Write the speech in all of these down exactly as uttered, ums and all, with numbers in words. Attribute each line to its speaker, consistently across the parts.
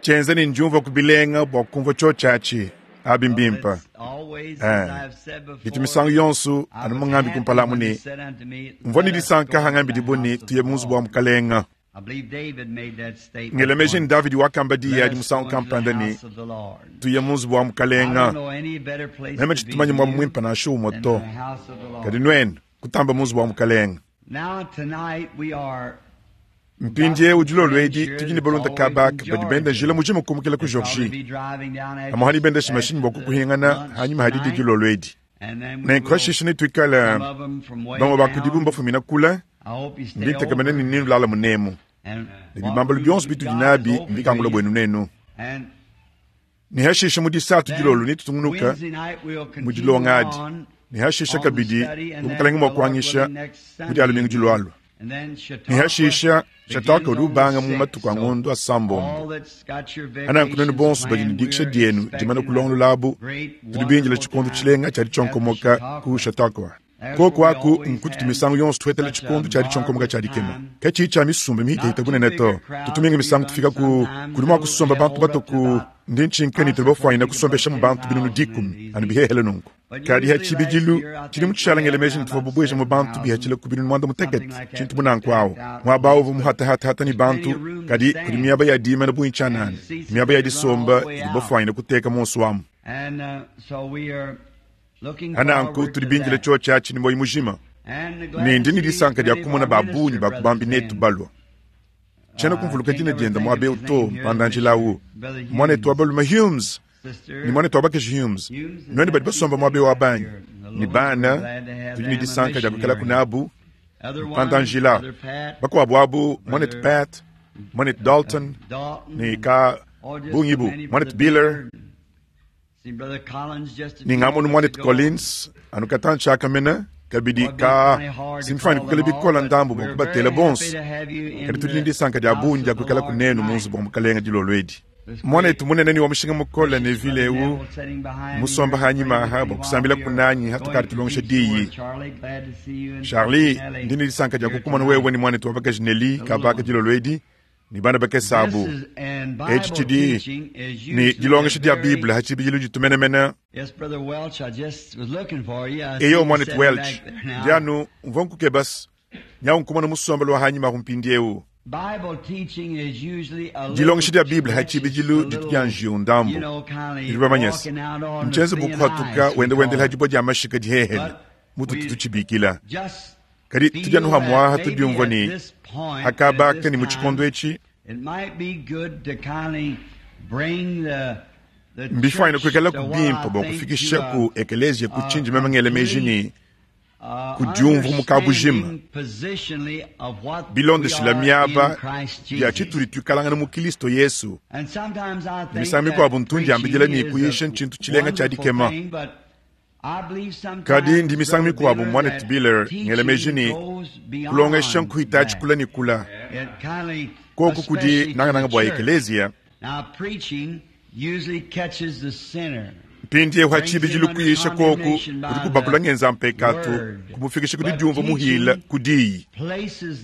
Speaker 1: Tshienza ne ndiumvua ku bilenga bua kumvua tshiotshi atshi abi mbimpe. Eh, bitu misangu yonso anu mungambi kumpala amu ne mvua ne disanka hangambidibua ne tuye mu nzubu wa mukalenga. Ngela meji ne Davidi wakamba diyi adi musangu kampanda ne tuye mu nzubu wa mukalenga. Meme tshitumanye muaba muimpe nansha umue to, kadi nuenu kutamba mu nzubu wa mukalenga. Mpindieu dilolo edi tudi ne balunda kabaka badi benda njila mujima kumukila ku Georgie. Amuhani bendesha mashinyi bua kukuhingana hanyuma hadidi dilolo edi. Nenku hashisha netuikale bamue ba kudibu mbafumina kule, ndi ntekemena ne nenulala munemu. Ne bibambalu bionso bitudi nabi mbikangula buenu nenu. Ne hashisha mu disatu dilolo netutungunuka mu dilonga adi. Ne hashisha kabidi bu mukalenge mua kuanyisha mu dia lumingu dilualua. Ne hashisha Chautauqua udi ubanga mu matuku a ngondo asambombo. Ananku nuenu bonso badi ne dikisha dienu dimane kulongololabu, tudi bindila tshikondo tshilenga tshia ditshionkomoka ku Chautauqua. Koku aku nkututu misangu yonso tuhetela tshikondo tshia ditshionkomoka tshia dikema, katshiyi tshia misumba mihitahita bunene to. Tutu minga misangu tufika ku kudi mua kusomba bantu batuku ndi ntshinka ne tudi bafuanyina kusombeshamu bantu binunu dikumi anu bihehele nunku. Kadi ha tshibidilu tshidi mu tshishala ngele meji ne tuvua bubueja mu bantu bihatshila ku binunu muanda mutekete tshintu munanku awu muaba awu uvua muhatahatahata ne bantu, kadi kudi miaba ya dimana bungi tshianana, miaba ya disomba idi bafuanyina kuteka muonso amu. Ananku tudi bindile tshiotshi atshi ne muoyo mujima, ne ndi ne disanka dia kumona ba bungi ba ku bambi netu balua. Tshiena kumvuluka dina diende muaba eu to, mpanda-njila awu muanetu wa balume Humes ne muanetu wa bakaji Humes, nuenu badi basomba muaba eu wa banyi ne bana, tudi ne disanka dia kuikalaku nabu. Mpanda-njila bakuabu abu muanetu Pat, muanetu Dalton ne ka bungi bu muanetu Biller ne ngamonu muanetu Collins anu katantshi akamena kabidi ka simfani kukala bikola ndambu bua kubatela bonso, kadi tudi ne disanka dia bungi dia kuikala kunenu mu nzubu wa mukalenga dilolo edi. Muanetu munene ni wa mushinga mukole ne vile eu musomba hanyima aha bua kusambila kunanyi hatukadi tulongesha diyi. Charlie, ndi ne disanka dia kukumona wewe ni muanetu wa bakaji Nelly kabaka dilolo edi ne bana bakese abu. Etshi tshidi ne dilongesha dia Bible ha tshibidilu ditumenemene. Eyo muanetu Welch, ndi anu mvua nkukebasa nyawu nkumona musombelo wa hanyima ahu mpindiewu. Dilongesha dia Bible ha tshibidilu ditu dia njiwu ndambu. Tudi bamanyese ntshienze bu kuhatuka wenda wendela ha dibua dia mashika dihehele mututu tutshibikila. Kadi tudi anu hamuaha tudiumvua ne hakabaka ne mu tshikondo etshi mbifuanyine kuikala ku bimpe bua kufikisha ku ekeleziya ku tshindi meme ngela meji ne kudiumvua mu kabujima bilondeshila miaba ya tshitudi tuikalangana mu Kristo Yesu. Ne misangu mikuabu ntundi ambidila ne kuyisha ntshintu tshilenga tshia dikema. Kadi ndi misangu mikuabu muanetu Biller ngela meji ne kulongesha nkuhita tshikula ne kula koku kudi nangananga bua ekeleziya. Mpindiewu ha tshibidilu kuyisha koku kudi kubakula ngenza mpekatu kumufikisha kudi diumvua muhila ku diyi,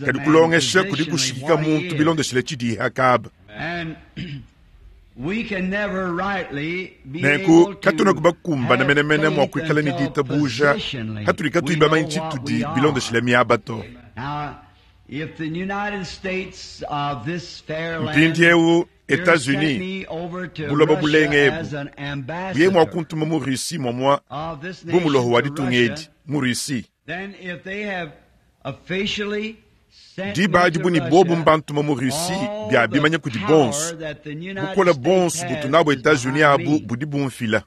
Speaker 1: kadi kulongesha kudi kushikika muntu bilondeshile tshidiyi hakaba. Nenku katuna kubakumbana menemene mua kuikala ne ditabuja hatudi katuyi bamanye tshitudi bilondeshile miaba to. Mpindiewu Etats-Unis buloba bulenga ebu buye mua kuntuma mu Russie momua bu muloho wa ditunga edi mu Russie. Diba adi bu ne bobu mbantuma mu Russie bia bimanya kudi bonso, bukola bonso butu nabo Etats-Unis abu budi bumfila.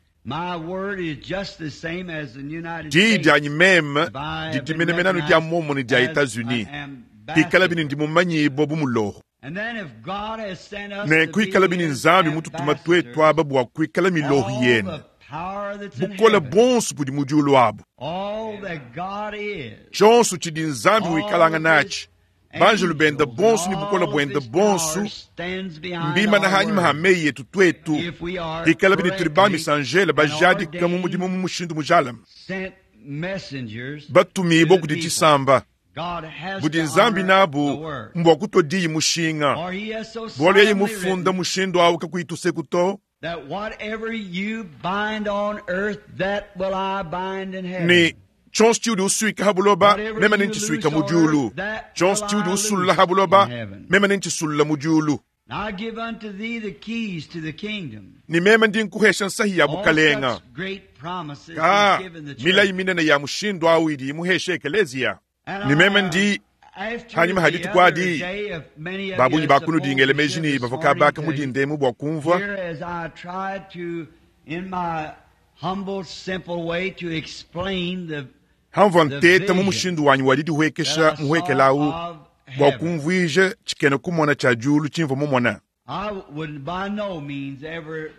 Speaker 1: Diyi dianyi meme didi menemene anu dia muomumue ne dia Etats-Unis, pikala bine ndi mumanyibua bu muloho. Nenku ikala bine Nzambi mututuma tuetu aba bua kuikala miloho yenu, bukola bonso budi mu diulu abu. Tshionso tshidi Nzambi wikalanga natshi, banjelu benda bonso ne bukola buenda bonso mbimana hanyima ha meyi yetu tuetu, ikala bine tudi bamisanjele bajadika mu mudimu mu mushindu mujalame, batumibue kudi tshisamba. Budi Nzambi nabu mbwa kutua diyi mushinga. Bualu yeye mufunda mushindu awu kakuyi tuseku to. Ne tshionso tshiudi usuika ha buloba meme nentshisuika mu diulu, tshionso tshiudi usulula ha buloba meme nentshisulla mu diulu. Ni meme ndi nkuhesha nsahi ya bukalenga. Ka milayi minene ya mushindu awu idi imuhesha ekelezia. Ni meme ndi hanyuma ha dituku adi babunyi bakunudingele meji ni bavua kabaka mudindemu bua kumvua hamvua nteta mu mushindu wanyi wa didihuekesha muhuekelawu bua kumvuija tshikena kumona tshia diulu tshimvua mumona.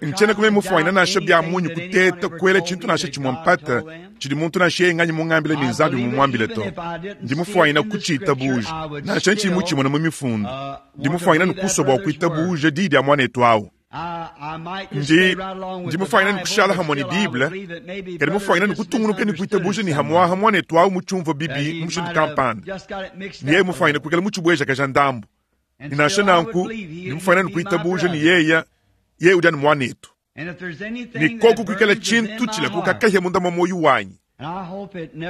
Speaker 1: Ntshiena kume mufuanyina nansha bia munyi kuteta kuela tshintu nansha tshimue mpata tshidi muntu nansha yeye nganyi mungambile ni Nzambi mumuambile to. Ndi mufuanyina kutshitabuja nansha ntshiyi mutshimona mu mifundu. Ndi mufuanyina nukusua bua kuitabuja diyi dia muanetu awu. Ndi ndi mufuanyina nukushala hamwe ni Bible, kadi mufuanyina nukutungunuka ni kuitabuja ni hamwaha muanetu awu mutshiumvua bibi mu mushindu kampanda. Ni yeye mufuanyina kuikala mutshibwejakaja ndambu. Ni nansha nanku ni mufuanyina nukuitabuja ni yeya yeye udi anu muanetu. Ni koku kuikala tshintu tshila kukakahya munda mwa moyo wanyi.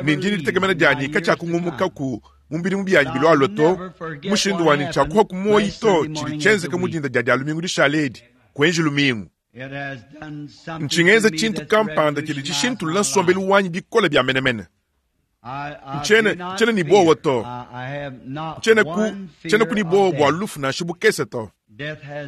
Speaker 1: Ni ndi ditegemena dianyi katshiakungumukaku mu bidimu bianyi bilwalwa to, mushindu wanyi tshiakuha ku moyi to tshidi tshienzeka mu dinda dia dia lumingu dishala edi kuenji lumingu. Ntshingenza tshintu kampanda tshidi tshishintulula nsombelu wanyi bikole bia menemene. Ntshiena ntshiena ni bowa to. Ntshiena ku ntshiena ku ni bowa bua lufu nansha bukese to.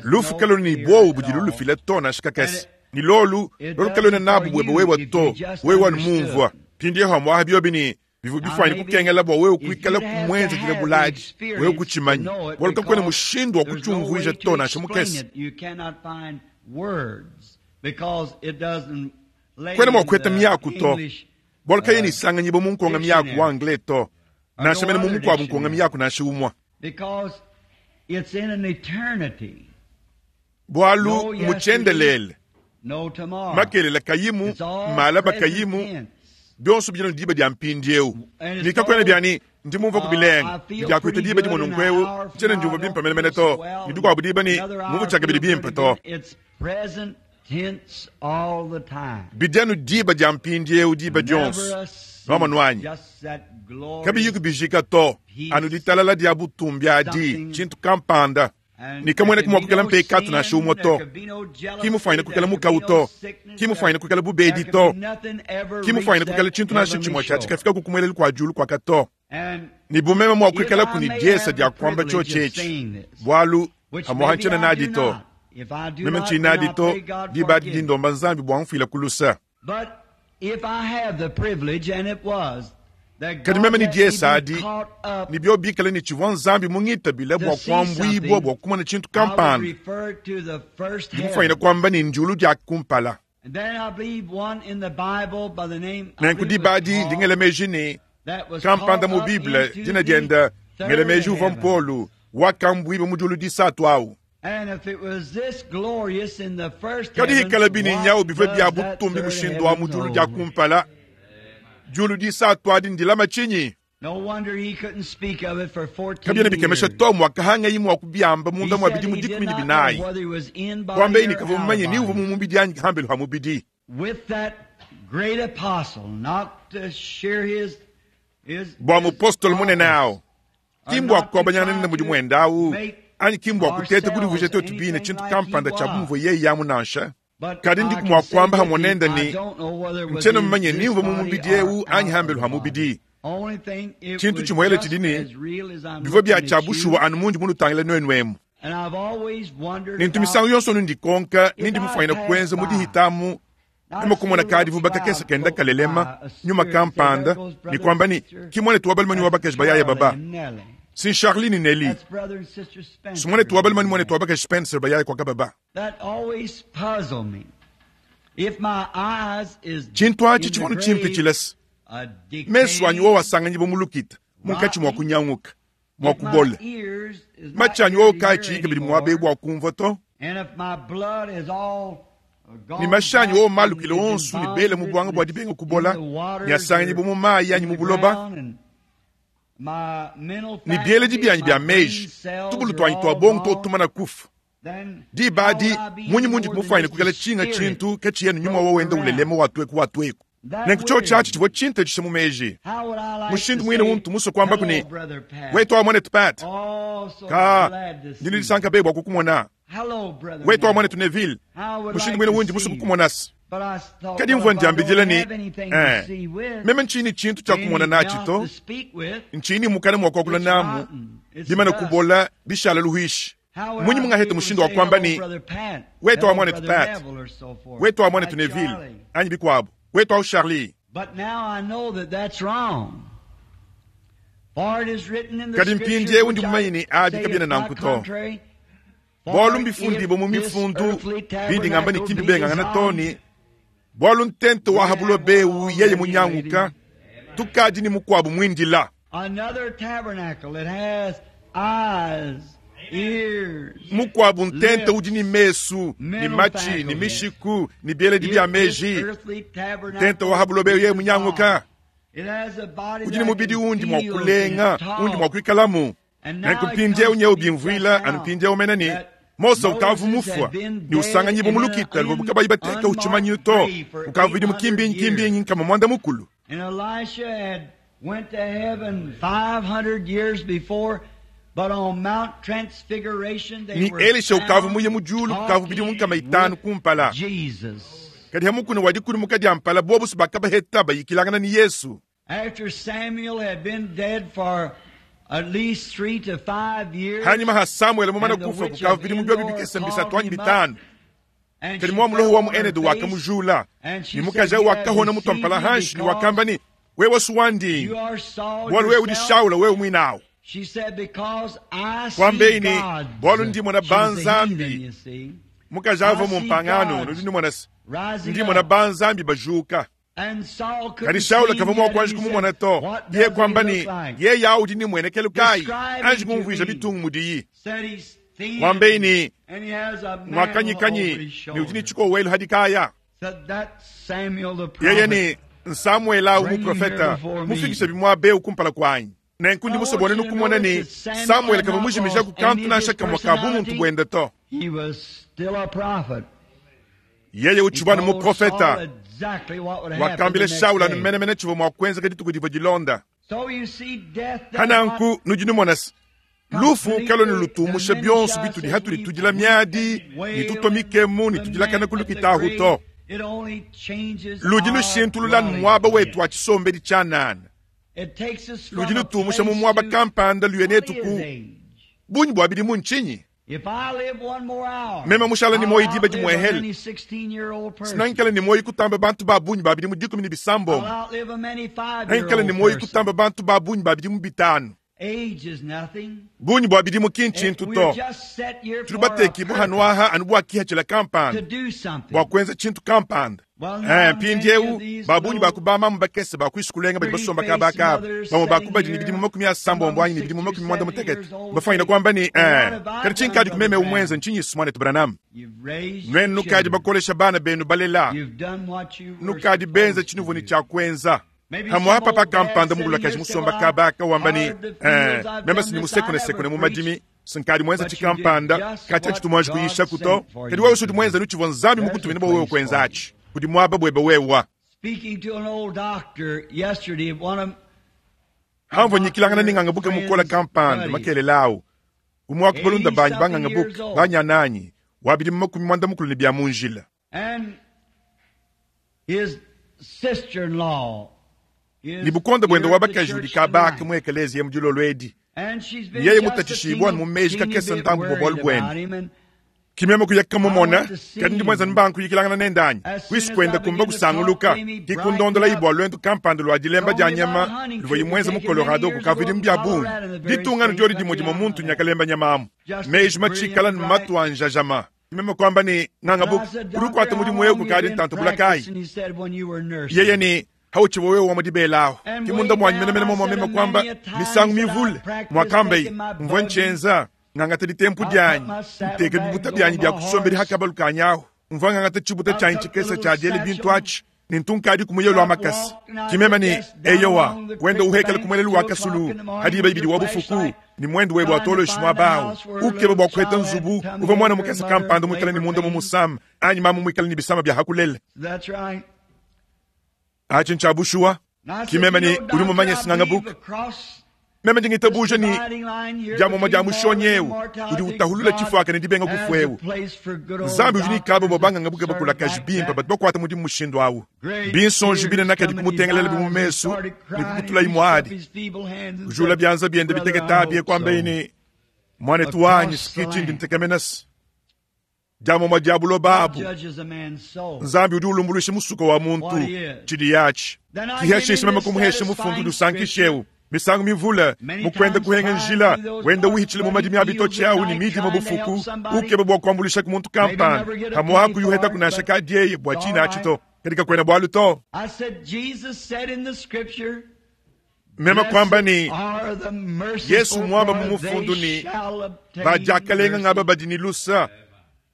Speaker 1: Lufu kalona ni bowa budi lulufila to nansha kakese. Ni lolu lolu kalona nabu bwebe wewa to wewa numumvua. Pindi hamwaha biobi ni bivu bifuanyine kukengela bua wewe kuikala kumwenza dile buladi wewe kutshimanyi bualu kakuena mushindu wa kutshiumvuija to nansha mukese. Kwena mua kuheta miaku to bualu kayena isanganyiba mu nkonga miaku wa anglais to nansha mene mu mukuabu nkonga miaku nansha umua. Bualu mutshiendelele makelela kayimu malaba kayimu bionso bidi diba dia mpindiewu. Ni kakuena biani ndi mumvua kubilenga ndiakuita diba dimue nunkuewu ntshiena ndiumvua bimpe menemene to ni dikuabu diba ni mumvua tshiakabidi bimpe to. Bidi anu diba dia mpindiewu diba dionso nwamonu wanyi kabiyi kubijika to anu ditalala dia butumbi adi tshintu kampanda. Ni kamwene kumua kukela mpekatu nansha umue to, kimufuanyine kukela mukawu to, kimufuanyine kukela bubedi to, kimufuanyine kukela tshintu nansha tshimue tshia tshikafika kukumueleli kua diulu kuaka to. Ni bumeme mua kuikala kuni diesa dia kuamba tshiotshi bualu hamuha ntshiena nadi to. Meme ntshiyi nadi to diba adi dindomba Nzambi bua mfuila kulusa. Kadi meme ni diesa adi ni bio bikala ni tshivua Nzambi mungitabile bua kuambuibua bua kumona tshintu kampanda. Ndi mufuanyine kuamba ni ndiulu dia kumpala. Nenku diba adi ndi ngela meji ni kampanda mu Bible dina dienda ngela meji uvua Mpolu wakambuibua mu diulu disatu awu. Kadi ikala bini nyawu bivua bia butumbi mushindu wa mu diulu dia kumpala. Diulu disatu adi ndilama tshinyi? Kabiena bikemesha to muakahanga imue kubiamba munda mua bidimu dikumi ne binayi. Kuamba ini kavua mumanye ni uvua mu mubidi anyi hambelu ha mubidi. Bua mupostolo munene awu ki mbua kuabanyangana nende mudimu wende awu anyi ki mbua kuteta kudivuija twetu bine tshintu kampanda tshia bumvua yeye yamu nansha. Kadi ndi mua kuamba hamwe nende ni ntshiena mumanye ni mvua mu mubidi ewu anyi hambelu ha mubidi. Tshintu tshimuele tshidi ni bivua bia tshia bushuwa anu mundi munutangila nuenu emu. Nintu misangu yonso nundikonka nindi mufuanyine kuenza mudihitamu nyuma kumona kadivu bakakesa kenda kalelema nyuma kampanda ni kwamba ni ki muanetu wa balume ni wa bakaji bayaya baba. Si Charlie ni Nelly. Si muanetu wa balume ni muanetu wa bakaji Spencer bayaya kwa kababa. Tshintu atshi tshivua tshimpe tshilesa. Mesu anyi wowo asanganyiba mu lukita munkatshi mua kunyanguka mua kubola. Matshi anyi wowo kaatshiyi kabidi muaba bua kumvua to. Ni mashi anyi wowo malukile onso ni bele mu buanga bua dibenga kubola ni asanganyiba mu mayi anyi mu buloba. Ne bieledi byanyi bya meji, tubulu twanyi twa bongo totumana kufa. Diba adi munyi mundi kumufwanyine kukala tshinga tshintu ke tshiyenu nyuma wa wenda ulelema watweku watweku. Nenku cho chachi chivua tshintu mu meji. Mushindu mwine untu muso kwamba kuni wetu wa mwanetu Pat. Ka ndini lisanka bebwa kukumona. Wetu wa mwanetu Neville. Mushindu mwine wundi muso kukumonasi. Kadi mvua ndiambidila ni eh, meme nchini chintu cha kumona nachi to nchini mukana mwa kwakula namu bimana kubola bishala luhishi. Munyi mungaheta mushindu wa kwamba ni wetu wa mwanetu Pat, wetu wa mwanetu Neville anyi bikwabo, wetu wa Charlie. Kadi mpindie undi mumanyi abi kabiena nanku to. Bwalu mbifundibo mu mifundu bindi ngamba ni kimbi bengangana toni. Bwalu ntente wa habulo bewu yeye munyanguka tukadi ni mukwabu mwindila. Mukwabu ntente udi ni mesu ni machi ni mishiku ni bieledi bya meji. Ntente wa habulo bewu yeye munyanguka udi ni mubidi undi mwa kulenga undi mwa kuikalamu. Nenku mpindie unye ubimvwila anu mpindie umenani Mose ukavu mufwa ni usanganyibo mulukita luvubuka bayibateka uchimanyi to ukavu idi mukimbinyi kimbinyi nkama mwanda mukulu.
Speaker 2: And Elisha had went to heaven five hundred years before, but on Mount Transfiguration they
Speaker 1: Ni
Speaker 2: were
Speaker 1: Elisha ukavu muye
Speaker 2: found
Speaker 1: mujulu kukavu bidi munkama
Speaker 2: talking
Speaker 1: itanu
Speaker 2: with
Speaker 1: kumpala.
Speaker 2: Jesus.
Speaker 1: Kadi hamukuna wadikuli mukadi ampala bobusu bakabaheta bayikilangana ni Yesu.
Speaker 2: After Samuel had been dead for at least three to five years,
Speaker 1: Hanyuma ha Samuel mumana
Speaker 2: and the
Speaker 1: kufa
Speaker 2: witch
Speaker 1: kukavu
Speaker 2: of
Speaker 1: bidi mubyo
Speaker 2: Endor
Speaker 1: bibikese
Speaker 2: called
Speaker 1: mbisatu anyi
Speaker 2: him up,
Speaker 1: bitanu.
Speaker 2: and
Speaker 1: Kadi
Speaker 2: she
Speaker 1: mwa muloho
Speaker 2: fell
Speaker 1: wa mu
Speaker 2: on her
Speaker 1: Enedu
Speaker 2: face,
Speaker 1: wakamujula.
Speaker 2: and she
Speaker 1: Ni
Speaker 2: said,
Speaker 1: mukaja
Speaker 2: "You have
Speaker 1: wakahona
Speaker 2: deceived
Speaker 1: mutwampala
Speaker 2: me
Speaker 1: hanshi ni
Speaker 2: because
Speaker 1: wakamba ni wewe suwandi.
Speaker 2: you are Saul
Speaker 1: Bwalu wewe udi
Speaker 2: yourself."
Speaker 1: Shaula wewe mwinawo.
Speaker 2: She said, "Because I see
Speaker 1: Kwambeini,
Speaker 2: gods."
Speaker 1: bwalu ndi mwana
Speaker 2: She was a
Speaker 1: banzambi.
Speaker 2: heathen, you see.
Speaker 1: Mukaja avo
Speaker 2: I
Speaker 1: mu
Speaker 2: see
Speaker 1: mpangano
Speaker 2: gods
Speaker 1: ndi mwana
Speaker 2: rising
Speaker 1: ndi mwana
Speaker 2: up.
Speaker 1: banzambi bajuka.
Speaker 2: And Saul couldn't
Speaker 1: Kadi Shaula
Speaker 2: see
Speaker 1: kava
Speaker 2: him
Speaker 1: mwa
Speaker 2: yet,
Speaker 1: kwanji
Speaker 2: and he
Speaker 1: kumumona
Speaker 2: said,
Speaker 1: to.
Speaker 2: "What
Speaker 1: Ye
Speaker 2: does he
Speaker 1: kwamba
Speaker 2: look
Speaker 1: ni
Speaker 2: like?"
Speaker 1: ye yaudi ni mwenekelo kai.
Speaker 2: Describe
Speaker 1: Anji
Speaker 2: him to
Speaker 1: kumvuisha
Speaker 2: me.
Speaker 1: bitungu mudiyi.
Speaker 2: Said he's thin,
Speaker 1: Wambeini,
Speaker 2: and he has a mantle
Speaker 1: mwakanyikanyi
Speaker 2: over his
Speaker 1: ni
Speaker 2: shoulder.
Speaker 1: udi ni chiko welu hadikaya.
Speaker 2: Said that's Samuel the
Speaker 1: Yeye
Speaker 2: prophet.
Speaker 1: ni Samuel au
Speaker 2: Bring him here
Speaker 1: muprofeta
Speaker 2: before me.
Speaker 1: mufikishe bimwa beu kumpala kwanyi. Nenkundi
Speaker 2: I want
Speaker 1: musobone
Speaker 2: you to
Speaker 1: nukumona ni
Speaker 2: notice that Samuel
Speaker 1: Samuel
Speaker 2: had
Speaker 1: kava
Speaker 2: not
Speaker 1: mujimija
Speaker 2: lost
Speaker 1: ku kantu
Speaker 2: any of
Speaker 1: na
Speaker 2: his
Speaker 1: shaka mwakabu muntu
Speaker 2: personality.
Speaker 1: bwende to.
Speaker 2: He was still a prophet.
Speaker 1: Yeye
Speaker 2: He
Speaker 1: uchibwana
Speaker 2: told
Speaker 1: muprofeta.
Speaker 2: Saul exactly what would happen the
Speaker 1: Wakambile
Speaker 2: next
Speaker 1: Shaula
Speaker 2: day.
Speaker 1: numenemene chivo mwakwenza kaditu kudivo jilonda.
Speaker 2: So you see, death does not
Speaker 1: Hananku nujinumona lufu kalo ni lutumusha byonso bituli hatuli tujila myadi ni tutomikemu ni tujilakana kulukitahu to.
Speaker 2: It only changes
Speaker 1: Ludi
Speaker 2: our
Speaker 1: lushintulula
Speaker 2: dwelling
Speaker 1: mwaba wetu
Speaker 2: place.
Speaker 1: wa chisombeli chanana.
Speaker 2: It takes us from
Speaker 1: Ludi
Speaker 2: a
Speaker 1: lutumusha mu
Speaker 2: place
Speaker 1: mwaba
Speaker 2: to
Speaker 1: kampanda
Speaker 2: what
Speaker 1: luyenetu
Speaker 2: is
Speaker 1: ku
Speaker 2: age?
Speaker 1: bunyi bwa bidi mu nchinyi.
Speaker 2: If I live one more hour,
Speaker 1: Mema mushala ni
Speaker 2: I'll
Speaker 1: moyi diba
Speaker 2: outlive a
Speaker 1: dimwehele.
Speaker 2: many sixteen-year-old person.
Speaker 1: Sinankala ni moyi kutamba bantu ba bunyi ba bidi mu dikumi ni bisambo.
Speaker 2: I'll outlive a many
Speaker 1: Nankala
Speaker 2: five-year-old
Speaker 1: ni moyi
Speaker 2: person.
Speaker 1: kutamba bantu ba bunyi ba bidi mu bitanu.
Speaker 2: Age is nothing.
Speaker 1: Bunyi bwa bidi mu kinchintu
Speaker 2: We're
Speaker 1: to.
Speaker 2: just set here for a
Speaker 1: Tulubateki
Speaker 2: purpose,
Speaker 1: buhanwaha anu bwa kiha chila
Speaker 2: to
Speaker 1: kampanda.
Speaker 2: do something.
Speaker 1: Bwa kwenza chintu kampanda.
Speaker 2: Well, now
Speaker 1: Eh,
Speaker 2: many
Speaker 1: mpindiewu
Speaker 2: of these
Speaker 1: babunyi
Speaker 2: little
Speaker 1: bakubama mubakese bakwisukulenga bali basomba kabaka
Speaker 2: pretty-faced
Speaker 1: bamwe
Speaker 2: mothers
Speaker 1: bakubadi ni
Speaker 2: sitting
Speaker 1: bidimu
Speaker 2: here,
Speaker 1: makumi asambo
Speaker 2: some
Speaker 1: mbwanyi ni
Speaker 2: of them
Speaker 1: bidimu makumi mwanda
Speaker 2: sixty or
Speaker 1: mutekete
Speaker 2: seventy years old,
Speaker 1: bafanyina
Speaker 2: say,
Speaker 1: kwamba ni
Speaker 2: "What
Speaker 1: eh
Speaker 2: have I
Speaker 1: kadi
Speaker 2: done,
Speaker 1: chinkadi kumeme
Speaker 2: Brother
Speaker 1: umwenza
Speaker 2: Branham?"
Speaker 1: nchinyi sumwane tubranam
Speaker 2: You've raised
Speaker 1: nwenu nukadi
Speaker 2: children.
Speaker 1: bakolesha bana benu balela
Speaker 2: You've done what you were
Speaker 1: nukadi benza
Speaker 2: supposed to
Speaker 1: chinuvuni
Speaker 2: do.
Speaker 1: cha kwenza
Speaker 2: Maybe
Speaker 1: hamwe apa
Speaker 2: some old
Speaker 1: pakampanda
Speaker 2: dad
Speaker 1: mugulakaji
Speaker 2: sitting here
Speaker 1: musomba
Speaker 2: said,
Speaker 1: kabaka wamba ni
Speaker 2: "I've hired the
Speaker 1: eh
Speaker 2: fields, I've
Speaker 1: memba
Speaker 2: done
Speaker 1: sini
Speaker 2: this,
Speaker 1: musekone
Speaker 2: I never
Speaker 1: sekone mu
Speaker 2: preached."
Speaker 1: madimi sinkadi mwenza
Speaker 2: But you
Speaker 1: chikampanda
Speaker 2: did just
Speaker 1: kati
Speaker 2: what
Speaker 1: achitumwanji
Speaker 2: God
Speaker 1: kuyisha kuto
Speaker 2: sent for
Speaker 1: kadi
Speaker 2: you
Speaker 1: wewe
Speaker 2: to
Speaker 1: usudi
Speaker 2: do.
Speaker 1: mwenza nuchivwa nzambi
Speaker 2: There's a
Speaker 1: mukutumina bwa wewe
Speaker 2: place for you.
Speaker 1: kwenzachi kudi mwaba bwebe wewa
Speaker 2: Speaking to an old doctor yesterday, one of
Speaker 1: hamvo nyikilangana ning'anga buke mukola kampanda makelelawo umwe wakubalunda banyi bang'anga buke banyananyi wabidi mu makumi mwanda mukulu ni bya munjila
Speaker 2: and his sister-in-law is
Speaker 1: ni bukonde bwende
Speaker 2: here at the
Speaker 1: wabakaji
Speaker 2: church
Speaker 1: udi kabaka
Speaker 2: tonight.
Speaker 1: mu ekelezia mujilo lwedi
Speaker 2: And she's been
Speaker 1: Yeye
Speaker 2: just a
Speaker 1: mutachishibwa
Speaker 2: teeny,
Speaker 1: mu meji
Speaker 2: teeny
Speaker 1: kakesa
Speaker 2: bit
Speaker 1: ntambu bwa
Speaker 2: worried
Speaker 1: bwende.
Speaker 2: about him, and
Speaker 1: kimeme kuyaka mumona
Speaker 2: I want to see
Speaker 1: kadi ndi mwenza
Speaker 2: him.
Speaker 1: mbankuyikilangana nendanyi
Speaker 2: As soon as
Speaker 1: kwisi
Speaker 2: I
Speaker 1: kwenda
Speaker 2: begin
Speaker 1: kumba
Speaker 2: to
Speaker 1: kusanguluka
Speaker 2: talk to him, he
Speaker 1: kikundondola
Speaker 2: brightened
Speaker 1: ibwa lwentu kampanda lwa dilemba
Speaker 2: Told
Speaker 1: dya
Speaker 2: me about
Speaker 1: nyama
Speaker 2: hunting
Speaker 1: luva
Speaker 2: trip
Speaker 1: imwenza mu
Speaker 2: taken many
Speaker 1: Colorado
Speaker 2: years
Speaker 1: kukavidi
Speaker 2: ago
Speaker 1: mu bya
Speaker 2: in
Speaker 1: bungi
Speaker 2: Colorado, the very
Speaker 1: ditungano
Speaker 2: same
Speaker 1: dyoli
Speaker 2: country
Speaker 1: dimwe dimwe
Speaker 2: I'm
Speaker 1: muntu
Speaker 2: at.
Speaker 1: nyakalemba nyamamu
Speaker 2: Just
Speaker 1: meji
Speaker 2: as
Speaker 1: machikala
Speaker 2: brilliant,
Speaker 1: ni matu anjajama kimeme kwamba ni ng'anga
Speaker 2: And I
Speaker 1: buku
Speaker 2: said,
Speaker 1: ulukwata
Speaker 2: "Doctor,
Speaker 1: mudimu
Speaker 2: how
Speaker 1: wewe
Speaker 2: long you
Speaker 1: kukadi
Speaker 2: been
Speaker 1: ntanto bulakayi
Speaker 2: practicing?" He said, "When you were nursing."
Speaker 1: yeye ni hauchivo wewe wamudibelaho
Speaker 2: And
Speaker 1: kimunda
Speaker 2: way
Speaker 1: mwanyi
Speaker 2: down,
Speaker 1: menemene
Speaker 2: I
Speaker 1: momwe
Speaker 2: said,
Speaker 1: mema kwamba
Speaker 2: many a times
Speaker 1: misango
Speaker 2: that I
Speaker 1: mivule
Speaker 2: practiced
Speaker 1: mwakambe
Speaker 2: taking my
Speaker 1: mvua
Speaker 2: buggy.
Speaker 1: nchenza ng'angata ditempu
Speaker 2: I put
Speaker 1: dyanyi
Speaker 2: my saddlebags
Speaker 1: nteke bibuta
Speaker 2: over
Speaker 1: byanyi
Speaker 2: my
Speaker 1: bya kusomberi
Speaker 2: horse.
Speaker 1: hakabalukanyaho mvua ng'angata chibuta
Speaker 2: I
Speaker 1: chanyi
Speaker 2: took the
Speaker 1: chikesa
Speaker 2: little
Speaker 1: cha dyele
Speaker 2: satchel.
Speaker 1: bintu achi Ne ntunkadi kumuyelo wa makasi. Kimema ni eyowa wenda uhekele kumwelelu wa kasulu hadi iba ibidi wa bufuku ni mwendo webo atolo shimwa bao ukebe bwa kweta nzubu uva mwana mukesa kampanda mwikala ni munda mumusam anyi mamu mwikala ni bisama bya hakulele.
Speaker 2: That's right.
Speaker 1: Achi nchabushua kimema ni uri mumanya singanga buku meme ndingitabuja ni jamoma ja mushonyewu udi utahulula chifwaka ne dibenga kufwewu nzambi udi nikabo bobanganga buke bakulakaji bimpa batu bakwata mudi mushindu awu binsonji bine nakadi kumutengelela bimumesu ni kukutula imwadi kujula byanza byende biteketa kwambeini mwanetu wanyi sikichi ndi ntekemenasi jamoma ja buloba nzambi udi ulumbulusha musuko wa muntu chidi yachi kihasheshe meme kumuheshe mufundu dusankishewu misango mivula mukwenda kuhenga njila wenda uhichile mu madimi abitochi awu ni midi mabufuku ukebe bwa kuambulisha ku muntu kampani hamuhaku yuheta kunasha kadieye bwa china achito katika kwenda bwalu to mema kwamba ni Yesu mwamba mumufundu ni bajakalenga ngaba badini lusa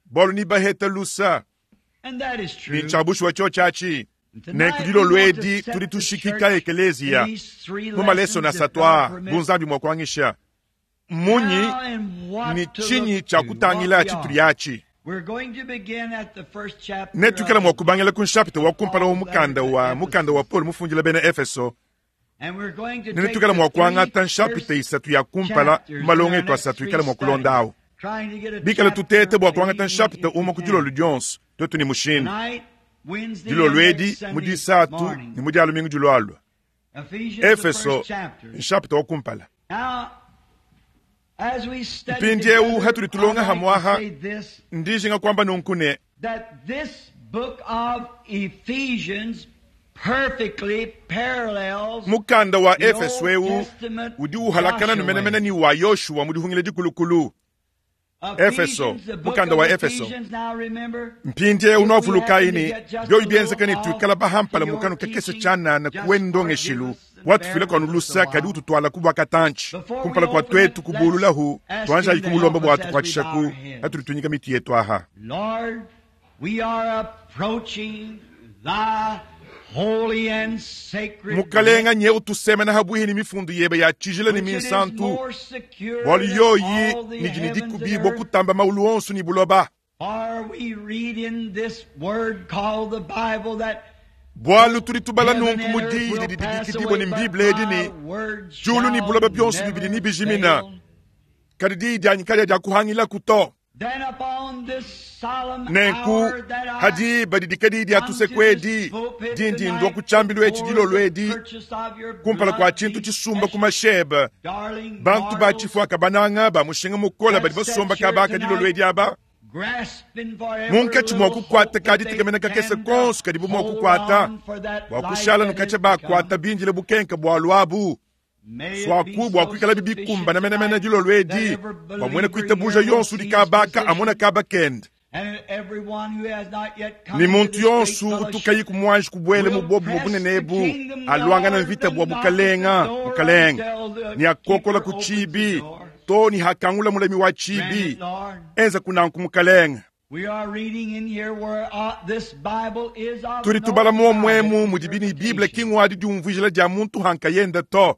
Speaker 1: bolu ni baheta lusa ni chabushwa cho chachi nenkudilo lwedi tudi tushikika ekelezia mumaleso na satwa bunzambi mwakwangisha munyi ni chinyi cha kutangila chituliachi netukela mwakubangila kunshapita wakumpala wa mukanda wa mukanda wa Paul mufungila bena Efeso netukela mwakwangata nshapita isatu ya kumpala malongo etu asatu ikala mwakulondawo bikala tutete bwakwangata nshapita uma kudilo ludyonso twetu ni mushindu dilo lwedi mudi isatu ni mudi alumingu dilwalwa Efeso nshapita wakumpala mpindi ewu hatuli tulonga hamwaha ndijinga kwamba nunkune mukanda wa Efeso ewu udi uhalakana numenemene ni wa Yoshua mudihungile dikulukulu Efeso mukanda wa Efeso mpindi ewu nwavulukaini byoyi byenzekani tuikala bahampala mukanu kakese chanana kuwendongeshilu watufile kwanu lusa kadi ututwala kubwa katanchi kumpala kwa twetu kubululahu twanja ikumulomba bwatu kwatishaku atulitunyika miti yetu aha.
Speaker 2: Lord, we are approaching thy holy and sacred
Speaker 1: mukalenga nye utusema na habuhi ni mifundu yebe ya chijila ni minsantu bwalu yoyi nijini dikubibwa kutamba maulu onsu ni buloba bwalu tuli tubala nunku mudi didibikidibwa ni mbibile edi ni julu ni buloba byonsu bibili ni bijimina kadi diidyanyi kalya dya kuhangila kuto nenku hadi badidika didi atuse kwedi dindi ndwa kuchambilu echi dilo lwedi kumpala kwa chintu chisumba kumasheba bantu bachifwaka bananga bamushinga mukola badi basomba kabaka dilo lwedi aba munkachi mwakukwata kadi tekamena kakese konso kadi bumwakukwata bwakushala nukacha bakwata binjile bukenka bwalu abu swaku bwakwikala bibikumba namenamena dilo lwedi bwamwene kuitabuja yonsu dikabaka amona kaba kende ni muntu yonsu utukayi kumwanji kubwele mubobu mubunenebu alwangana mvita bwa bukalenga bukalenga ni akokola kuchibi to ni hakangula mulami wa chibi enza kunanku mukalenga tuli tubala momwemu mudibini Biblia kingwadi diumvujila dia muntu hankayenda to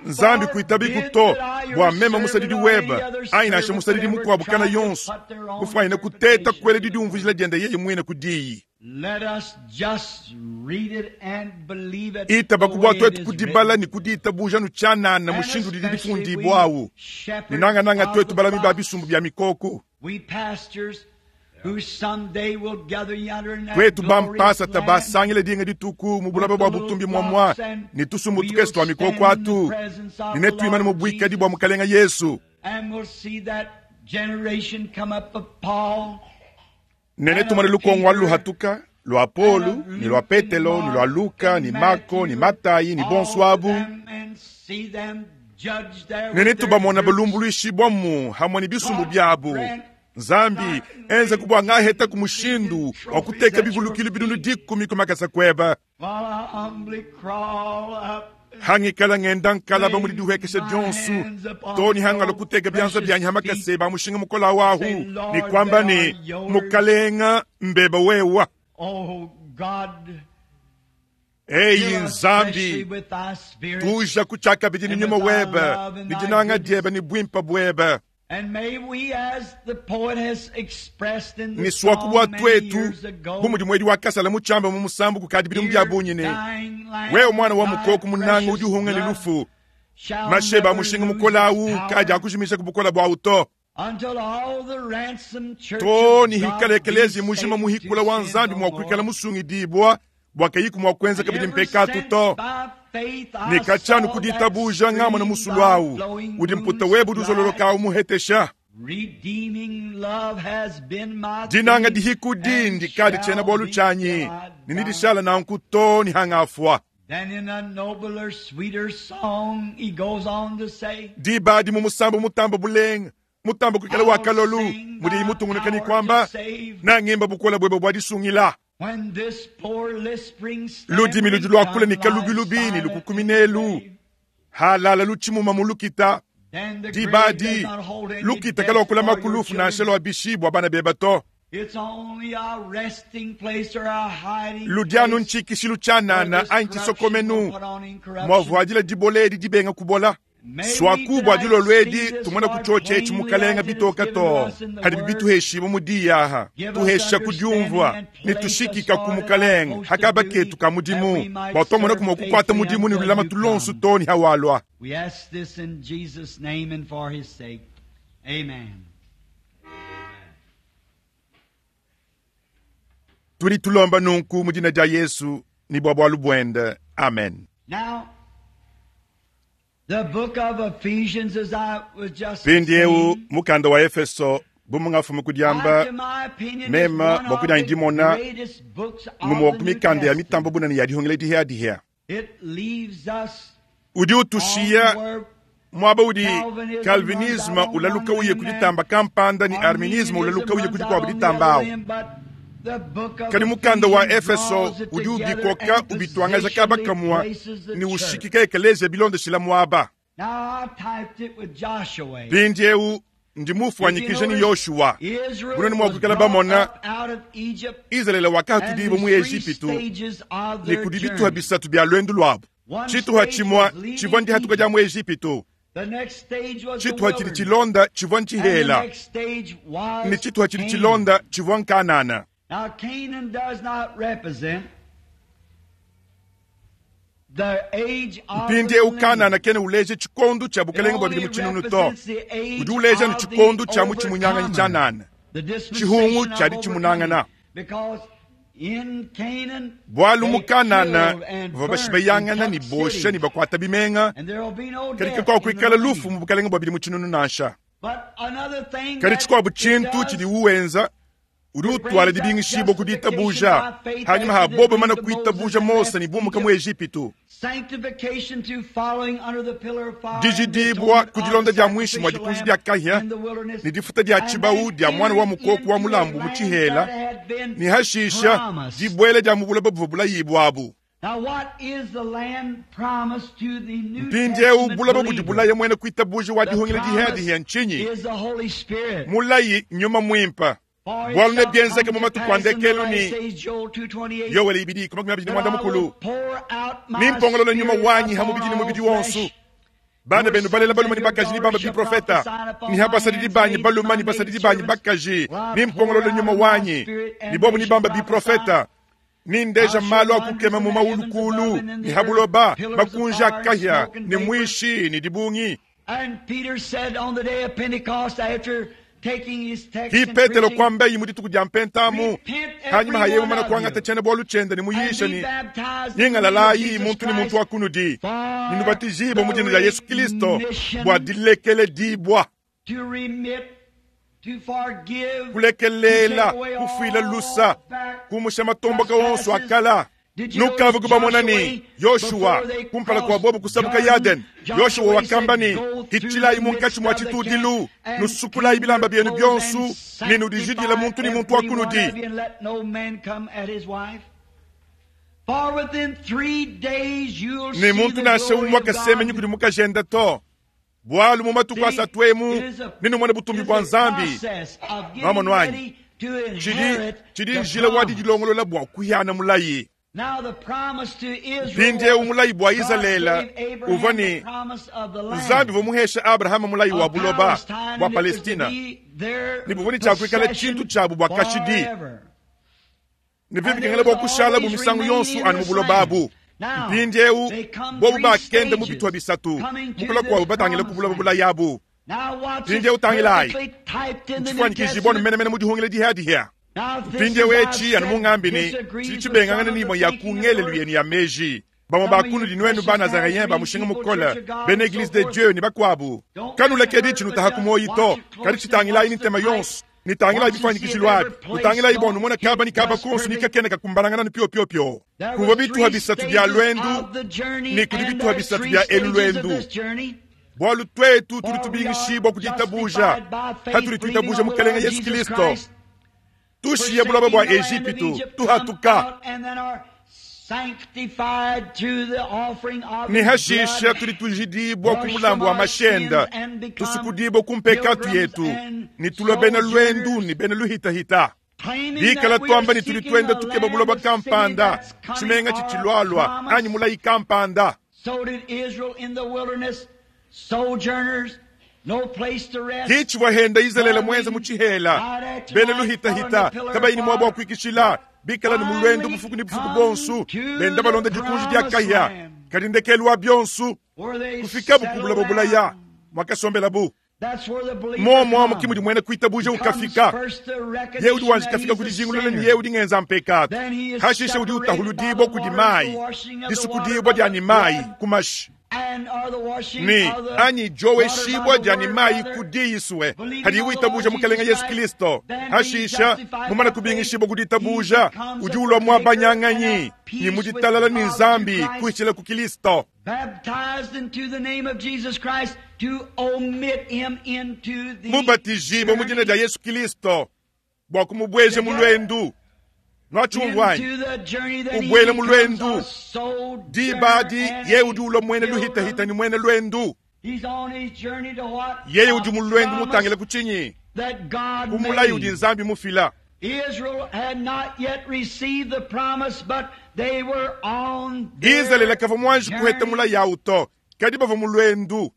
Speaker 1: nzambi kuitabiku to bwa mema musadidi weba ainasha musadidi mukuabu kana yonso kufwaina kuteta kwele didiumvujila dienda yeye mwine kudiyi itaba kubwa twetu kudibala ni kudiitabuja nuchanana mushindu didi difundibwawu ninangananga twetu balami ba bisumbu bya mikoko twetu bampasa tabasangile dinga dituku mubulaba bwa butumbi mwamwa ni tusumbu tukesi twa mikoko atu ninetwimana mubwikadi bwa mukalenga Yesu nene tumane lukongo luhatuka lwa Polu ni lwa Petelo ni lwa Luka ni Marko ni Matayi ni bonswabu nene tubamona balumbuluishi bwamu hamwe ni bisumbu byabu nzambi enze kubwa ngaheta kumushindu wa kuteka bivulukilo binunu dikumi kumakasa kweba hangikala ngenda nkalaba muli dihuekesha dyonsu toni hangalo kuteka byanza byanyi hamakase bamushinga mukola wahu ni kwamba ni mukalenga mbeba wewa
Speaker 2: Oh God,
Speaker 1: Eyi Nzambi, tuja kutshiakabidi ne nyuma webe ne dinanga diebe ne buimpe buebe. Ne suaku bua tuetu bu mudi muedi wa kasala mu tshiamba mu musambu kukadi bidimu bia bungi ne wewe mwana wa mukoko munanga udi uhunga ne lufu masheba a mushinga mukola awu kadi akujimisha ku bukola buawu to to ni hikala ekelezi mujima muhikula wa Nzambi mua kuikala musungidibwa bua kayiku mua kuenza kabidi mpekatu to ne katshianu kuditabuja ngamona musulu awu udi mputa webe udi uzololoka muhetesha dinanga dihiku dindi kadi tshiena bualu tshianyi ne nidishala nanku to ni hangafua. Diba adi mu musambu mutamba bulenga mutamba kuikala wa kalolu mudi mutungunuka ni kwamba nangimba bukola bwebe bwa disungila ludimi ludi lwakula ni kalubilubi ni lukukuminelu halala lutshimuma mu lukita diba adi lukita kalwakula makulufu nansha lwa bishibwa bana beba to ludianu ntshikishilu tshianana anyi tshisokomenu mwavuadila dibola edi dibenga kubola swaku bua dilolo edi tumona kutshotsha etshi mukalenga bitoka to hadi bituheshibu mu diyaha tuhesha kudiumvua ne tushikika ku mukalenga hakaba ketu ka mudimu bua twamona kumua kukuata mudimu ne lulama tulonsu to ni hawalwa. Tudi tulomba nunku mu dina dia Yesu ni bua bualu buende. Amen. Mpindieu mukanda wa Efeso bumungafumu kudiamba mema bua kudianyi dimona ngumue wa ku mikanda ya mitambo bunene ya dihungila dihiadihia udi utushiya mwaba udi Calvinisme ulaluka uye kuditamba kampanda ni Arminisme ulaluka uye kudikuabu ditamba awu. Kadi mukanda wa Efeso udi ubikoka ubitwangaja kaba kamwa ni ushikika ekelezia bilondeshila mwaba. Mpindieu ndi mufuanyikija ni Yoshua bunene mua kuikala bamona Israele wakahatudibo mu Ejipitu ne kudi bituha bisatu bia lwendu lwabu. Tshituha tshimua tshivua ndihatuka dia mu Ejipitu, tshituha tshidi tshilonda tshivua ntshihela ne tshituha tshidi tshilonda tshivua nkanana. Mpindieu Kanana kena uleja tshikondu tshia bukelenge bua bidimu tshinunu to udi uleja ne tshikondu tshia mu tshimunyanganyi tshianana tshihungu tshiadi tshimunangana bualu mu Kanana bavua bashibayangana ne bosha ne bakuata bimenga kadi kakuakuikala lufu mu bukelenge bua bidimu tshinunu nansha. Kadi tshikuabu tshintu tshidi uwenza udi utwala dibingishibwa ku ditabuja hanyuma ha bobo mana kuitabuja Mose ne bumuka mu Ejipitu dijidibwa ku dilonda dia mwishi mwa dikunji dia kahia ne difuta dia tshibawu dia mwana wa mukoko wa mulambu mu tshihela ne hashisha dibwele dia mubulaba buvua bulayibwa abu. Mpindieu bulaba budi bulaya mwene kuitabuja wa dihungila dihiadihia ntshinyi mulayi nyuma mwimpa bualu ne bienzeke mu matuku a ndekelu ni Yowele ibidi makumi abidi ne mwanda mukulu nimpongolola nyuma wanyi ha mubidi ne mubidi wonsu bana benu balela baluma ni bakaji ni bamba biprofeta ni ha basadidi banyi baluma ni basadidi banyi bakaji nimpongolola nyuma wanyi ni bobu ni bamba biprofeta ni ndeja malu akukema mu maulukulu ni habuloba makunja kahya ni mwishi ni dibungi. Hi Petelo kwamba yi mudituku dia mpentamu hanyuma hayewu mana kuangata tshiena bualu tshiende ne muyisha ni nyingalalayi muntu ni muntu wa kunudi ninubatizibwa mu dina dia Yesu Kristo bua dilekele dibwa kulekelela kufuila lusa kumusha matomboka wonso akala. Nukavu kubamona ni Yoshua kumpala kwa bobo kusabuka Yarden Yoshua wakamba ni hichilayi munkashi mwa tshitudilu nusukulayi bilamba byenu byonsu ninudijidila muntu ni muntu wa kunudi. Ne muntu nasha umwa kasemenyi kudi mukajenda to bualu mu matuku asatu emu ninumona butumbi bua Nzambi mamonwanyi tshidi tshidi njila wa didilongolola bua kuhiana mulayi. Mpindieu mulayi bua Izalele uvua ne Nzambi uvua muhesha Abrahama mulayi wa buloba bua Palestina ne buvua ne tshiakuikala tshintu tshiabu bua kashidi ne bibikengela bua kushala bu misangu yonso anu mu buloba abu. Mpindieu bobu bakenda mu bitupa bisatu mukula kuabu batangila ku buloba bulayabu. Mpindieu tangilayi ntshifuanyikijibua menemene mu dihungila dihadihia. Mpindieu etshi anu mungambi ne tshidi tshibengangana n'imue ya ku ngelelu yenu ya meji. Bamue bakunudi nuenu ba Nazaréen ba mushinga mukole bena Église de Dieu ne bakuabu kanulekedi tshinutaha ku muoyi to kadi tshitangilayi ni ntema yonso nitangilayi bifuanyikishilu abi nutangilayi bua numona kaba ni kaba konso ni kakena kakumbalangana ni pio-pio-pio. Kuvua bituha bisatu bia lwendu ne kudi bituha bisatu bia elu lwendu. Bualu twetu tudi tubingishibua kuditabuja hatudi tuitabuja Mukelenge Yesu Kristo tushiye buloba bua Ejipitu tuhatuka ne hashisha tudi tujidibua ku mulambu wa mashenda tusukudibua ku mpekatu yetu ne tulua bena lwendu ne bena luhitahita. Bikala twamba ne tudi twenda tukeba buloba kampanda tshimenga tshitshilualua anyi mulayi kampanda. Kitshivua henda Izalele mwenza mu tshihela bena luhitahita kabayi ni muaba wa kuikishila bikala ni mulwendo bufuku ni bufuku bonsu benda balonda dikunji dia kaya kadi ndekelu wa bionsu kufikabu ku buloba bulaya mwakasombelabu. Momo amo kimudi mwene kuitabuja ukafika ye udi wanji kafika kudijingulula ni ye udi ngenza mpekatu hashisha udi utahuludibwa kudi mayi disukudibwa dia ni mayi kumashi ni anyi joweshibwa dia ni mayi kudiyiswe hadi witabuja Mukelenge Yesu Kristo hashisha mumana kubingishibwa kuditabuja udi ulwa mwabanyanganyi ni muditalala ni Nzambi kuichila ku Kristo. Mubatijibwa mu dina dia Yesu Kristo bua kumubweja mu lwendu nwachungwanyi ubwele mu lwendu dibadi ye udi ulwa mwene luhitahita ni mwene lwendu yeye udi mu lwendu mutangila ku tshinyi kumulayi udi Nzambi mufila. Izalele kavua mwanji kuheta mulayi awu to kadi bavua mu lwendu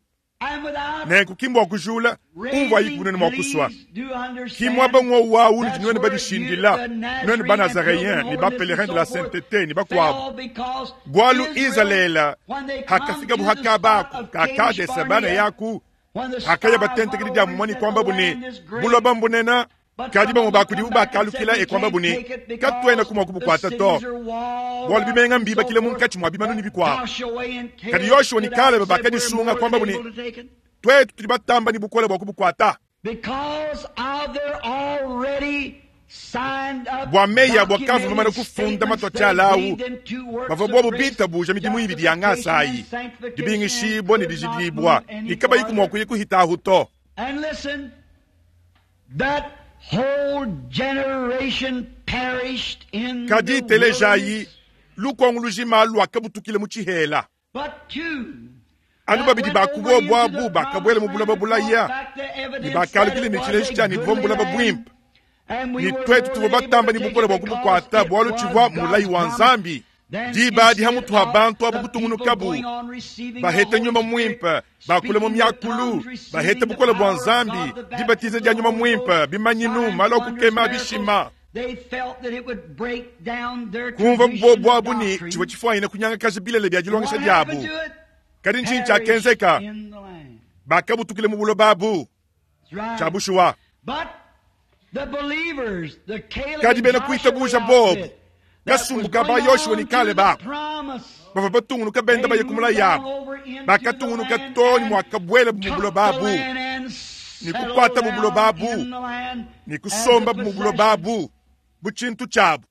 Speaker 1: nenku kimbua kujula umvua yikunene mua kuswa kimwaba ng'owu wawu nudi nuenu badishindila nuenu ba Nazaréen ni ba pèlerin de la sainteté ni bakuabu bualu Izalele hakafika buhakabaku kakadesa bana yaku hakaya batentekedi dia mumani kwamba bune buloba mbunena kadi bamue bakudibu bakalukila ekwamba bune katuena kumua kubukuata to bualu bimenga mbibakile munkatshi mua bimanu ni bikuabu kadi Yoshua ni Kalebe bakadisunga kwamba bune twetu tudi batamba ni bukole bua kubukuata bua meyi abo akavu bamana kufunda matwa tshialawu bavua bobo bitabuja midimu ibidi ya ngasayi dibingishibwa ne dijidibwa ikabayi kumua kuya kuhitahu to. Kadi telejayi lukongo lujima lwakabutukile mu tshihela anu babidi bakubo bwabu bakabwela mu buloba bulaya ne bakalukile ne tshileji tshia ne buvua mu buloba buimpe ne twetu tuvua batamba ne bukole bua kubukuata bualu tshivua mulayi wa Nzambi. Diba adi hamutu ha bantu abu kutungunukabu bahete nyuma muimpe bakule mu miakulu bahete bukole bua Nzambi dibatiza dia nyuma muimpe bimanyinu malu akukema bishima kumva bobu abu ni tshivua tshifuanyine kunyangakaja bilele bia dilongesha diabu kadi ntshinyi tshiakenzeka bakabutukile mu buloba abu tshia kadi bena kuitabuja bobu kasumbu ba Yoshua ni Kalebe bavua batungunuka benda baye ku mulayi yabo bakatungunuka too ne muakabwela mu buloba abu ne kukuata mu buloba abu ne kusomba mu buloba abu bu tshintu tshiabu.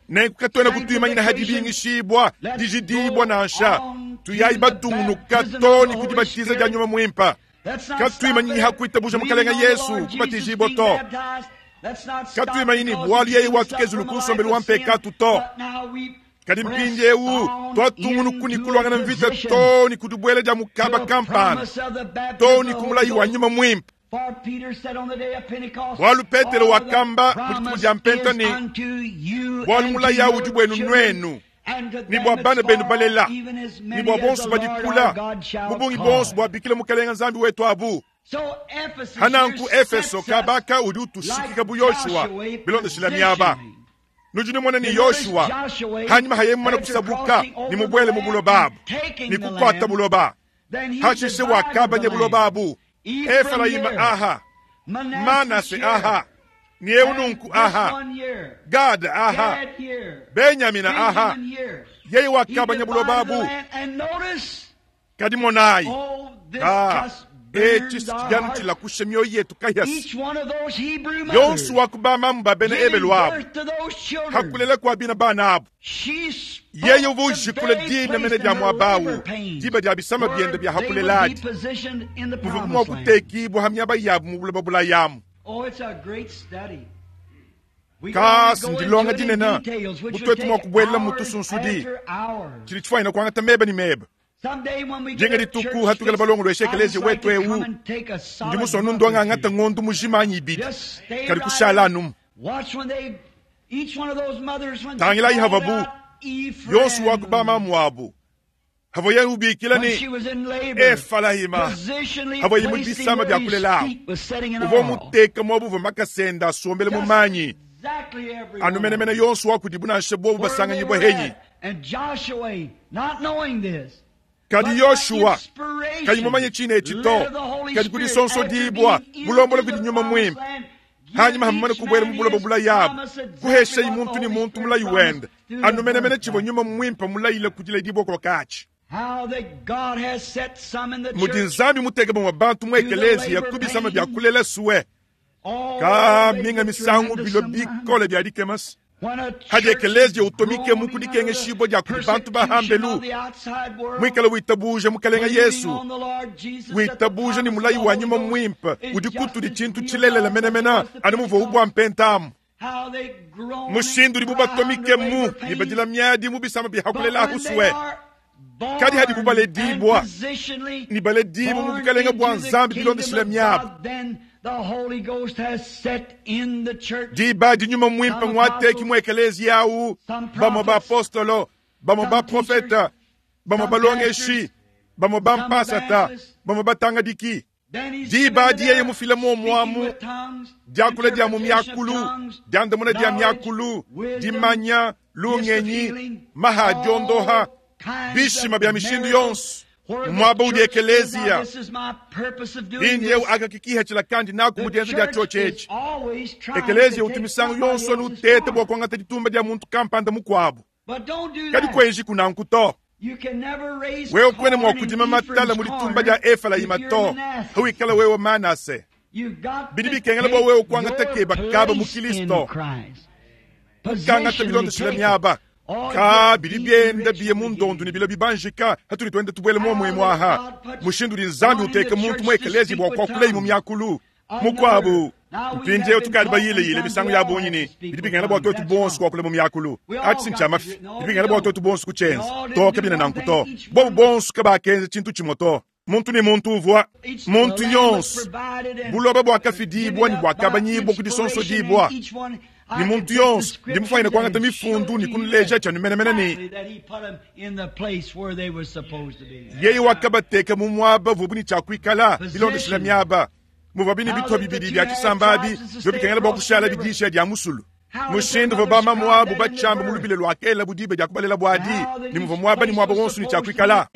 Speaker 1: Nenku katuena kutuimanyina hadi bingishibwa dijidibwa nansha tuyayi batungunuka too ne kudibatiza dia nyuma muimpe katuimanyinyi hakuitabuja Mukelenge Yesu kubatijibwa to katuimanyini bualu yeye watukezulu kusombelu wa mpekatu to kadi mpindiewu twatungunuku ni kulwangana mvita to ni kudubwela dia mukaba kampana to ni kumulayi wa nyuma muimpe. Bwalu Petelo wakamba mu dituku dia mpenta ne bwalu mulayi udi bwenu nwenu ni bwa bana benu balela ni bwa bonso badikula mubungi bonso bwa bikila mukalenga nzambi wetu abu. Hananku Efeso kabaka udi utushikika bu Yoshua bilondeshila miaba. Nujini ni Yoshua hanyuma hayemana kusabuka ni mubwele mubulobabu ni kukwata buloba hashishe wakabanya bulobabu. Efraima aha, Manase aha, ni Eununku aha, Gad aha, Benyamina aha. Yeye wakabanya bulobabu. Kadimonai ah echi sikiganti la kushemyo yetu kayasi yonsu wakubama mbabene ebelwabo hakulela kwa bina bana abo yeye uvujikule dina mene dia mwabawu diba dia bisama bienda bya hakuleladi muvukumwa kutekibwa hamyaba yabu mubulaba bulayamu. Kasi ndilonga dinena mutwetu mwakubwela mutusunsudi chili chifwaina kwangata meba ni meba. Jenga dituku hatukela balongo lweshekelezi wetu ewu ndi musonu ndwanga ngata ngondu mujima ibidi kali kushala anumu. Tangila ihavabu yonsu wakubama mwabu havoye ubikila ni Efalahima havoye mubisama bya kulela uvo muteka mwabu vo makasenda asombele mumanyi anumenemene yonsu wakudibuna bobu basanganyibwa henyi. Kadi Yoshua kayimumanye chine echito kadi kudisonso dibwa mulombola kudi nyuma mwimpe hanyuma hamumane kubwera mubulobo bulayabu kuhesha imuntu ni muntu mulayi wenda anumenemene chivo nyuma mwimpe mulayile kudila dibwa kwa kachi. Mudi nzambi muteke bamwe bantu mu ekelezia kubisama bya kulela suwe ka minga misangu bilo bikole bya dikemasi. Hadi ekelezia utomike mukudikenge shibo dia kudi bantu bahambelu mwikala witabuje mukalenga Yesu witabuje ni mulayi wa nyuma mwimpe udi kutudi chintu chilelela menemena anu muvo ubwa mpentamu mushindu udi bubatomike mu nibadila miadi mubisama bihakulela husuwe kadi hadi bubaledibwa nibaledibwa mubukalenga bwa nzambi bilondeshila miabu. Diba di nyuma mwimpe mwateki mu ekelezia yau bamwe ba apostolo bamwe ba profeta bamwe balongeshi bamwe ba mpasata bamwe batangadiki. Diba di yeye mufile momwamu diakula dia mu myakulu diandamuna dia myakulu dimanya lungenyi mahadiondoha bishima bya mishindu yonso mwaba udi ekelezia indyeu akakikiha chila kandi naku mudienza dia chochechi ekelezia utumisangu yonso nutete bwa kwangata ditumba dia muntu kampanda mukwabu kadi kwenji kunanku to wewe kwene mwa kudima matala muditumba dia Efraima to hawikala wewe Manase bidi bikengela bwa wewe kwangata keba kaba mu Kristo kangata bilondeshila miaba ka bidi byenda biye mundondu ni bilo bibanjika hatuli twende tubwele momwe mwaha mushindu di nzambi uteke muntu mu ekelezi bwa kwakulei mu myakulu mukwabu mpindieu tukali bayile yile misangu ya bonyini bidi bikengela bwa twetu bonso kwakule mu myakulu ati sincha mafi bidi bikengela bwa twetu bonso kuchenza toka bina nanku to bobu bonso kabakenza chintu chimwe to muntu ni muntu uvwa muntu yonso buloba bwakafidibwa ni bwakabanyibwa kudisonso dibwa ni muntu yonso ndi mufaina kwangata mifundu ni kunuleja cha numenemene ni yeye wakabateka mu mwaba vubu ni chakwikala bilondeshela miaba muva bini bitwa bibidi bya chisambabi byo bikengela bwa kushala bidisha dia musulu mushindu vobama mwabu bachamba mulubile lwakela budibe dia kubalela bwadi ni muva mwaba ni mwaba wonso ni chakwikala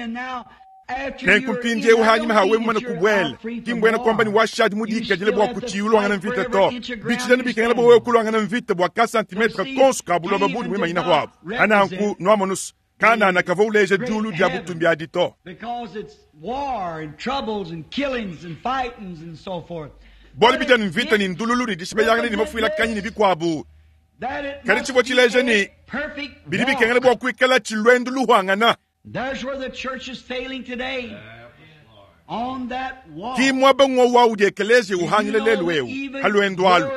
Speaker 1: nenkumpindie uhanyuma hawe mwana kubwela kimbwena kwamba ni washadi mudika jile bwa kuchiulwangana mvita to bichilani bikengela bwa wewe kulwangana mvita bwa ka centimetre konso kabuloba budi mwimanyina hwabo ananku nwamonusu kana na kava uleje dulu dia butumbi adi to bwali bijani mvita ni ndululu ni dishibe ni mafuila kanyi ni bikwabu kali chivo chileje ni bidi bikengela bwa kuikala chilwendu luhwangana.
Speaker 2: There's where the church is failing today. On that walk.
Speaker 1: Ki mwaba ngwa udi ekelezi uhangile lelu eu halwendo alu.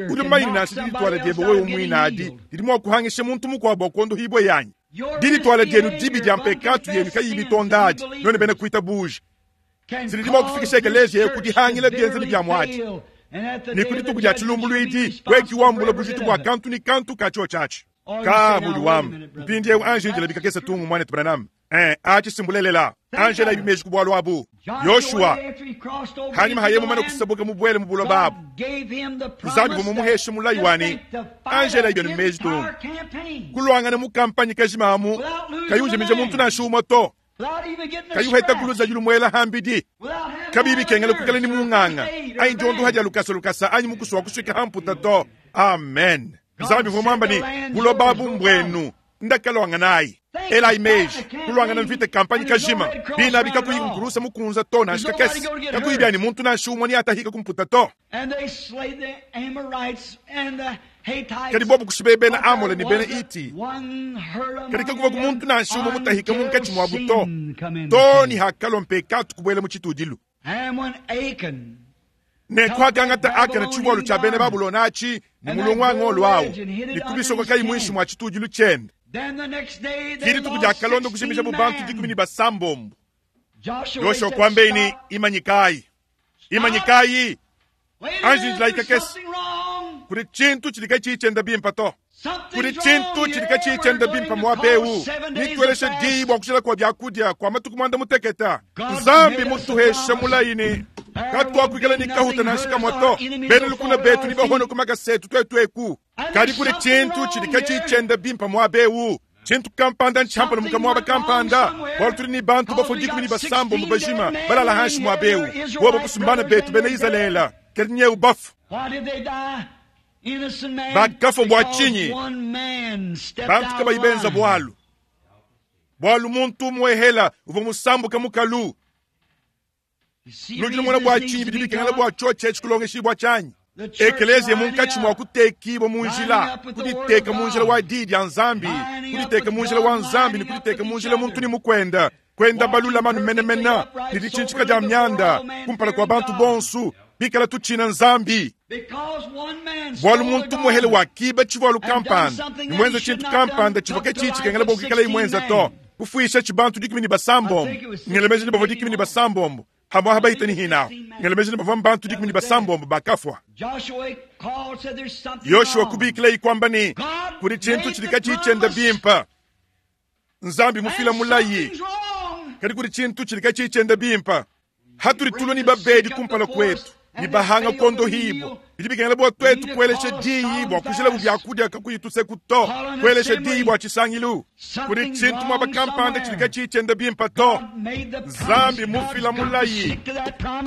Speaker 1: Udi mayini nasi dili twala diebe wewe umwina adi dili mwa kuhangisha muntu mukwabo kondo hibwe yanyi. Dili twala dienu dibi dia mpekatu yenu kayibi tondadi none bene kuita buji. Zidi bua kufikisha ekeleziya kudihangila bienzedi bia muadi. Ne ku dituku dia tshilumbuluidi wekiwambula bujitu bua kantu ni kantu ka chio chachi. Ka mudi wamba mpindieu anjinjila bikakesa tungu mwane Branham. Eh, achi simbulelela Angela ibimeji kubwalwa abu Yoshua hanyuma hayemo mana kusabuka mubwele mubulo babu Nzambi vumumuhesha mulayi wani Angela ibyo nimeji tungu kulwangana mu kampanyi kajimamu kayujimije muntu nashumwa to kayuheta kuluza yulumwela hambidi kabibi kengela kukala ni munganga ayi njondu haja lukasa lukasa anyi mukuswa kushika hamputa to. Amen. Nzambi vumamba ni bulo babu mbwenu ndakalwanga nayi ela imeji kulwangana mvita kampanyi kajima bina bikakuyi mukunza to na shikakesi kakuyibyani muntu nashumwa ni atahika kumputa to. Kadi bobu kushibe bena Amole ni bena Iti kadi kakuva ku muntu nashumwa mutahika munkachi mwa buto to ni hakalo mpekatu kubwele muchitudilu ne kwagangata akana chibwalu cha bene Babulona achi ni mulongo ngolo awo nikubisoko kai mwishi mwa chitudilu chende. Kiri tukuja kalondo kushimisha bubantu dikumi ni basambombo. Yoshua kwambe imanyikai. Imanyikai. Anjinjila ikakesi. Kuri chintu chilika chichenda bimpa to. Kuri chintu chilika chichenda bimpa mwabeu. Nitweleshe dibu akushila kwa byakudia kwa matuku mwanda muteketa. Nzambi mutuhesha mulaini. Katwa kuikala ni kahuta na shika mwato. Bene lukuna betu ni bahono kumakasetu twetu. Kadi kuri chintu chilika chichenda bimpa mwabeu. Chintu kampanda nchampa no mukamwaba kampanda. Bwalu ni bantu bafo dikumi ni basambo mubajima. Balala hanshi mwabeu. Wabo kusumbana betu bene Izalela. Kernye ubafu. Bakafo bwa chinyi. Bantu kaba ibenza bwalu. Bwalu muntu mwehela uvo musambu kamukalu. Nujina mwana bwa chinyi bidibikengela bwa choche chikulongeshi bwa chanyi. Ekelezia munkachi mwa kutekibo munjila. Kuditeka munjila wa didi ya nzambi. Kuditeka munjila wa nzambi ni kuditeka munjila muntu ni mukwenda. Kwenda balula manu menemena. Nidichinchika ja mnyanda. Kumpala kwa bantu bonsu. Bikala tuchina nzambi. Bwalu muntu mwehele wa kiba chibwalu kampanda. Nimwenza chintu kampanda chivoke chichi kengela bokikala imwenza to. Kufuisha chibantu dikumi ni basambombo. Ngelemeje ni bavo dikumi ni basambombo. Hamwa habaita ni hina. Ngelemeje ni bavo mbantu dikumi ni basambombo bakafwa. Yoshua kubikila ikwamba ni kuri chintu chilika chichenda bimpa. Nzambi mufila mulayi. Kadi kuri chintu chilika chichenda bimpa. Haturi tulo ni babedi kumpala kwetu. Ni bahanga kondo hibo. Bidibikengela bwa twetu kweleshe diyi bwa kushila bubyakudia kakuyituse kuto. Kweleshe diyi bwa chisangilu. Kuri chintu mwaba kampanda chilika chichenda bimpa to. Nzambi mufila mulayi.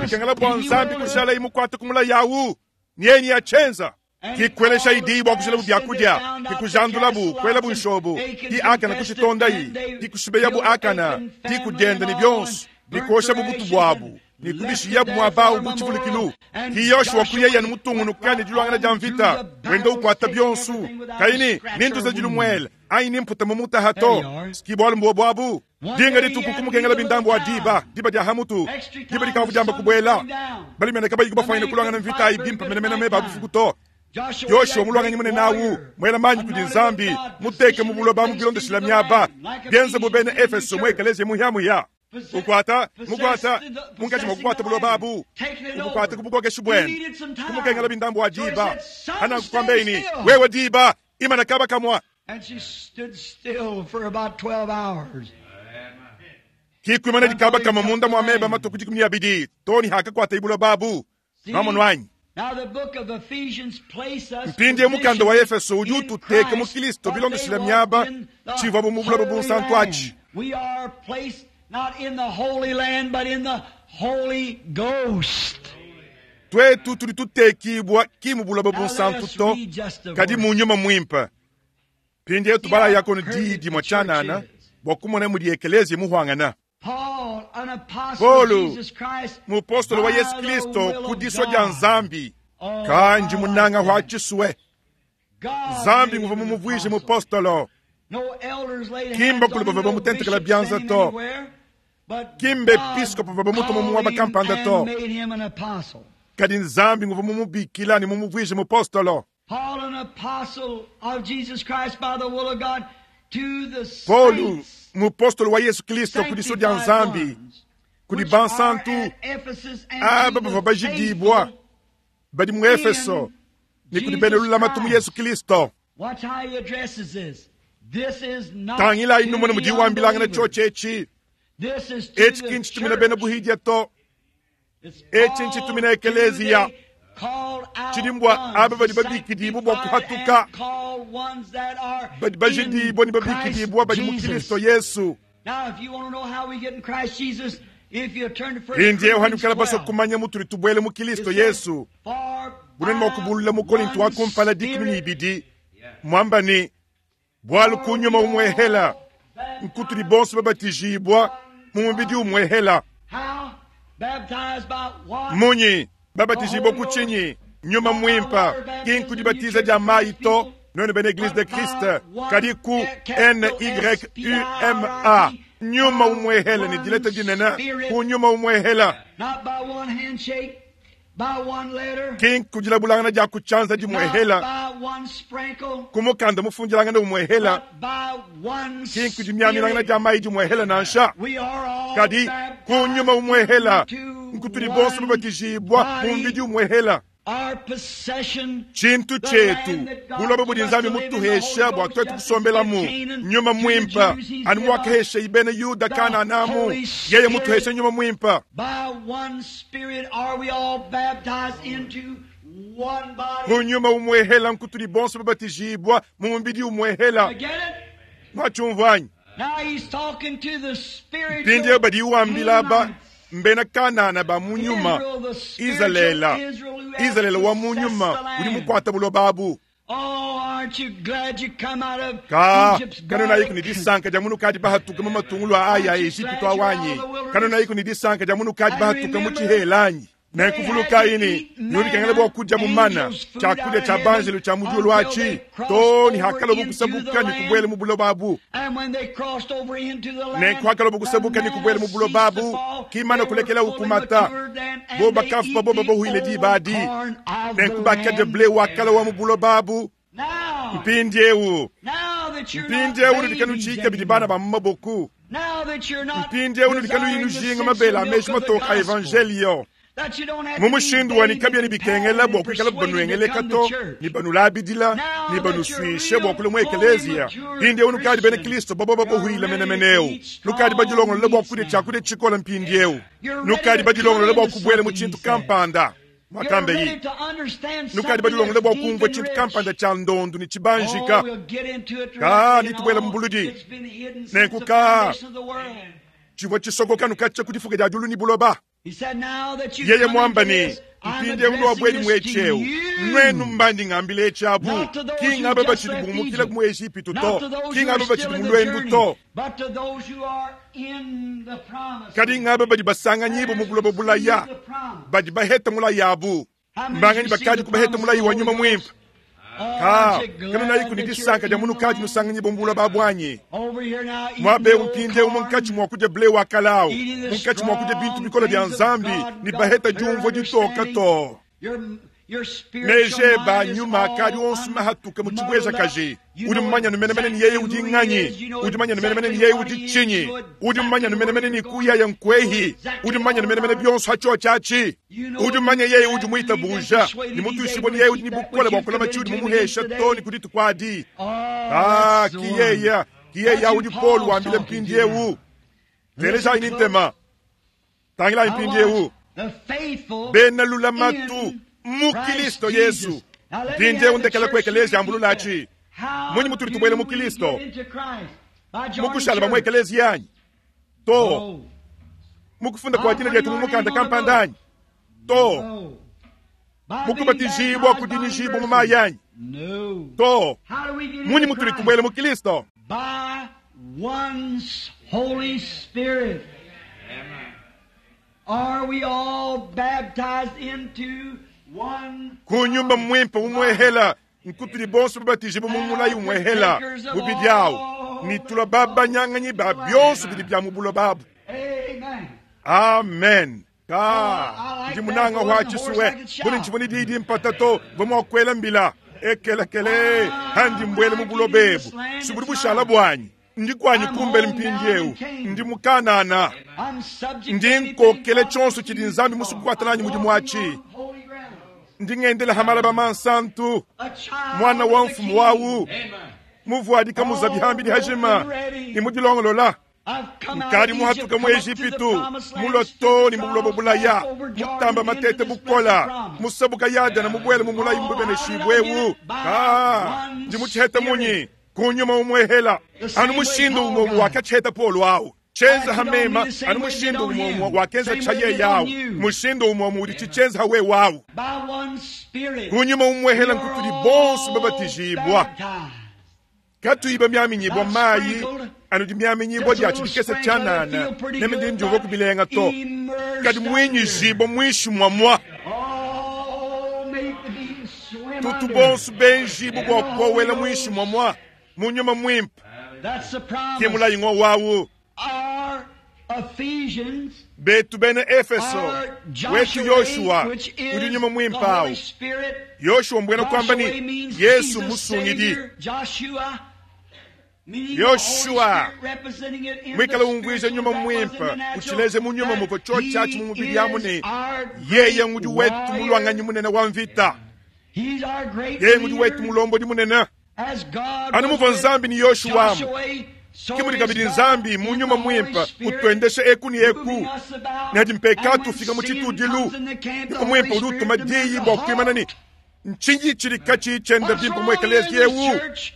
Speaker 1: Bikengela bwa nzambi kushala imukwata kumulayi awu. Nieni ya chenza. Kikwelesha idi bwa kushila bubyakudia. Kikujandulabu kwela bunshobu. Ki akana kushitonda yi. Kikushibeyabu akana. Kikudenda ni byonsu. Nikosha bubutu bwabu. Nikubishi yabu mwabao buchivulikilu. Ki Yoshua kuyeya ni mutungunuka ni julwangana jamvita. Wendo ukwata byonsu. Kaini nintuza julumwele. Aini mputa mumuta hato. Skibwalu mbwabwabu. Dinga dituku kumukengela bindambu wa diba. Diba dia hamutu. Diba dikavu jamba kubwela. Bali mene kabayi kubafaina kulwangana mvita ibimpa mene mene meba bufukuto. Yoshua mulwanganye mune nawu. Mwela manyi kudi nzambi. Muteke mubuloba mubilonde shilamiaba. Bienze bubene Efeso mwekeleze muhyamuya. Ukwata, mukwata, munkachi mukwata bulobabu. Ukwata kubukoke shubwen. Kumukengela bindambu wa diba. Hana kukwambeini, wewe diba, imana kaba kamwa.
Speaker 2: And she stood still for about twelve hours.
Speaker 1: Kikwimana dikaba kama munda mwa meba matuku dikumi ya bidi. Toni haka kwata ibulobabu. Mamonwanyi.
Speaker 2: Now the book of Ephesians place us
Speaker 1: Mpindi mukanda wa Efeso uju tuteke mu Kristo bilondo shila myaba chivwa mu bulobo bunsantu achi.
Speaker 2: We are placed not in the Holy Land, but in the Holy Ghost.
Speaker 1: Twetu tulitutekibwa kimu bulaba bunsantu to kadi munyuma mwimpa. Pindi yetu bala yako ni didi mwachanana bwakumona muri ekelezi muhwangana. Paulo mupostolo wa Yesu Kristo kudiswa ja nzambi kanji munanga hwachiswe nzambi nguva mumuvwije mupostolo. Kimba kuli bava bamutentekela byanza to. Kimbe episkopo bava bamutomo muwaba kampanda to. Kadi nzambi nguva mumubikila ni mumuvwije mupostolo. Paulo mupostolo wa Yesu Kristo kudiso dia nzambi Kudi
Speaker 2: which are
Speaker 1: bansantu
Speaker 2: at Ephesus and
Speaker 1: aba
Speaker 2: to
Speaker 1: bavua
Speaker 2: the
Speaker 1: bajidibwa
Speaker 2: faithful
Speaker 1: badi mu Efeso ne kudi bena lulamatu mu Yesu Kristo.
Speaker 2: Watch how he addresses this. This is not
Speaker 1: Tangilayi
Speaker 2: to
Speaker 1: numone
Speaker 2: the
Speaker 1: mudi wambilangana
Speaker 2: unbelievers.
Speaker 1: tshotsho etshi
Speaker 2: This is to
Speaker 1: etshi
Speaker 2: the
Speaker 1: kinchitumina bena
Speaker 2: church.
Speaker 1: buhidya to
Speaker 2: It's
Speaker 1: etshi
Speaker 2: called
Speaker 1: nchitumina
Speaker 2: to
Speaker 1: ekeleziya.
Speaker 2: the called out
Speaker 1: Tshidi mbwa
Speaker 2: ones,
Speaker 1: aba badi
Speaker 2: the
Speaker 1: babikidibwa bua
Speaker 2: sanctified
Speaker 1: kuhatuka.
Speaker 2: and called ones that are
Speaker 1: badi bajidibwa ne
Speaker 2: in
Speaker 1: babikidibwa
Speaker 2: Christ
Speaker 1: badi mu
Speaker 2: Jesus.
Speaker 1: Kristo Yesu.
Speaker 2: Now, if you want to know how we get in Christ Jesus, if you turn to First
Speaker 1: Hindi
Speaker 2: Corinthians
Speaker 1: yohanikala baso
Speaker 2: twelve,
Speaker 1: kumanya mutuli tubwele mu
Speaker 2: it
Speaker 1: Kristo
Speaker 2: says,
Speaker 1: Yesu.
Speaker 2: "For
Speaker 1: Bunene
Speaker 2: by
Speaker 1: mwakubulula mu Korinto
Speaker 2: one
Speaker 1: wa kumpala dikumi
Speaker 2: Spirit
Speaker 1: n'ibidi mwamba ni bwalu kunyuma umwehela nkutuli bonso babatijibwa mu mubidi umwehela
Speaker 2: How? Baptized by what?
Speaker 1: munyi babatijibwa ku tshinyi nyuma mwimpa kinkudibatiza dia mayi to none bena eglise de Christ kadi ku N Y U M A nyuma umwehela ni dileta dinene ku nyuma umwehela
Speaker 2: Not by one handshake, by one letter,
Speaker 1: kinkudilabulangana dia kutshanza
Speaker 2: not
Speaker 1: dimwehela
Speaker 2: by one sprinkle,
Speaker 1: kumukanda mufundilangana umwehela
Speaker 2: but by one
Speaker 1: kinkudimyamilangana
Speaker 2: Spirit.
Speaker 1: dia mayi dimwehela nansha
Speaker 2: We are all
Speaker 1: kadi kunyuma umwehela
Speaker 2: baptized into
Speaker 1: nkutuli bonso
Speaker 2: one
Speaker 1: babatijibwa
Speaker 2: body.
Speaker 1: mu mbidi umwehela
Speaker 2: Our possession,
Speaker 1: tshintu
Speaker 2: the
Speaker 1: chetu
Speaker 2: land that God
Speaker 1: buloba budi
Speaker 2: gave us
Speaker 1: nzambi
Speaker 2: to live in, the
Speaker 1: mutuhesha
Speaker 2: Holy
Speaker 1: bua
Speaker 2: Ghost
Speaker 1: twetu
Speaker 2: just
Speaker 1: kusombelamu
Speaker 2: as Canaan
Speaker 1: nyuma
Speaker 2: to the
Speaker 1: mwimpa
Speaker 2: Jews he's
Speaker 1: anu
Speaker 2: give us
Speaker 1: wakahesha ibene yuda
Speaker 2: the
Speaker 1: kananamu
Speaker 2: Holy
Speaker 1: yeye
Speaker 2: Spirit.
Speaker 1: mutuhesha nyuma mwimpa
Speaker 2: By one Spirit are we all baptized into one body.
Speaker 1: kunyuma umwehela nkutuli bonso babatijibwa mu mbidi umwehela
Speaker 2: You get it?
Speaker 1: mwachumvanyi
Speaker 2: Now he's talking to the spiritual
Speaker 1: mpindieu badi iwambila ba
Speaker 2: Canaanites.
Speaker 1: mbena kanana ba munyuma
Speaker 2: Israel, the spiritual
Speaker 1: Izalela
Speaker 2: Israel who has
Speaker 1: Izalela wa
Speaker 2: possessed
Speaker 1: munyuma
Speaker 2: the land.
Speaker 1: udi mukwata buloba abu
Speaker 2: Oh, aren't you glad you come out of
Speaker 1: ka
Speaker 2: Egypt's
Speaker 1: kano nayiku ni
Speaker 2: garlic?
Speaker 1: disanka dia munu kadi bahatuka mu matungulu a aya a Egipito awanyi kano nayiku ni disanka dia munu kadi bahatuka mu tshihelanyi nenkuvuluka ini nudikengela bua kudya mu mana tshiakudia tshia banjelu tshia mu diulu atshi to ni hakala bukusabuka ni kubuela mu buloba abu
Speaker 2: And when they crossed over into the land,
Speaker 1: nenkuhakala bukusabuka
Speaker 2: the
Speaker 1: ni kubuela mu
Speaker 2: manna
Speaker 1: buloba
Speaker 2: ceased to
Speaker 1: abu
Speaker 2: fall.
Speaker 1: kimana
Speaker 2: They were
Speaker 1: kulekela
Speaker 2: fully
Speaker 1: ukumata
Speaker 2: matured then, and
Speaker 1: bo
Speaker 2: they
Speaker 1: bakafu
Speaker 2: eat
Speaker 1: babo
Speaker 2: the
Speaker 1: babohwile
Speaker 2: old
Speaker 1: dibadi
Speaker 2: corn of the
Speaker 1: nenkubakadia
Speaker 2: land.
Speaker 1: ble wakala wa mu buloba abu
Speaker 2: Now,
Speaker 1: mpindiewu
Speaker 2: now that you're not
Speaker 1: mpindiewu nudikanu
Speaker 2: babies
Speaker 1: tshika bidi bana
Speaker 2: anymore,
Speaker 1: ba mu maboku
Speaker 2: now that you're not
Speaker 1: mpindiewu nudikanu
Speaker 2: desiring
Speaker 1: yinu
Speaker 2: the
Speaker 1: jinga
Speaker 2: sensual
Speaker 1: mabela
Speaker 2: milk
Speaker 1: ameshi
Speaker 2: of the
Speaker 1: matoka a
Speaker 2: gospel,
Speaker 1: evangelio
Speaker 2: that you don't have
Speaker 1: mu
Speaker 2: to be
Speaker 1: mushindu wani
Speaker 2: bathed
Speaker 1: kabya ni
Speaker 2: and
Speaker 1: bikengela
Speaker 2: patted
Speaker 1: bua
Speaker 2: and
Speaker 1: kuikala
Speaker 2: persuaded to
Speaker 1: banwengeleka
Speaker 2: come
Speaker 1: to
Speaker 2: to church.
Speaker 1: ni banulabidila
Speaker 2: Now
Speaker 1: ni
Speaker 2: that you're
Speaker 1: banuswishe bua
Speaker 2: real,
Speaker 1: kula mu
Speaker 2: fully
Speaker 1: ekeleziya
Speaker 2: mature
Speaker 1: mpindiewu nukadi bena
Speaker 2: Christian,
Speaker 1: kristo bobo babohwila
Speaker 2: you're ready to
Speaker 1: menemeneu
Speaker 2: eat strong
Speaker 1: nukadi badilongolola bua
Speaker 2: meats
Speaker 1: kudia
Speaker 2: now.
Speaker 1: tshiakudia tshikola mpindiewu
Speaker 2: You're ready
Speaker 1: nukadi
Speaker 2: to come
Speaker 1: badilongolola bua
Speaker 2: into
Speaker 1: kubuela mu
Speaker 2: something,
Speaker 1: tshintu
Speaker 2: he said.
Speaker 1: kampanda
Speaker 2: You're
Speaker 1: mwakambe
Speaker 2: ready
Speaker 1: yi
Speaker 2: to understand
Speaker 1: nukadi
Speaker 2: something
Speaker 1: badilongolola
Speaker 2: that's
Speaker 1: bua
Speaker 2: deep
Speaker 1: kumvua
Speaker 2: and
Speaker 1: tshintu
Speaker 2: rich.
Speaker 1: kampanda tshia ndondu ni
Speaker 2: Oh,
Speaker 1: tshibanjika
Speaker 2: we'll get into it
Speaker 1: Ka,
Speaker 2: directly and
Speaker 1: nitubuela
Speaker 2: all.
Speaker 1: mu buludi.
Speaker 2: It's been hidden since
Speaker 1: Nenku
Speaker 2: the
Speaker 1: ka.
Speaker 2: foundation of the world.
Speaker 1: tshivua tshisokoka nukatshia kudifuka dia diulu ni buloba
Speaker 2: He said, now that you've
Speaker 1: yeye
Speaker 2: come
Speaker 1: mwamba
Speaker 2: into
Speaker 1: ni
Speaker 2: this, I'm
Speaker 1: mpindiewu ndo
Speaker 2: addressing
Speaker 1: wabweli
Speaker 2: this to
Speaker 1: mwetsheu
Speaker 2: you.
Speaker 1: nwenu mbandi ng'ambile etshabu
Speaker 2: Not to those
Speaker 1: ki
Speaker 2: who
Speaker 1: ng'aba
Speaker 2: just
Speaker 1: batshidi
Speaker 2: left
Speaker 1: bumukila
Speaker 2: Egypt,
Speaker 1: mu Egipito
Speaker 2: not
Speaker 1: to
Speaker 2: to those
Speaker 1: ki
Speaker 2: who
Speaker 1: ng'aba
Speaker 2: are
Speaker 1: batshidi
Speaker 2: still in
Speaker 1: mu
Speaker 2: the
Speaker 1: lwendu
Speaker 2: journey,
Speaker 1: to
Speaker 2: but to those who are in the promise.
Speaker 1: kadi ng'aba badi basanganyibo mu buloba bulaya
Speaker 2: The promise.
Speaker 1: badi baheta mulayi abu
Speaker 2: How many
Speaker 1: mbanganyi
Speaker 2: received
Speaker 1: bakadi
Speaker 2: the
Speaker 1: kubaheta
Speaker 2: promise
Speaker 1: mulayi
Speaker 2: of the
Speaker 1: wa
Speaker 2: Holy
Speaker 1: nyuma
Speaker 2: Ghost?
Speaker 1: mwimpa
Speaker 2: Oh,
Speaker 1: ka
Speaker 2: aren't you
Speaker 1: kano
Speaker 2: glad
Speaker 1: nayiku ni
Speaker 2: that you're
Speaker 1: disanka dia
Speaker 2: in
Speaker 1: munu
Speaker 2: the
Speaker 1: kadi
Speaker 2: land?
Speaker 1: nusanganyibo mu buloba bwanyi
Speaker 2: Over here now, eating
Speaker 1: mwabe
Speaker 2: the old
Speaker 1: umpinde
Speaker 2: corn,
Speaker 1: munkatshi mwa kudya ble wakalawu
Speaker 2: eating the
Speaker 1: munkatshi mwa kudya bintu
Speaker 2: strong
Speaker 1: bikola bya
Speaker 2: things of
Speaker 1: nzambi
Speaker 2: God,
Speaker 1: ni
Speaker 2: got
Speaker 1: baheta
Speaker 2: clear
Speaker 1: diumvua ditoka
Speaker 2: understanding.
Speaker 1: to
Speaker 2: Your, your spiritual
Speaker 1: meje ba
Speaker 2: mind is
Speaker 1: nyuma akadi
Speaker 2: all
Speaker 1: onse mahatuka mu
Speaker 2: unmuddled
Speaker 1: chibweza
Speaker 2: up.
Speaker 1: kaji
Speaker 2: You
Speaker 1: udi
Speaker 2: know
Speaker 1: mmanya numenemene ni
Speaker 2: exactly
Speaker 1: yeye
Speaker 2: who
Speaker 1: udi
Speaker 2: he
Speaker 1: ng'anyi
Speaker 2: is. You know
Speaker 1: udi mmanya numenemene ni
Speaker 2: exactly
Speaker 1: yeye
Speaker 2: what
Speaker 1: udi
Speaker 2: he is.
Speaker 1: tshinyi
Speaker 2: You know
Speaker 1: udi mmanya
Speaker 2: exactly where
Speaker 1: numenemene ni
Speaker 2: you're going.
Speaker 1: kuyaya
Speaker 2: You know
Speaker 1: nkwehi
Speaker 2: exactly
Speaker 1: udi mmanya
Speaker 2: all
Speaker 1: numenemene
Speaker 2: about it.
Speaker 1: byonso hacho chachi
Speaker 2: You know
Speaker 1: udi mmanya yeye udi
Speaker 2: that believed and
Speaker 1: muitabuja
Speaker 2: persuaded
Speaker 1: ni
Speaker 2: he's
Speaker 1: mutuishibwa
Speaker 2: able
Speaker 1: ni
Speaker 2: to
Speaker 1: yeye udi
Speaker 2: keep
Speaker 1: ni
Speaker 2: that
Speaker 1: bukola
Speaker 2: which
Speaker 1: bua
Speaker 2: you've
Speaker 1: kulama
Speaker 2: committed
Speaker 1: tshiudi
Speaker 2: to him
Speaker 1: mumuhesha
Speaker 2: against
Speaker 1: to ni
Speaker 2: today.
Speaker 1: kuditukwadi
Speaker 2: Oh,
Speaker 1: ah
Speaker 2: that's the one.
Speaker 1: kiyeya kiyeya
Speaker 2: That's who
Speaker 1: udi Paul
Speaker 2: Paul's
Speaker 1: wambile
Speaker 2: talking to
Speaker 1: mpindiewu
Speaker 2: now.
Speaker 1: telejayi
Speaker 2: Listen
Speaker 1: ni ntema tangilayi
Speaker 2: Now
Speaker 1: mpindiewu
Speaker 2: watch. The faithful
Speaker 1: bena lulamatu
Speaker 2: in
Speaker 1: mu
Speaker 2: Christ
Speaker 1: Kristo
Speaker 2: Jesus.
Speaker 1: Yesu
Speaker 2: Now let me
Speaker 1: mpindiewu
Speaker 2: have the
Speaker 1: ndekela
Speaker 2: church
Speaker 1: ku ekeleziya
Speaker 2: repeat
Speaker 1: ambululachi
Speaker 2: that. How
Speaker 1: Munyi mutuli
Speaker 2: do
Speaker 1: tubwele mu
Speaker 2: we
Speaker 1: Kristo?
Speaker 2: get into Christ? By joining
Speaker 1: mukushala bamwe
Speaker 2: church?
Speaker 1: ekeleziya yanyi to
Speaker 2: No.
Speaker 1: mukufunda kwa dina lyetu mumukanda kampandanyi to
Speaker 2: No. By being
Speaker 1: mukubatizibwa
Speaker 2: baptized by
Speaker 1: kudinishibwa mu
Speaker 2: university?
Speaker 1: mayi yanyi
Speaker 2: No.
Speaker 1: to
Speaker 2: How do we get
Speaker 1: munyi
Speaker 2: into
Speaker 1: mutuli
Speaker 2: Christ?
Speaker 1: tubwele mu Kristo
Speaker 2: By one's Holy Spirit. Are we all baptized into one
Speaker 1: kunyumba mwimpa umwehela nkutuli bonso babatizibwa mu mulayi umwehela bubidi awo nitula babanyanganyi ba byonso bidi bya mu buloba abu
Speaker 2: Amen.
Speaker 1: Amen. Ka ndi munanga wa chisuwe buli nchiboni didi mpatato vamwakwela mbila ekelekele handi mbwele mu bulobebu sibuli bushala bwanyi Ndi kwanyi
Speaker 2: I'm
Speaker 1: kumbele
Speaker 2: home now
Speaker 1: mpindiewu
Speaker 2: in Canaan.
Speaker 1: ndi mukanana
Speaker 2: I'm subject
Speaker 1: ndi
Speaker 2: to anything
Speaker 1: nkokele
Speaker 2: God
Speaker 1: chonso
Speaker 2: can
Speaker 1: chidi
Speaker 2: use
Speaker 1: nzambi
Speaker 2: me
Speaker 1: musu
Speaker 2: for.
Speaker 1: kukwatalani
Speaker 2: I'm
Speaker 1: mudimu
Speaker 2: walking
Speaker 1: wachi
Speaker 2: on holy ground.
Speaker 1: ndi ngendela hamalaba mansantu
Speaker 2: A child
Speaker 1: mwana
Speaker 2: of
Speaker 1: wa
Speaker 2: the
Speaker 1: mfumu
Speaker 2: King.
Speaker 1: wawu muvuadika muzabihambili hajima nimudilongolola
Speaker 2: I've come out
Speaker 1: nkali
Speaker 2: of
Speaker 1: muhatuka
Speaker 2: Egypt,
Speaker 1: mu
Speaker 2: come up to the
Speaker 1: ejipitu
Speaker 2: promised land,
Speaker 1: muloto
Speaker 2: stood
Speaker 1: ni
Speaker 2: the
Speaker 1: mubulobo
Speaker 2: trials,
Speaker 1: bulaya
Speaker 2: passed over Jordan
Speaker 1: mutamba
Speaker 2: into
Speaker 1: matete
Speaker 2: this
Speaker 1: bukola
Speaker 2: blessed promise.
Speaker 1: musabuka yadana mubwele mumulayi mububeneshibwewu ka ndi muchiheta munyi kunyuma umwehela anu mushindu umwe wakachiheta polo awu chenza hamema anu mushindu umwe wakenza chaye yawu mushindu umwe udi chichenza hawe wawu
Speaker 2: By one Spirit,
Speaker 1: kunyuma umwehela
Speaker 2: we are
Speaker 1: nkutuli
Speaker 2: all
Speaker 1: bonso babatizibwa
Speaker 2: baptized.
Speaker 1: katuiba myaminyibwa mayi anu myaminyibwa
Speaker 2: Just a
Speaker 1: lya
Speaker 2: little
Speaker 1: chilikesa
Speaker 2: sprinkle,
Speaker 1: chanana
Speaker 2: I feel pretty
Speaker 1: neme ndi
Speaker 2: good,
Speaker 1: njuva
Speaker 2: but
Speaker 1: kubilenga to
Speaker 2: immersed
Speaker 1: kadi mwinyizibwa mwishi mwamwa
Speaker 2: Oh, make the beans swim
Speaker 1: tutu
Speaker 2: under.
Speaker 1: bonso benjibu bwa kowela mwishi mwamwa munyuma mwimpa
Speaker 2: That's the promise.
Speaker 1: ke mulayi ng'o wawu
Speaker 2: Our Ephesians,
Speaker 1: betu bene efeso
Speaker 2: our
Speaker 1: wetu
Speaker 2: Joshua,
Speaker 1: yoshuwa
Speaker 2: which is
Speaker 1: udi nyuma
Speaker 2: the
Speaker 1: mwimpa
Speaker 2: Holy
Speaker 1: awu
Speaker 2: Spirit.
Speaker 1: yoshuwa mbwena kwamba
Speaker 2: Joshua
Speaker 1: ni
Speaker 2: means
Speaker 1: yesu
Speaker 2: Jesus
Speaker 1: musungidi
Speaker 2: Savior. Joshua meaning the
Speaker 1: Yoshua.
Speaker 2: Holy Spirit representing it in
Speaker 1: mwikala
Speaker 2: the
Speaker 1: ungwije
Speaker 2: spiritual,
Speaker 1: nyuma
Speaker 2: that was in the
Speaker 1: mwimpa
Speaker 2: natural,
Speaker 1: uchileze munyuma
Speaker 2: that
Speaker 1: muko cho
Speaker 2: he
Speaker 1: chachi mumubili yamu
Speaker 2: is
Speaker 1: ni
Speaker 2: our
Speaker 1: yeye
Speaker 2: great
Speaker 1: ngudi wetu
Speaker 2: warrior.
Speaker 1: mulwanganyi munene wa mvita
Speaker 2: He's our great
Speaker 1: yeye ngudi wetu
Speaker 2: leader.
Speaker 1: mulombodi munene
Speaker 2: As God
Speaker 1: anu
Speaker 2: was
Speaker 1: muva
Speaker 2: with
Speaker 1: nzambi ni yoshuwamu
Speaker 2: Joshua, so
Speaker 1: kimuli
Speaker 2: is
Speaker 1: kabidi
Speaker 2: God
Speaker 1: nzambi
Speaker 2: in
Speaker 1: munyuma
Speaker 2: the Holy
Speaker 1: mwimpa
Speaker 2: Spirit,
Speaker 1: utwendeshe eku ni eku
Speaker 2: moving us about.
Speaker 1: nadi mpeka
Speaker 2: And when
Speaker 1: tufika mu
Speaker 2: sin
Speaker 1: chitudilu
Speaker 2: comes in the camp, the
Speaker 1: niko mwimpa
Speaker 2: Holy
Speaker 1: udi utuma
Speaker 2: Spirit
Speaker 1: diyi
Speaker 2: demands
Speaker 1: bwa
Speaker 2: a
Speaker 1: kuimana ni
Speaker 2: halt.
Speaker 1: nchinji chilika chichenda
Speaker 2: What's
Speaker 1: bimpa
Speaker 2: wrong
Speaker 1: mwekeleziya
Speaker 2: in this
Speaker 1: ewu
Speaker 2: church?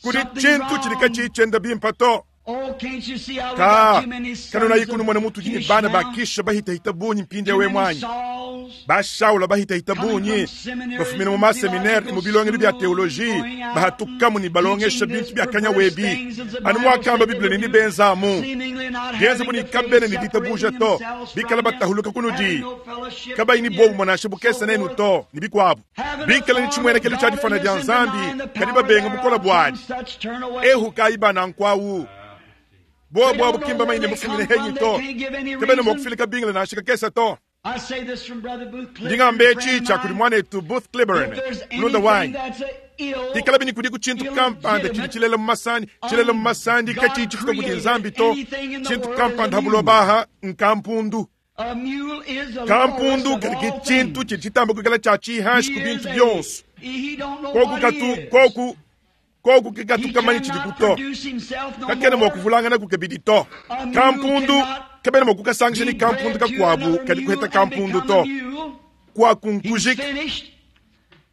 Speaker 1: kuli
Speaker 2: Something's
Speaker 1: chintu chilika
Speaker 2: wrong.
Speaker 1: chichenda bimpa to
Speaker 2: Oh, can't you see how we
Speaker 1: ka
Speaker 2: got too many sons
Speaker 1: kanona
Speaker 2: of
Speaker 1: ikunu mwana mutu jini
Speaker 2: Kish
Speaker 1: bana
Speaker 2: now?
Speaker 1: bakisha bahitahita bunyi mpindi
Speaker 2: Too
Speaker 1: yawe
Speaker 2: many
Speaker 1: mwanyi
Speaker 2: Sauls
Speaker 1: bashaula bahitahita
Speaker 2: coming
Speaker 1: bunyi
Speaker 2: from seminaries
Speaker 1: bafumina mu
Speaker 2: and
Speaker 1: maseminari mu bilongelo bya
Speaker 2: theological
Speaker 1: teoloji
Speaker 2: schools, going out
Speaker 1: bahatukamu ni
Speaker 2: and
Speaker 1: balongesha
Speaker 2: teaching
Speaker 1: bintu
Speaker 2: this
Speaker 1: bya kanya
Speaker 2: perverse
Speaker 1: webi
Speaker 2: things as the
Speaker 1: anu
Speaker 2: Bible
Speaker 1: mwakamba
Speaker 2: said they
Speaker 1: biblia
Speaker 2: would
Speaker 1: nini
Speaker 2: do,
Speaker 1: benzamu
Speaker 2: seemingly not
Speaker 1: byenze
Speaker 2: having
Speaker 1: muni
Speaker 2: the
Speaker 1: kabene
Speaker 2: faith,
Speaker 1: ni ditabuja
Speaker 2: separating
Speaker 1: to
Speaker 2: themselves
Speaker 1: bikala
Speaker 2: from him,
Speaker 1: batahuluka kunudi
Speaker 2: having no fellowship
Speaker 1: kabayi ni
Speaker 2: with
Speaker 1: bobu
Speaker 2: him,
Speaker 1: mwanashe bukesa
Speaker 2: so
Speaker 1: nenu
Speaker 2: forth.
Speaker 1: to ni bikwabu
Speaker 2: Having a
Speaker 1: bikala ni
Speaker 2: form
Speaker 1: chimwenekelo
Speaker 2: of
Speaker 1: cha difana dya
Speaker 2: godliness and
Speaker 1: nzambi
Speaker 2: denying the
Speaker 1: kadi
Speaker 2: power
Speaker 1: babenga mukola
Speaker 2: thereof,
Speaker 1: bwadi
Speaker 2: some such turn away.
Speaker 1: ehu kayiba nkwawu
Speaker 2: They
Speaker 1: bobo
Speaker 2: don't know
Speaker 1: abukimba
Speaker 2: where
Speaker 1: maine
Speaker 2: they
Speaker 1: mufumine
Speaker 2: come
Speaker 1: henyi
Speaker 2: from.
Speaker 1: to
Speaker 2: They can't give any
Speaker 1: kabene
Speaker 2: reason.
Speaker 1: mwakufilika bingile nashika kesa to
Speaker 2: I say this from Brother Booth Clifton,
Speaker 1: ndingambe
Speaker 2: friend of
Speaker 1: chicha kuli
Speaker 2: mine.
Speaker 1: mwanetu Booth Cliburn
Speaker 2: If there's
Speaker 1: mulunda
Speaker 2: anything
Speaker 1: wanyi
Speaker 2: that's a ill,
Speaker 1: tikala bini kudi ku chintu kampanda chili chilela mu masandi chilela mu masandi kachi chifika kuti nzambi to chintu kampanda habulobaha nkampundu
Speaker 2: a mule is the
Speaker 1: kampundu
Speaker 2: lowest of
Speaker 1: kali
Speaker 2: all
Speaker 1: chintu
Speaker 2: things.
Speaker 1: chili chitamba kukala cha chihashi ku
Speaker 2: He
Speaker 1: bintu
Speaker 2: is a-
Speaker 1: byonso
Speaker 2: he don't know
Speaker 1: koku
Speaker 2: what
Speaker 1: katu
Speaker 2: he is.
Speaker 1: koku koku
Speaker 2: He
Speaker 1: kikatukamanyi chili
Speaker 2: cannot
Speaker 1: kuto
Speaker 2: produce himself no
Speaker 1: kakene
Speaker 2: more.
Speaker 1: mwakuvulangana kukabidi to
Speaker 2: A mule
Speaker 1: kampundu
Speaker 2: cannot
Speaker 1: kabene mwakukasangisha
Speaker 2: be
Speaker 1: ni kampundu
Speaker 2: bred to
Speaker 1: kakwabu
Speaker 2: another
Speaker 1: kali
Speaker 2: mule
Speaker 1: kuheta
Speaker 2: and
Speaker 1: kampundu
Speaker 2: become
Speaker 1: to
Speaker 2: a mule. He's
Speaker 1: kwakunkujika
Speaker 2: finished.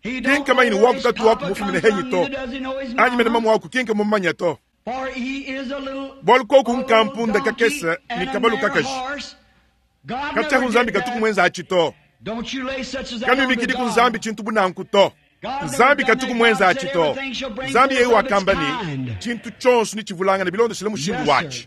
Speaker 2: He don't
Speaker 1: kinka maini
Speaker 2: know where his
Speaker 1: waku tatu waku
Speaker 2: papa
Speaker 1: mufumine
Speaker 2: come
Speaker 1: henyi
Speaker 2: from,
Speaker 1: to
Speaker 2: neither does he know his
Speaker 1: anyi mene
Speaker 2: mama.
Speaker 1: mamu waku kinka mumanya to
Speaker 2: For he is a little
Speaker 1: bwalu koku
Speaker 2: a little
Speaker 1: nkampunda
Speaker 2: donkey
Speaker 1: kakesa
Speaker 2: and
Speaker 1: ni
Speaker 2: a
Speaker 1: kabalu
Speaker 2: mare
Speaker 1: kakaji
Speaker 2: horse. God
Speaker 1: kachaku
Speaker 2: never
Speaker 1: nzambi
Speaker 2: did
Speaker 1: katuku
Speaker 2: that.
Speaker 1: mwenza achi to
Speaker 2: Don't you lay such as that
Speaker 1: kanu
Speaker 2: unto
Speaker 1: bikidi ku
Speaker 2: God.
Speaker 1: nzambi chintu bunanku to nzambi katuku mwenza achi to nzambi yeyi wakamba ni chintu chonso ni chivulangana bilondeshele mushindu
Speaker 2: Yes,
Speaker 1: wachi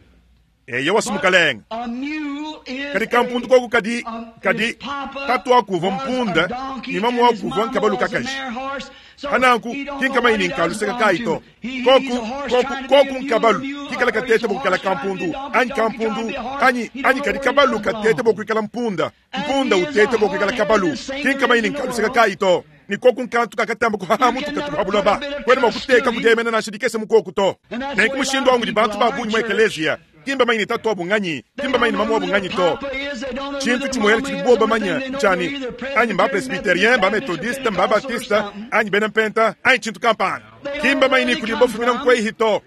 Speaker 2: sir.
Speaker 1: eye wasimukalenga
Speaker 2: A mule is
Speaker 1: kadi kampundu
Speaker 2: a-
Speaker 1: koku kadi
Speaker 2: um,
Speaker 1: kadi
Speaker 2: his papa
Speaker 1: tatu wakuva
Speaker 2: was a
Speaker 1: mpunda
Speaker 2: donkey
Speaker 1: ni mamu
Speaker 2: and his
Speaker 1: wakuva
Speaker 2: mama
Speaker 1: nkabalu
Speaker 2: was a
Speaker 1: kakaji
Speaker 2: mare horse. So
Speaker 1: hananku
Speaker 2: he don't
Speaker 1: kinka
Speaker 2: know what
Speaker 1: maini
Speaker 2: he
Speaker 1: nka
Speaker 2: does
Speaker 1: luseka
Speaker 2: belong
Speaker 1: kayi
Speaker 2: to.
Speaker 1: to
Speaker 2: He- he's
Speaker 1: koku
Speaker 2: a horse
Speaker 1: koku
Speaker 2: trying to be a
Speaker 1: koku
Speaker 2: mule,
Speaker 1: nkabalu
Speaker 2: mule,
Speaker 1: kikala
Speaker 2: or
Speaker 1: katete
Speaker 2: he's a
Speaker 1: bokukala
Speaker 2: horse trying to be a
Speaker 1: kampundu
Speaker 2: donkey,
Speaker 1: anyi
Speaker 2: donkey trying to
Speaker 1: kampundu
Speaker 2: be a horse.
Speaker 1: anyi
Speaker 2: He don't
Speaker 1: anyi
Speaker 2: know
Speaker 1: kadi
Speaker 2: where he
Speaker 1: kabalu
Speaker 2: does
Speaker 1: katete
Speaker 2: belong.
Speaker 1: bokwikala mpunda
Speaker 2: And
Speaker 1: mpunda
Speaker 2: he is a
Speaker 1: utete bokwikala
Speaker 2: hard-headed,
Speaker 1: kabalu
Speaker 2: the same
Speaker 1: kinka maini
Speaker 2: in the
Speaker 1: nka luseka
Speaker 2: world.
Speaker 1: kayi to ni koku nkantu kakatamba kuhahamu
Speaker 2: You can
Speaker 1: tukatu
Speaker 2: never
Speaker 1: habulaba
Speaker 2: put a bit of
Speaker 1: kwene
Speaker 2: trust
Speaker 1: mwakuteka
Speaker 2: to him.
Speaker 1: kudemena nashidikese mukoku to
Speaker 2: And that's
Speaker 1: nenku
Speaker 2: the way a
Speaker 1: mushindu
Speaker 2: lot of
Speaker 1: wangu di bantu
Speaker 2: people are
Speaker 1: babunyi
Speaker 2: in
Speaker 1: mwa
Speaker 2: church.
Speaker 1: ekeleziya kimba maini tatu wabunganyi
Speaker 2: They
Speaker 1: kimba
Speaker 2: don't
Speaker 1: maini
Speaker 2: know
Speaker 1: mamu
Speaker 2: who their
Speaker 1: wabunganyi to
Speaker 2: papa is, they don't know who
Speaker 1: chintu
Speaker 2: their
Speaker 1: chimwele
Speaker 2: mama
Speaker 1: chili
Speaker 2: is.
Speaker 1: boba
Speaker 2: Only
Speaker 1: manya
Speaker 2: thing they know
Speaker 1: chani
Speaker 2: they're either
Speaker 1: anyi mba
Speaker 2: Presbyterian,
Speaker 1: presbyterien mba
Speaker 2: Methodist, or
Speaker 1: methodiste mba
Speaker 2: Pentecostal or
Speaker 1: batista
Speaker 2: something.
Speaker 1: anyi bena mpenta anyi chintu kampana
Speaker 2: They don't
Speaker 1: kimba
Speaker 2: know where
Speaker 1: maini
Speaker 2: they
Speaker 1: kuli
Speaker 2: come
Speaker 1: bofumina
Speaker 2: from.
Speaker 1: nkweyi hito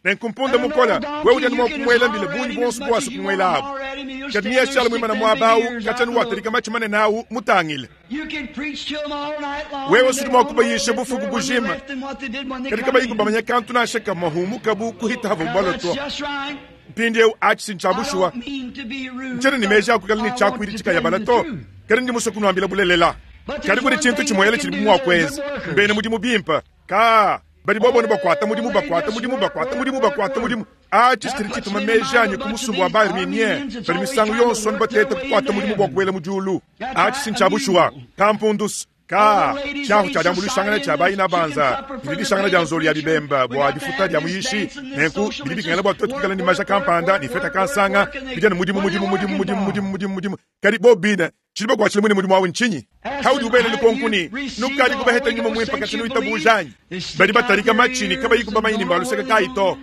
Speaker 1: nenkumpunda
Speaker 2: And an
Speaker 1: mukola
Speaker 2: old
Speaker 1: we
Speaker 2: donkey,
Speaker 1: ujani
Speaker 2: you can
Speaker 1: mwakumwela
Speaker 2: holler
Speaker 1: mbile
Speaker 2: at
Speaker 1: bunyi
Speaker 2: him as
Speaker 1: bonso
Speaker 2: much
Speaker 1: bwasi
Speaker 2: as you
Speaker 1: kumwela
Speaker 2: want to
Speaker 1: abo
Speaker 2: holler at him, he'll
Speaker 1: kati
Speaker 2: stand there
Speaker 1: niyashala
Speaker 2: and
Speaker 1: mwimana
Speaker 2: stick them big
Speaker 1: mwabawu
Speaker 2: ears out
Speaker 1: kachani
Speaker 2: and look.
Speaker 1: waterika machimane nawu mutangile
Speaker 2: You can preach to them all night long,
Speaker 1: Wewe
Speaker 2: and
Speaker 1: sudi
Speaker 2: they don't
Speaker 1: mwakubayisha
Speaker 2: know
Speaker 1: bufuku
Speaker 2: when they
Speaker 1: bujima.
Speaker 2: left and what they did when they
Speaker 1: kadi
Speaker 2: come
Speaker 1: kabayi
Speaker 2: in.
Speaker 1: kubamanya kantu nasheka mahumu kabu kuhita havo
Speaker 2: Now,
Speaker 1: bwalo
Speaker 2: that's
Speaker 1: to
Speaker 2: just right.
Speaker 1: mpindiewu achi
Speaker 2: I
Speaker 1: sinchabushuwa
Speaker 2: don't mean to be rude,
Speaker 1: ncene ni
Speaker 2: but
Speaker 1: meji akukala ni
Speaker 2: I want
Speaker 1: chakwiri
Speaker 2: to
Speaker 1: chikayabala
Speaker 2: tell you
Speaker 1: to
Speaker 2: the truth.
Speaker 1: kadi ndi muso kunuambila bulelela
Speaker 2: But there's
Speaker 1: kadi kuli
Speaker 2: one
Speaker 1: chintu
Speaker 2: thing
Speaker 1: chimwele
Speaker 2: they
Speaker 1: chili
Speaker 2: can do,
Speaker 1: mumwakwezi
Speaker 2: they're good workers.
Speaker 1: mbene mudimu bimpa ka bali bobone bakwata mudimu
Speaker 2: Oh,
Speaker 1: bakwata
Speaker 2: they
Speaker 1: mudimu
Speaker 2: just
Speaker 1: bakwata
Speaker 2: work,
Speaker 1: mudimu
Speaker 2: work,
Speaker 1: bakwata
Speaker 2: work.
Speaker 1: mudimu achi
Speaker 2: That
Speaker 1: chitiri
Speaker 2: puts
Speaker 1: chituma
Speaker 2: me in mind
Speaker 1: meji anyi
Speaker 2: of a bunch of
Speaker 1: kumusumbu wa
Speaker 2: these
Speaker 1: baarminie
Speaker 2: Armenians that's
Speaker 1: bali
Speaker 2: always
Speaker 1: misango
Speaker 2: trying to
Speaker 1: yonso
Speaker 2: work
Speaker 1: nibatete
Speaker 2: their way
Speaker 1: kukwata
Speaker 2: into
Speaker 1: mudimu
Speaker 2: heaven.
Speaker 1: bwakuwela mujulu
Speaker 2: That's
Speaker 1: achi
Speaker 2: right, a
Speaker 1: sinchabushuwa
Speaker 2: mule.
Speaker 1: kampundus ka
Speaker 2: All the ladies
Speaker 1: chahu
Speaker 2: in
Speaker 1: cha dyambulishangana
Speaker 2: society
Speaker 1: cha bayina
Speaker 2: and the chicken
Speaker 1: banza
Speaker 2: supper for the
Speaker 1: bililishangana lya nzolo ya
Speaker 2: preacher.
Speaker 1: bibemba
Speaker 2: We
Speaker 1: bwa
Speaker 2: got to
Speaker 1: difuta
Speaker 2: have
Speaker 1: lya
Speaker 2: this
Speaker 1: muyishi
Speaker 2: dance and this
Speaker 1: nenku
Speaker 2: social
Speaker 1: bilibikangana
Speaker 2: it's
Speaker 1: bwa
Speaker 2: just
Speaker 1: twetu kukala
Speaker 2: work,
Speaker 1: ni maja
Speaker 2: work,
Speaker 1: kampanda
Speaker 2: work,
Speaker 1: ni feta
Speaker 2: work,
Speaker 1: kansanga
Speaker 2: work, and they-
Speaker 1: bijana mudimu
Speaker 2: what are
Speaker 1: mudimu
Speaker 2: they
Speaker 1: mudimu
Speaker 2: working
Speaker 1: mudimu
Speaker 2: for?
Speaker 1: mudimu mudimu mudimu kadi bobina chiliba kwachile mwine mudimu wawe nchinyi
Speaker 2: Ask
Speaker 1: haudi
Speaker 2: them,
Speaker 1: ubele
Speaker 2: have
Speaker 1: likonkuni
Speaker 2: you received
Speaker 1: nukali
Speaker 2: the
Speaker 1: kubaheta
Speaker 2: Holy
Speaker 1: nyuma
Speaker 2: Ghost
Speaker 1: mwimpa
Speaker 2: since
Speaker 1: kati
Speaker 2: you
Speaker 1: nuitabujanyi
Speaker 2: believed? They stick
Speaker 1: bali
Speaker 2: out
Speaker 1: batarika
Speaker 2: their
Speaker 1: machini
Speaker 2: ears
Speaker 1: kabayi
Speaker 2: and
Speaker 1: kubamayini
Speaker 2: don't know
Speaker 1: mbaluseka
Speaker 2: where they
Speaker 1: kayi to
Speaker 2: belong.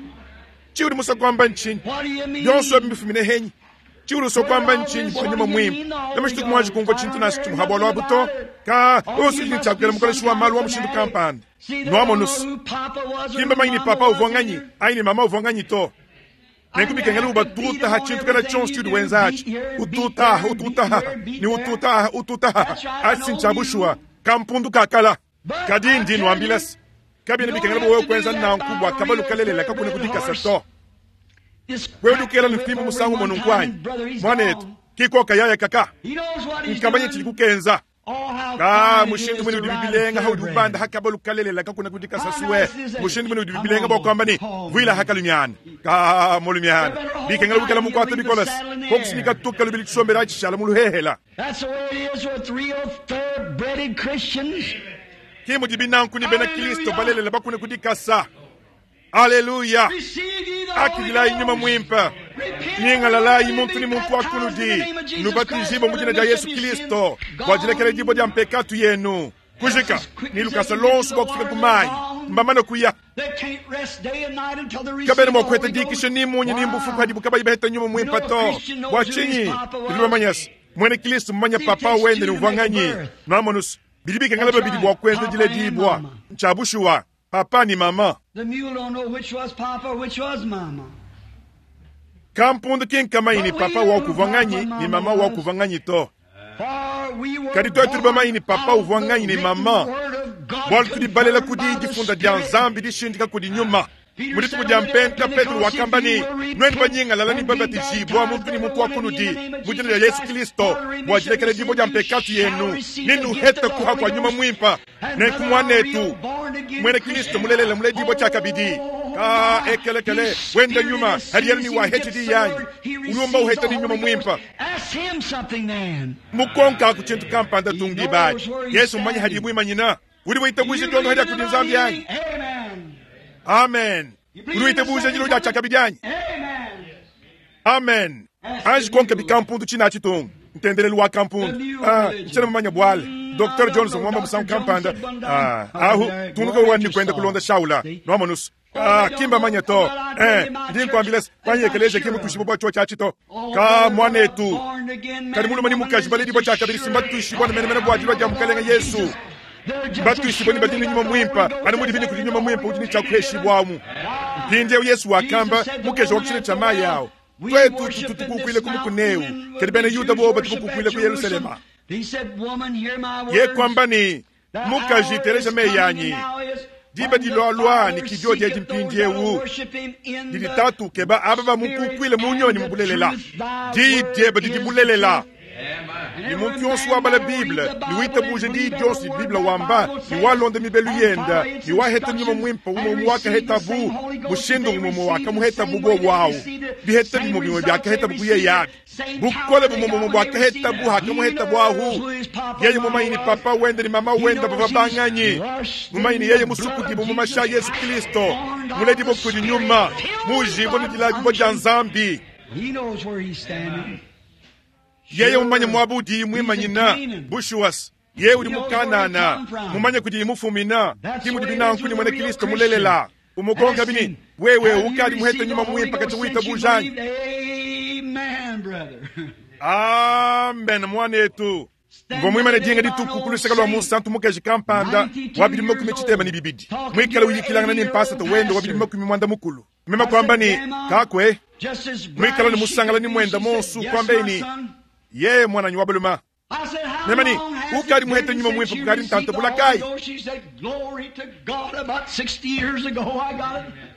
Speaker 1: Chiudi musa kwamba nchini. Yonso mbifumine henyi. Chiudi uso kwamba nchini kwa nyuma muhimu. Namashitu kumwaji kumva chintu nasi chimuhabwa lwabuto. Ka usijini chakukela mukoleshi wa malu wa mushindu kampanda. Nwamonusu. Kimba manyi papa uvonganyi, aini mama uvonganyi to. Nenkubikengela ubatuta ha chintu kana chonse chiudi wenzachi. Ututa, ututa, ni ututa, ututa. Asinchabushwa kampundu kakala. Kadi ndi nwambilasi. Kabina bikengela bowe kwenza nankubwa kabalu kalelela kakuna kudikasa to. Wewe dukela nufimbo musangu monunkwanyi. Mwanetu, kiko kayaya kaka. Nkamanye chili kukenza. Ka mushindu mwene udi bibilenga haudi ubanda hakabalu kalelela kakuna kudikasa suwe. Mushindu mwene udi bibilenga bo kwamba ni vwila hakalunyana. Ka molunyana. Bikengela bukela mukwata bikolas. Kokusinika tuka lubili chisombera chishala muluhehela.
Speaker 2: That's the way it is with real thoroughbred Christians.
Speaker 1: Kimu dibinanku ni bena Kristo balelela bakune kudikasa. Haleluya. Akilai nyuma mwimpa. Nyingalala muntu ni muntu akunudi. Nubatizibwa mu jina lya Yesu Kristo. Bwajilekele jibo lya mpekatu yenu. Kujika nilukasa lonso bwa kufika kumayi. Mbamana kuya. Kabere mwakweta dikisho ni munyi ni mbufu kwa dibuka bayibeta nyuma mwimpa to. Bwachinyi. Ndibamanyas. Mwene Kristo mmanya papa wende ni uvanganyi. Namonus. Bilibika ngalaba bidi bwa kwenza jile dibwa. Nchabushuwa. Papa ni mama.
Speaker 2: The mule don't know which was papa, which was mama.
Speaker 1: Kampundu kinkamaini papa wa kuvanganyi ni mama wa kuvanganyi to. Kadi toi tuliba ni papa uvanganyi ni mama. Bwali tulibalela kudi difunda dia nzambi dishindika kudi nyuma. Mulitu kudia mpenta Petro wakambani nweni banyinga lalani babatizibwa muntu ni muntu wakunudi mu jina lya Yesu Kristo bwajilekele dibo dia mpekatu yenu ninu heta kuha kwa nyuma mwimpa nenkumwanetu mwene Kristo mulelele mule dibo chakabidi ka ekelekele wenda nyuma hadi ni wa heti di yanyi ulumba uheta ni nyuma mwimpa mukonka kuchintu kampanda tungi baji Yesu mmanyi hadi bwimanyina uli bwitabwishe tondo hadi akudi nzambi yanyi. Amen. Uri buja jilo ja chakabidyanyi. Amen. Anji konke bikampundu china chitungu. Ntendelelu wa kampundu. Ah, nchena mamanya bwale. Doctor Johnson mwamba musangu kampanda. Ah, ahu tunduka wani kwenda kulonda shaula. Nwamonus. Ah, kimba manya to. Eh, ndi nkwambila kwanye ekeleje kimu tushibo bwa cho cha chito. Ka mwanetu. Kali mulu mani mukaji baledi bwa chakabiri simba tushibwa na mene mene bwa jilo ja mukalenga Yesu. Batuishibwa ni badini nyuma mwimpa ani mudi bini kudi nyuma mwimpa udi ni chakuheshibwamu mpindyewu Yesu wakamba mukeja wakuchile chama yawo twetu tutukukwile kumukuneu kedi bene Yuda boba tukukukwile ku Yerusalema ye kwamba ni mukaji tereja meyanyi diba dilwalwa ni kidio dyeji mpindyewu diditatu keba aba bamukukwile munyoni mubulelela di dyeba didibulelela. Ni muntu yonso wabala Bible, ni witabuje di yonso di Bible wamba, ni walonda mibelu yenda, ni waheta nyuma mwimpa umo mwaka heta bu, bushindu umo mwaka muheta bu bo wao. Biheta bimo bimo byaka heta bu ye yabi. Bukole bumo bumo bwaka heta bu haka muheta bu ahu. Yeye mumaini papa wende ni mama wenda baba banganyi. Mumaini yeye musuku dibo mumasha Yesu Kristo. Muledi bo kudi nyuma, mujibo ni dilabi bo janzambi.
Speaker 2: He knows where he's standing.
Speaker 1: Yeye mumanye mwabudi mwimanyina bushuwas ye uli mukanana mumanye kudi mufumina kimudi binanku ni mwene Kristo mulelela umukonga bini wewe ukali muheta nyuma mwimpa kati wita bujanyi. Amen mwanetu ngomwimane dinga dituku kuluseka lwa musantu mukeji kampanda wabili makumi chitema ni bibidi mwikala uyikilangana ni mpasa wendo wabili makumi mwanda mukulu mema kwamba ni kakwe mwikala ni musangala ni mwenda monsu kwambeni yeye mwana nyi wabaluma nemani ukali muhete nyuma mwimpa kukali ntanto bulakai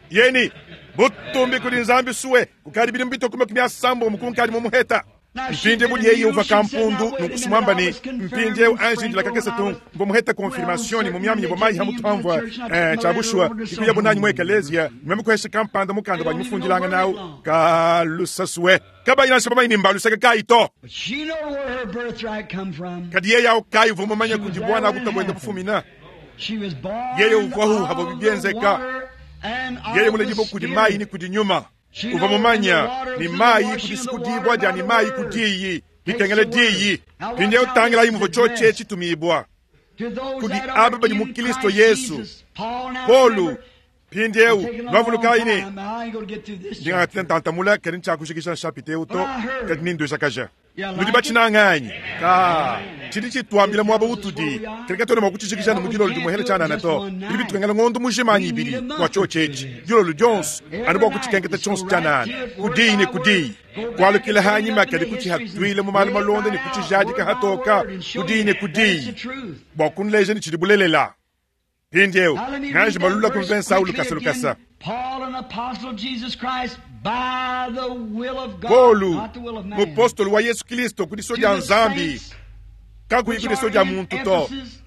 Speaker 1: yeni butumbi kuli nzambi suwe kukali bili mbito kuma kumya sambo mukunkali mumuheta mpindye bulyeyi uva kampundu nukusumwamba ni mpindye anjinjila kakese tu mbomuheta confirmation ni mumyami bomayi hamutwamvwa eh chabushwa ikuya bonanyi mwe ekelezia mwemukweshe kampanda mukanda banyimufundilanga nawo kalusasuwe kabayina shaba bayini mbaluseke kaito kadi yeye awo kayi vumumanya kundi bwana akutabwenda kufumina yeye uvahu habo bibyenzeka yeye mulejibo kudi mayi ni kudi nyuma uva mumanya ni mayi kudisikudibwa dia ni mayi kudiyi bitengele diyi pindye utangila imuvo choche chitumibwa kudi aba bali mu Kristo Yesu. Polu Mpindieu
Speaker 2: Taking a long
Speaker 1: nwavulukayi ne
Speaker 2: time. I ain't gonna get through this chapter.
Speaker 1: ndingatile ntantamula kadi ntshiakushikisha nshapita eu to kadi nindweshakaja
Speaker 2: Yeah,
Speaker 1: nudi
Speaker 2: like
Speaker 1: bachinanganyi ka tshidi tshituambila muaba utudi kadi katwena mua kutshishikisha ne mu dilolo dimuhele tshianana to bidi bitwengela ngondo mujima ibili bua tshiotshi etshi dilolo dionso anu bua kutshikenketa tshionso tshianana kudiyi ne kudiyi kualukila hanyima kadi kutshihatuile mu malu malonda ne kutshijadika hatoka kudiyi ne kudiyi bua kunleja ne tshidi bulelela mpindieu
Speaker 2: Now let me read
Speaker 1: nganji
Speaker 2: that
Speaker 1: malula
Speaker 2: verse
Speaker 1: kumve Saulu
Speaker 2: quickly
Speaker 1: lukasa lukasa
Speaker 2: again. Paul, an apostle of Jesus Christ, by the will of God,
Speaker 1: Polu
Speaker 2: not the will of man,
Speaker 1: mupostolo wa Yesu Kristo kudiso
Speaker 2: to
Speaker 1: dia
Speaker 2: the
Speaker 1: Nzambi
Speaker 2: saints
Speaker 1: kakuyi
Speaker 2: which
Speaker 1: kudiso
Speaker 2: are
Speaker 1: dia
Speaker 2: in
Speaker 1: muntu to
Speaker 2: Ephesus,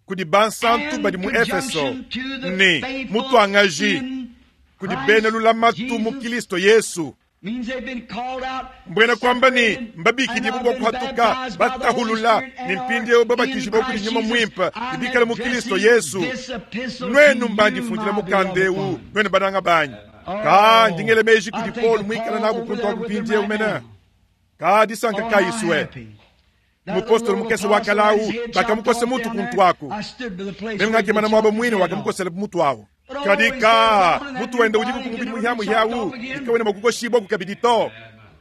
Speaker 1: kudi bansantu
Speaker 2: and
Speaker 1: badi mu Efeso
Speaker 2: conjunction to the
Speaker 1: ne
Speaker 2: faithful
Speaker 1: mutuangaji
Speaker 2: in
Speaker 1: kudi
Speaker 2: Christ
Speaker 1: bena lulamatu mu
Speaker 2: Jesus,
Speaker 1: Kristo Yesu
Speaker 2: means they've been called out,
Speaker 1: mbwena kwamba ni
Speaker 2: separated, and
Speaker 1: mbabikidibwa
Speaker 2: have
Speaker 1: bua
Speaker 2: been
Speaker 1: kuhatuka
Speaker 2: baptized by the Holy
Speaker 1: batahulula
Speaker 2: Spirit
Speaker 1: ni
Speaker 2: and are
Speaker 1: mpindieu babatijibwa
Speaker 2: in
Speaker 1: kudi
Speaker 2: Christ
Speaker 1: nyuma
Speaker 2: Jesus.
Speaker 1: mwimpa
Speaker 2: I'm
Speaker 1: nibikale mu Kristo
Speaker 2: addressing
Speaker 1: Yesu
Speaker 2: this epistle to
Speaker 1: nwenu
Speaker 2: you,
Speaker 1: mbandifundila
Speaker 2: my
Speaker 1: mukanda
Speaker 2: beloved
Speaker 1: eu
Speaker 2: one.
Speaker 1: nwenu bananga banyi ka
Speaker 2: Oh,
Speaker 1: ndingele meji
Speaker 2: I
Speaker 1: kudi
Speaker 2: think
Speaker 1: Paul
Speaker 2: of
Speaker 1: mwikala
Speaker 2: Paul
Speaker 1: nabu
Speaker 2: over
Speaker 1: kuntu
Speaker 2: there
Speaker 1: aku
Speaker 2: with them
Speaker 1: mpindieu
Speaker 2: right
Speaker 1: mena
Speaker 2: now.
Speaker 1: ka disanka
Speaker 2: Oh,
Speaker 1: ka
Speaker 2: how
Speaker 1: iswe
Speaker 2: happy. That
Speaker 1: mupostolo
Speaker 2: little
Speaker 1: mukese
Speaker 2: apostle
Speaker 1: wakalau
Speaker 2: had his head chopped
Speaker 1: bakamukose
Speaker 2: off
Speaker 1: mutu
Speaker 2: down
Speaker 1: kuntu
Speaker 2: there.
Speaker 1: aku
Speaker 2: I stood by the place
Speaker 1: meme
Speaker 2: where
Speaker 1: ngakimana
Speaker 2: they
Speaker 1: mwaba
Speaker 2: chopped his
Speaker 1: mwine
Speaker 2: head off.
Speaker 1: wakamukosela mutu awo
Speaker 2: But oh,
Speaker 1: kadi
Speaker 2: he
Speaker 1: ka
Speaker 2: said,
Speaker 1: mutu wenda udi kukumubidi muhyamu hyawu ikawena makukoshibwa kukabidi to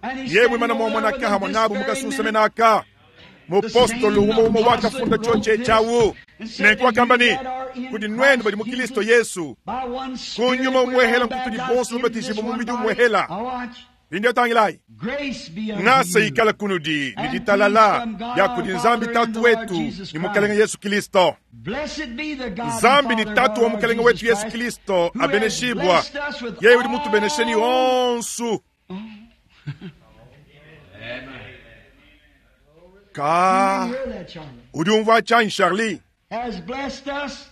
Speaker 2: And he's
Speaker 1: yewe
Speaker 2: standing
Speaker 1: mana
Speaker 2: over there
Speaker 1: mwamwana
Speaker 2: with
Speaker 1: kaha
Speaker 2: them this
Speaker 1: mwanabu
Speaker 2: very
Speaker 1: mukasusa
Speaker 2: minute.
Speaker 1: menaka mupostolo umo umo wakafunda choche chawu nenku wakamba ni kudi nwenu badi mu Kristo Yesu
Speaker 2: By one spirit
Speaker 1: kunyuma
Speaker 2: we
Speaker 1: umwehela
Speaker 2: are
Speaker 1: nkutudi
Speaker 2: baptized
Speaker 1: bonso
Speaker 2: into
Speaker 1: babatijibwa
Speaker 2: this
Speaker 1: mu
Speaker 2: one
Speaker 1: mubidi
Speaker 2: body.
Speaker 1: umwehela
Speaker 2: Now watch.
Speaker 1: lindio tangilayi
Speaker 2: Grace be unto
Speaker 1: ngasa
Speaker 2: you.
Speaker 1: ikala kunudi
Speaker 2: And
Speaker 1: ni ditalala
Speaker 2: peace from God
Speaker 1: ya
Speaker 2: our
Speaker 1: kudi
Speaker 2: Father
Speaker 1: Nzambi
Speaker 2: and
Speaker 1: tatu
Speaker 2: the Lord
Speaker 1: wetu
Speaker 2: Jesus
Speaker 1: ni mukalenga
Speaker 2: Christ.
Speaker 1: Yesu Kristo
Speaker 2: Blessed be the God and
Speaker 1: Nzambi ni
Speaker 2: Father of
Speaker 1: tatu
Speaker 2: our
Speaker 1: wa
Speaker 2: Lord
Speaker 1: mukalenga
Speaker 2: Jesus
Speaker 1: wetu Yesu
Speaker 2: Christ,
Speaker 1: Kristo
Speaker 2: who has
Speaker 1: abeneshibwa
Speaker 2: blessed us with
Speaker 1: yeye udi mutubenesheni
Speaker 2: all
Speaker 1: onsu ka
Speaker 2: You hear that, Charlie?
Speaker 1: udi umva chanyi Charlie
Speaker 2: Has blessed us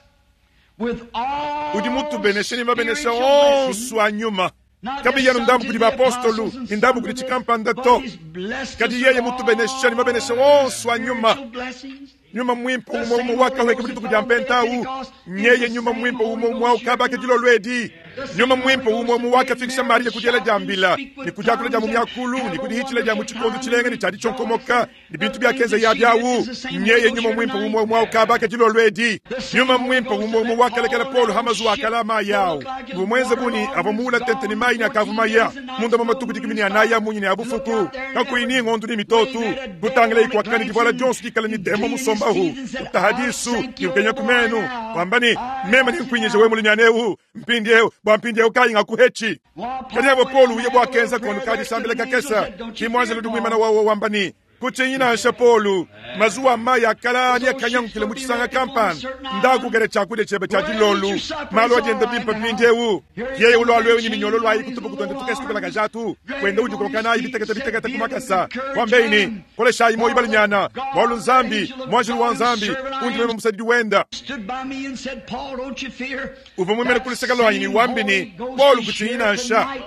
Speaker 2: with all
Speaker 1: udi mutubenesheni mabenesha
Speaker 2: spiritual
Speaker 1: onsu
Speaker 2: blessings,
Speaker 1: anyuma
Speaker 2: not
Speaker 1: kabi
Speaker 2: just
Speaker 1: yanu
Speaker 2: some
Speaker 1: ndambu
Speaker 2: to
Speaker 1: kudi
Speaker 2: the
Speaker 1: baapostolu
Speaker 2: apostles and
Speaker 1: ni ndambu
Speaker 2: some
Speaker 1: kudi
Speaker 2: to this,
Speaker 1: chikampanda
Speaker 2: but
Speaker 1: to
Speaker 2: he's blessed
Speaker 1: kadi
Speaker 2: us
Speaker 1: yeye
Speaker 2: with
Speaker 1: mutubenesheni mabenesha
Speaker 2: all
Speaker 1: onsu anyuma
Speaker 2: spiritual blessings.
Speaker 1: nyuma mwimpa
Speaker 2: The
Speaker 1: umwe umwe
Speaker 2: same
Speaker 1: wakahweka
Speaker 2: Holy
Speaker 1: mudituku
Speaker 2: Ghost
Speaker 1: dia
Speaker 2: that followed
Speaker 1: mpentawu
Speaker 2: Pentecost is
Speaker 1: nyeye
Speaker 2: the
Speaker 1: nyuma
Speaker 2: same
Speaker 1: mwimpa
Speaker 2: Holy
Speaker 1: umwe umwe
Speaker 2: Ghost
Speaker 1: ukabaka
Speaker 2: here
Speaker 1: dilo lwedi
Speaker 2: The
Speaker 1: nyuma
Speaker 2: same
Speaker 1: mwimpa
Speaker 2: Holy
Speaker 1: umwe
Speaker 2: Ghost
Speaker 1: umwe
Speaker 2: that made
Speaker 1: wakafikisha
Speaker 2: Mary
Speaker 1: Mariya kudyela
Speaker 2: shout and
Speaker 1: dia mbila
Speaker 2: speak with
Speaker 1: ni kujakula dia mu
Speaker 2: tongues and
Speaker 1: myakulu
Speaker 2: have
Speaker 1: ni
Speaker 2: a
Speaker 1: kudihichila dia mu
Speaker 2: wonderful
Speaker 1: chikondo
Speaker 2: time
Speaker 1: chilenge
Speaker 2: and
Speaker 1: ni chadi chonkomoka
Speaker 2: rejoice
Speaker 1: ni bintu
Speaker 2: the
Speaker 1: byakenza
Speaker 2: things
Speaker 1: ya
Speaker 2: that she did
Speaker 1: byawu
Speaker 2: is the same
Speaker 1: nyeye
Speaker 2: Holy Ghost
Speaker 1: nyuma
Speaker 2: here
Speaker 1: mwimpa
Speaker 2: tonight.
Speaker 1: umwe umwe ukabaka dilo lwedi
Speaker 2: The same
Speaker 1: nyuma
Speaker 2: Holy
Speaker 1: mwimpa
Speaker 2: Ghost
Speaker 1: umwe
Speaker 2: that
Speaker 1: umwe
Speaker 2: let
Speaker 1: wakalekela
Speaker 2: Paul
Speaker 1: Paulo
Speaker 2: on
Speaker 1: hamazu
Speaker 2: ship
Speaker 1: akala amayi
Speaker 2: look like his
Speaker 1: vumwenze buni
Speaker 2: waterlogged
Speaker 1: avamula tente ni
Speaker 2: gone
Speaker 1: mayi ni akavuma
Speaker 2: fourteen
Speaker 1: ya
Speaker 2: days and nights,
Speaker 1: munda
Speaker 2: no
Speaker 1: matuku dikumi ni
Speaker 2: moon
Speaker 1: anaya
Speaker 2: star.
Speaker 1: munyi ni
Speaker 2: Look
Speaker 1: abufuku
Speaker 2: out there and
Speaker 1: kakuyi
Speaker 2: never
Speaker 1: ni ng'ondu ni mitotu
Speaker 2: wave at a devil
Speaker 1: kutangila
Speaker 2: on a
Speaker 1: ikwakani divuala
Speaker 2: glance
Speaker 1: dionso dikala ni
Speaker 2: and
Speaker 1: demo
Speaker 2: clean his
Speaker 1: musombahu
Speaker 2: teeth and said, I'll
Speaker 1: utahadisu
Speaker 2: sink
Speaker 1: ni
Speaker 2: you
Speaker 1: ukenya
Speaker 2: overboard
Speaker 1: kumenu
Speaker 2: now.
Speaker 1: kwamba ni
Speaker 2: I
Speaker 1: mema ni
Speaker 2: got you
Speaker 1: nkwinyisha
Speaker 2: now.
Speaker 1: we mulinyanewu mpindiewu bwa mpindiewu kayi ngakuhechi
Speaker 2: While
Speaker 1: kadi avo
Speaker 2: Paul went
Speaker 1: Paul
Speaker 2: on
Speaker 1: uye
Speaker 2: that little
Speaker 1: bwakenza
Speaker 2: prayer
Speaker 1: kono
Speaker 2: there,
Speaker 1: kadi
Speaker 2: stood
Speaker 1: sambila
Speaker 2: an angel
Speaker 1: kakesa
Speaker 2: said, Don't you
Speaker 1: kimwanza
Speaker 2: fear,
Speaker 1: ludu mwimana
Speaker 2: Paul.
Speaker 1: wawo wambani kuchinyinasha Paulu mazuwa amayi akala ani
Speaker 2: Those ships
Speaker 1: akanyangukile
Speaker 2: will
Speaker 1: mu
Speaker 2: be
Speaker 1: chisanga
Speaker 2: ready upon a
Speaker 1: kampani
Speaker 2: certain island.
Speaker 1: ndakugere chakulya chebe cha
Speaker 2: Go ahead and eat
Speaker 1: dilolu
Speaker 2: your supper.
Speaker 1: malo
Speaker 2: It's all
Speaker 1: ajenda
Speaker 2: right
Speaker 1: bimpa
Speaker 2: now.
Speaker 1: mpindiewu
Speaker 2: Here he
Speaker 1: yeye
Speaker 2: comes
Speaker 1: ulwalwewu
Speaker 2: with
Speaker 1: ni
Speaker 2: chains
Speaker 1: minyolo
Speaker 2: on
Speaker 1: lwayi
Speaker 2: his
Speaker 1: kutupa
Speaker 2: little
Speaker 1: kutonde tukesi
Speaker 2: arms,
Speaker 1: kajatu
Speaker 2: dragging
Speaker 1: kwenda
Speaker 2: on his
Speaker 1: ujikokanayi
Speaker 2: feet,
Speaker 1: bitekete
Speaker 2: said,
Speaker 1: bitekete
Speaker 2: Be of
Speaker 1: kumakasa
Speaker 2: good courage,
Speaker 1: kwambeini
Speaker 2: man.
Speaker 1: koleshayi moyi
Speaker 2: For the
Speaker 1: balinyana
Speaker 2: God,
Speaker 1: mwalu
Speaker 2: the
Speaker 1: nzambi
Speaker 2: angel of
Speaker 1: mwanjulu wa
Speaker 2: God, whose
Speaker 1: nzambi
Speaker 2: servant I
Speaker 1: undi meme
Speaker 2: am,
Speaker 1: musadidi wenda
Speaker 2: stood by me and said, Paul, don't you fear.
Speaker 1: uva mwimene
Speaker 2: That
Speaker 1: kuliseka lwanyi ni
Speaker 2: same
Speaker 1: wambini
Speaker 2: Holy Ghost
Speaker 1: Paul
Speaker 2: is here
Speaker 1: kuchinyinasha
Speaker 2: tonight.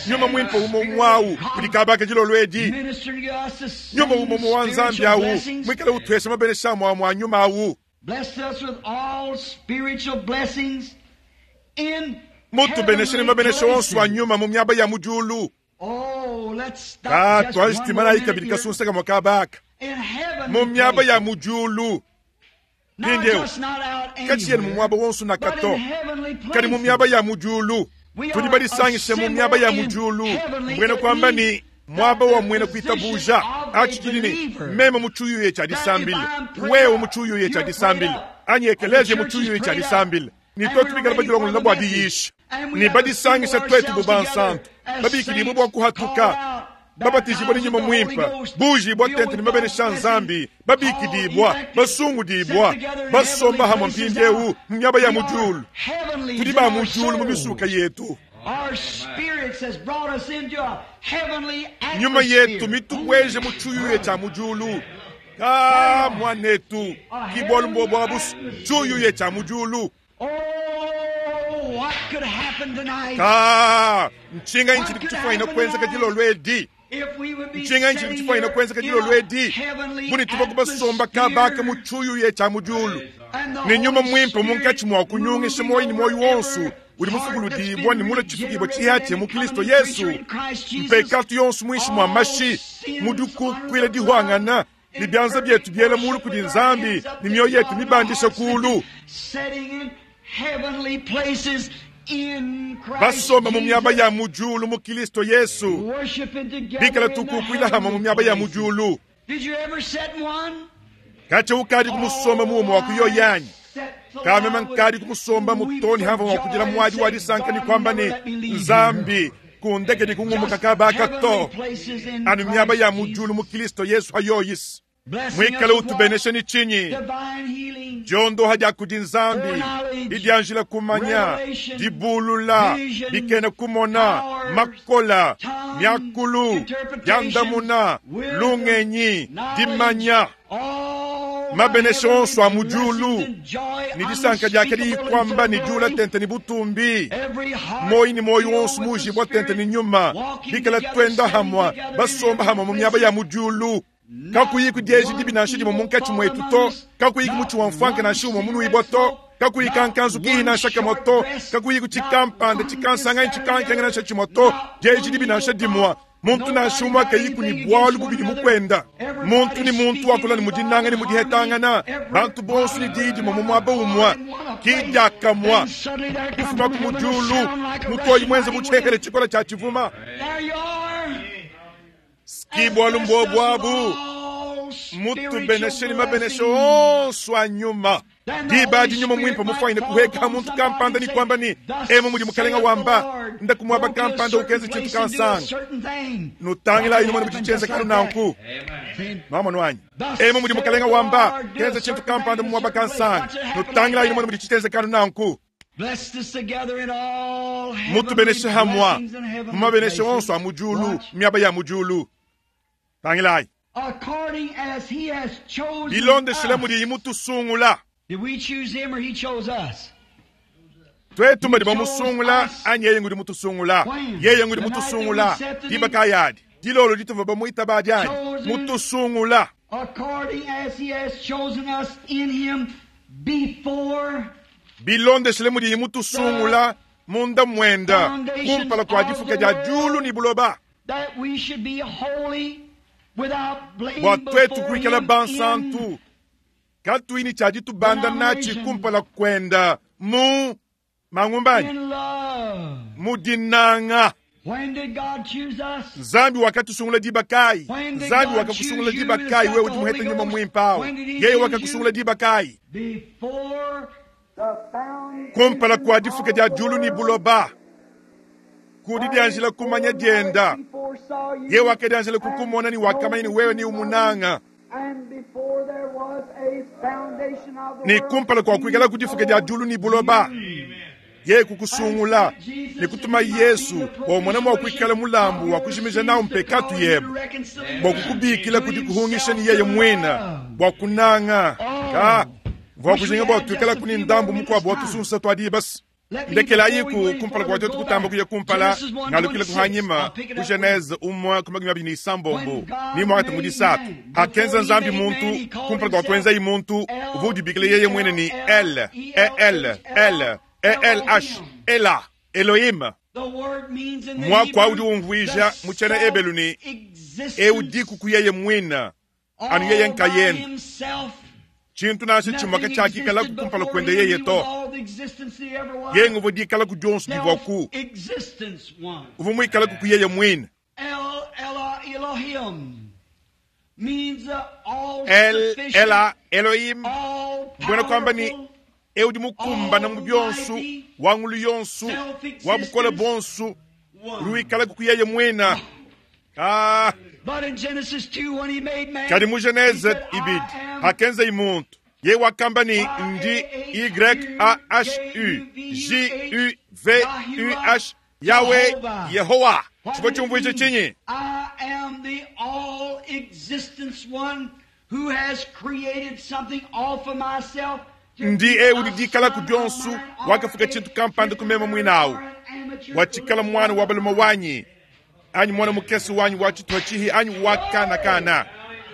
Speaker 1: nyuma
Speaker 2: Same
Speaker 1: mwimpa umo
Speaker 2: Spirit
Speaker 1: mwawu
Speaker 2: of God
Speaker 1: kudikabaka jilolwedi
Speaker 2: ministering to us the
Speaker 1: nyuma
Speaker 2: same
Speaker 1: umo wa nzambi
Speaker 2: spiritual
Speaker 1: awu
Speaker 2: blessings.
Speaker 1: mwikale utwesha mabenesha mwa mwa nyuma awu
Speaker 2: Blessed us with all spiritual blessings in
Speaker 1: mutubenesheni
Speaker 2: heavenly
Speaker 1: mabenesha onso
Speaker 2: places.
Speaker 1: anyuma mu myaba ya mujulu
Speaker 2: Oh, let's stop
Speaker 1: ka
Speaker 2: just one more
Speaker 1: twashitimana
Speaker 2: minute
Speaker 1: ikabili
Speaker 2: here.
Speaker 1: kasunseka mwakabaka
Speaker 2: In heavenly
Speaker 1: mu myaba ya
Speaker 2: places.
Speaker 1: mujulu
Speaker 2: Not
Speaker 1: Mpindieu
Speaker 2: just not out
Speaker 1: kachiyeni mu
Speaker 2: anywhere,
Speaker 1: mwaba wonso
Speaker 2: but
Speaker 1: nakato
Speaker 2: in heavenly
Speaker 1: kadi mu
Speaker 2: places.
Speaker 1: myaba ya mujulu
Speaker 2: We
Speaker 1: tudi
Speaker 2: are
Speaker 1: balisangishe mu myaba
Speaker 2: assembled
Speaker 1: ya
Speaker 2: in
Speaker 1: mujulu
Speaker 2: heavenly
Speaker 1: mbwene
Speaker 2: it
Speaker 1: kwamba
Speaker 2: means
Speaker 1: ni mwaba
Speaker 2: that
Speaker 1: wa
Speaker 2: the
Speaker 1: mwene
Speaker 2: position
Speaker 1: kuitabuja
Speaker 2: of a
Speaker 1: achikilini
Speaker 2: believer.
Speaker 1: meme muchuyuye cha
Speaker 2: That if
Speaker 1: disambile
Speaker 2: I'm prayed
Speaker 1: wewe
Speaker 2: up,
Speaker 1: muchuyuye cha
Speaker 2: you're prayed
Speaker 1: disambile
Speaker 2: up,
Speaker 1: anyi
Speaker 2: and the
Speaker 1: ekeleje
Speaker 2: church is
Speaker 1: muchuyuye cha
Speaker 2: prayed up,
Speaker 1: disambile ni
Speaker 2: and
Speaker 1: twe
Speaker 2: we're
Speaker 1: tubikala
Speaker 2: ready for
Speaker 1: bajilongolola
Speaker 2: the
Speaker 1: bwa
Speaker 2: message.
Speaker 1: diyisha
Speaker 2: And we
Speaker 1: ni
Speaker 2: have assembled
Speaker 1: badisangisha twetu
Speaker 2: ourselves
Speaker 1: bubansantu
Speaker 2: together as
Speaker 1: babikilibwe
Speaker 2: saints
Speaker 1: bwa
Speaker 2: called
Speaker 1: kuhatuka
Speaker 2: out,
Speaker 1: babatizibwa ni
Speaker 2: baptized
Speaker 1: nyuma
Speaker 2: with the Holy
Speaker 1: mwimpa
Speaker 2: Ghost,
Speaker 1: buji bwa
Speaker 2: filled
Speaker 1: tente
Speaker 2: with
Speaker 1: ni
Speaker 2: God's
Speaker 1: mabenesha
Speaker 2: blessing,
Speaker 1: nzambi
Speaker 2: called,
Speaker 1: babikidibwa
Speaker 2: elected, set
Speaker 1: basungudibwa
Speaker 2: together in
Speaker 1: basomba
Speaker 2: heavenly
Speaker 1: hamwe
Speaker 2: places
Speaker 1: mpindiewu
Speaker 2: now.
Speaker 1: mu myaba ya
Speaker 2: We are
Speaker 1: mujulu
Speaker 2: heavenlies
Speaker 1: tudi
Speaker 2: in
Speaker 1: ba
Speaker 2: our
Speaker 1: mujulu mu misuka
Speaker 2: souls.
Speaker 1: yetu
Speaker 2: Our spirits has brought us into a heavenly
Speaker 1: nyuma yetu
Speaker 2: atmosphere.
Speaker 1: mitubweje mu chuyuye cha mujulu ka mwanetu
Speaker 2: A
Speaker 1: kibwalumbo
Speaker 2: heavenly
Speaker 1: bwa busu
Speaker 2: atmosphere.
Speaker 1: chuyuye cha mujulu
Speaker 2: Oh, what could happen tonight
Speaker 1: ka nchinga
Speaker 2: What
Speaker 1: inchili
Speaker 2: could
Speaker 1: kuchifaina
Speaker 2: happen
Speaker 1: kwenza
Speaker 2: tonight
Speaker 1: kajilo lwedi
Speaker 2: if we would be
Speaker 1: nchinga inchili
Speaker 2: sitting
Speaker 1: kuchifaina
Speaker 2: here
Speaker 1: kwenza
Speaker 2: in
Speaker 1: kajilo
Speaker 2: a
Speaker 1: lwedi
Speaker 2: heavenly
Speaker 1: muni tuba kubasomba kabaka mu
Speaker 2: atmosphere
Speaker 1: chuyuye cha mujulu
Speaker 2: and the
Speaker 1: ni nyuma
Speaker 2: Holy
Speaker 1: mwimpe munkachi
Speaker 2: Spirit
Speaker 1: mwa kunyungisha
Speaker 2: moving
Speaker 1: moyi ni
Speaker 2: over
Speaker 1: moyi wonsu
Speaker 2: every
Speaker 1: uli
Speaker 2: heart that's
Speaker 1: mufukuludibwa
Speaker 2: been
Speaker 1: ni mula chifukibwa
Speaker 2: regenerated
Speaker 1: chihache
Speaker 2: and
Speaker 1: mu
Speaker 2: become a
Speaker 1: Kristo
Speaker 2: new
Speaker 1: Yesu
Speaker 2: creature in Christ Jesus.
Speaker 1: mpekatu yonsu mwishi mwa
Speaker 2: All
Speaker 1: mashi
Speaker 2: sins
Speaker 1: mudukukwila
Speaker 2: under the blood
Speaker 1: dihwangana
Speaker 2: in
Speaker 1: libyanza
Speaker 2: perfect
Speaker 1: byetu byela mulu
Speaker 2: worship
Speaker 1: kudi
Speaker 2: with our
Speaker 1: nzambi
Speaker 2: hands up
Speaker 1: ni
Speaker 2: to
Speaker 1: mioyo yetu
Speaker 2: God and our
Speaker 1: mibandisha
Speaker 2: hearts
Speaker 1: kulu
Speaker 2: lifted, sitting in heavenly places in Christ
Speaker 1: Basomba mu miaba
Speaker 2: Jesus,
Speaker 1: ya mu diulu mu Kristo Yesu,
Speaker 2: worshiping together
Speaker 1: bikala
Speaker 2: in the
Speaker 1: tukukuila hama mu
Speaker 2: heavenly
Speaker 1: miaba ya mu
Speaker 2: places.
Speaker 1: diulu.
Speaker 2: Did you ever sit in one?
Speaker 1: Kache ukadi kumusomba muomo wa kuyoyanyi kamema nkadi kumusomba mutoni hava wa kudila mwadi wa disanka ni kwamba ni nzambi kundeke ni kungumuka kabaka to anu miaba ya mu diulu mu Kristo Yesu hayoyisi mwikale utubeneshe ni chinyi diondoha dia kudi nzambi didianjila kumanya dibulula dikena kumona makola miakulu diandamuna lungenyi dimanya mabenesha onso a mu diulu ni disanka diake diyikwamba ni diula tente ni butumbi moyi ni moyi wonso mujibwa tente ni nyuma bikala twenda hamwa basomba hamwa mu miaba ya mu diulu kakuyiku dieji dibi nansha dimwe munkatshi mwetu to kakuyiku mutshi wa mfwanka nansha umwe munuibwa to kakuyi kankanzu kihi nansha kamwe to kakuyiku tshikampanda tshikansanga tshikankenga nansha tshimwe to dieji dibi nansha dimwa muntu nansha umwe akayiku ni bwalu bubidi mukwenda muntu ni muntu wakula ni mudinanga ni mudihetangana bantu bonso ni diyi dimwe mu muaba umwa kidiakamwa kufuma ku mudiulu mutoyi mwenze mutshekele tshikola tshia tshivuma
Speaker 2: There you are.
Speaker 1: kibwalu mbobwabu mutubeneshe ni mabeneshe onso a nyuma diba adi nyuma mwimpe mufwaine kuheka muntu kampanda ni kwamba ni emo mudi mukalenga wamba ndakumwaba kampanda ukenze tshintu kansanga nutangila inu mwana muchichenze kanu nanku mama nwanyi emo mudi mukalenga wamba kenze tshintu kampanda mumwaba kansanga nutangila inu mwana muchichenze kanu nanku mutubeneshe hamwa mumabeneshe onso a mudiulu miaba ya mudiulu tangilayi
Speaker 2: According as he has chosen
Speaker 1: bilondeshele
Speaker 2: us.
Speaker 1: mudi imutusungula
Speaker 2: Did we choose him or he chose us?
Speaker 1: twetu mbadi bamusungula anyi yeye ngudi mutusungula yeye ngudi mutusungula diba kayadi dilolo dituva bamuita badi anyi mutusungula
Speaker 2: According as he has chosen us in him before
Speaker 1: bilondeshele mudi imutusungula munda mwenda kumpala kwa difuka dia diulu ni buloba
Speaker 2: that we should be holy without blame
Speaker 1: bua twetu
Speaker 2: before
Speaker 1: kuikala
Speaker 2: him
Speaker 1: bansantu katuini tshia ditubanda natshi kumpala kwenda mu
Speaker 2: in,
Speaker 1: mangumbanyi
Speaker 2: in love.
Speaker 1: mu dinanga
Speaker 2: When did God choose us?
Speaker 1: nzambi wakatusungula diba kayi
Speaker 2: When did
Speaker 1: nzambi
Speaker 2: God
Speaker 1: wakakusungula
Speaker 2: choose you
Speaker 1: diba
Speaker 2: that's
Speaker 1: kayi
Speaker 2: got
Speaker 1: wewe
Speaker 2: the
Speaker 1: udi muhete
Speaker 2: Holy
Speaker 1: nyuma
Speaker 2: Ghost?
Speaker 1: mwimpawo
Speaker 2: When did he
Speaker 1: yeye
Speaker 2: choose
Speaker 1: wakakusungula
Speaker 2: you?
Speaker 1: diba kayi
Speaker 2: Before the foundation
Speaker 1: kumpala kwa difuka dia
Speaker 2: of the
Speaker 1: diulu ni
Speaker 2: world.
Speaker 1: buloba kudi dianjila kumanya dienda ye wakadianjila kukumona ni wakamanya ni wewe ni umunanga ni kumpala kwa kuikala kudifuka dia diulu ni buloba ye kukusungula ni kutuma yesu wa mwana kuikala mulambu wa kujimija nawo mpekatu yebe bua kukubikila kudi kuhungisha ni yeye mwina bua kunanga ka vua kujinga bua tuikala kuni ndambu mukuabu watusunsa twadi basi ndekelayiku kumpala kwa twetu kutamba kuya kumpala ngalukile kuhanyima ku genese umwe ku makumi abiri ni isambombo ni mwakati mudi satu hakenza nzambi muntu kumpala kwa kwenza muntu uvu udibikile yeye mwene ni l e l l e l h ela elohim Mwakwa udi umvuija mu tshiena ebelu ni eudiku ku yeye mwina anu yeye nkayene tshintu nansha tshimwaka tshiakikala kumpala kwenda yeye to ye nguvu dikala ku dionso divua ku uvu muikala ku yeye mwina el ela elohim mbwena kwamba ni eudi mukumbana mu bionsu wa ngulu yonsu wa bukole bonsu udi wikala ku yeye mwina ah
Speaker 2: But in Genesis two, when he made man,
Speaker 1: kadi mu genese
Speaker 2: he said,
Speaker 1: ibidi
Speaker 2: I am
Speaker 1: hakenza imuntu ye wakamba ni ndi y a h u j u v u h yawe yehowa chifo chumvuicho chinyi
Speaker 2: I am the all existence one who has created something off of myself. to
Speaker 1: Ndi
Speaker 2: be
Speaker 1: eudi
Speaker 2: a
Speaker 1: dikala
Speaker 2: son
Speaker 1: ku
Speaker 2: of
Speaker 1: dionsu
Speaker 2: mine or
Speaker 1: wakafuka
Speaker 2: a
Speaker 1: tshintu kampanda kumema
Speaker 2: cricketer
Speaker 1: mwinawu
Speaker 2: or an amateur
Speaker 1: wachikala mwana wa balume wanyi anyi mwana mukesi wanyi wa tshituha tshihi anyi wa kana kana